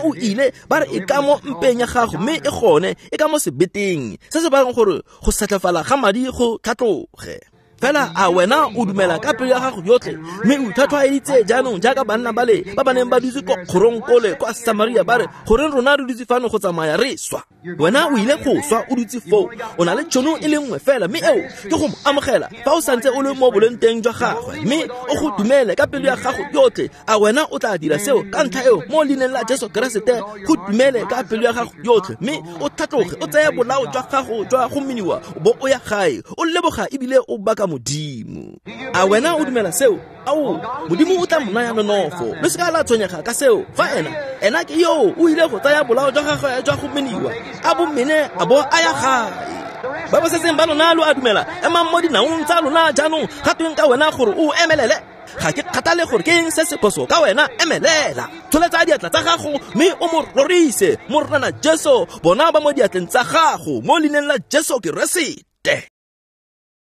o ile ba re e ka mo mpeng ya gago, mme e gone e ka mo sebeteng se se bakang gore go setlefala ga madi go tlhatloge. Fela a wena o dumela ka pelo ya gago yotlhe mme o ithatlhwaeditse jaanong jaaka banna bale ba ba neng ba dutse ko kgorong kole kwa Samaria ba re goreng rona re dutse fano go tsamaya re swa? Wena o ile go swa o dutse foo. O na le tšhono e le nngwe fela, mme eo ke go mo amogela fa o santse o le mo boleng teng jwa gagwe, mme o go dumele ka pelo ya gago yotlhe. A wena o tla dira seo ka ntlha eo mo leineng la Jesu Keresete? Go dumele ka pelo ya gago yotlhe mme o tlhatloge, o tseye bolao jwa gago jwa go meniwa o bo o ya gae o leboga ebile o baka Modimo. A wena o dumela seo? Ao, Modimo o tla mo naya nonofo. Lo se ka la tshwenyega ka seo. Fa ena ke yo o ile go tsaya bolao jwa gagwe jwa go meniwa, a bo mene a bo a ya gae. Ba ba setseng ba lona lo a dumela, emang mo dinaong tsa lona jaanong. Ga tweng ka wena gore o emelele? Ga ke kgathale gore ke eng se se phoso ka wena, emelela, tsholetsa diatla tsa gago mme o mo rorise. Morena Jesu, bona ba mo diatleng tsa gago mo leineng la Jesu Keresete.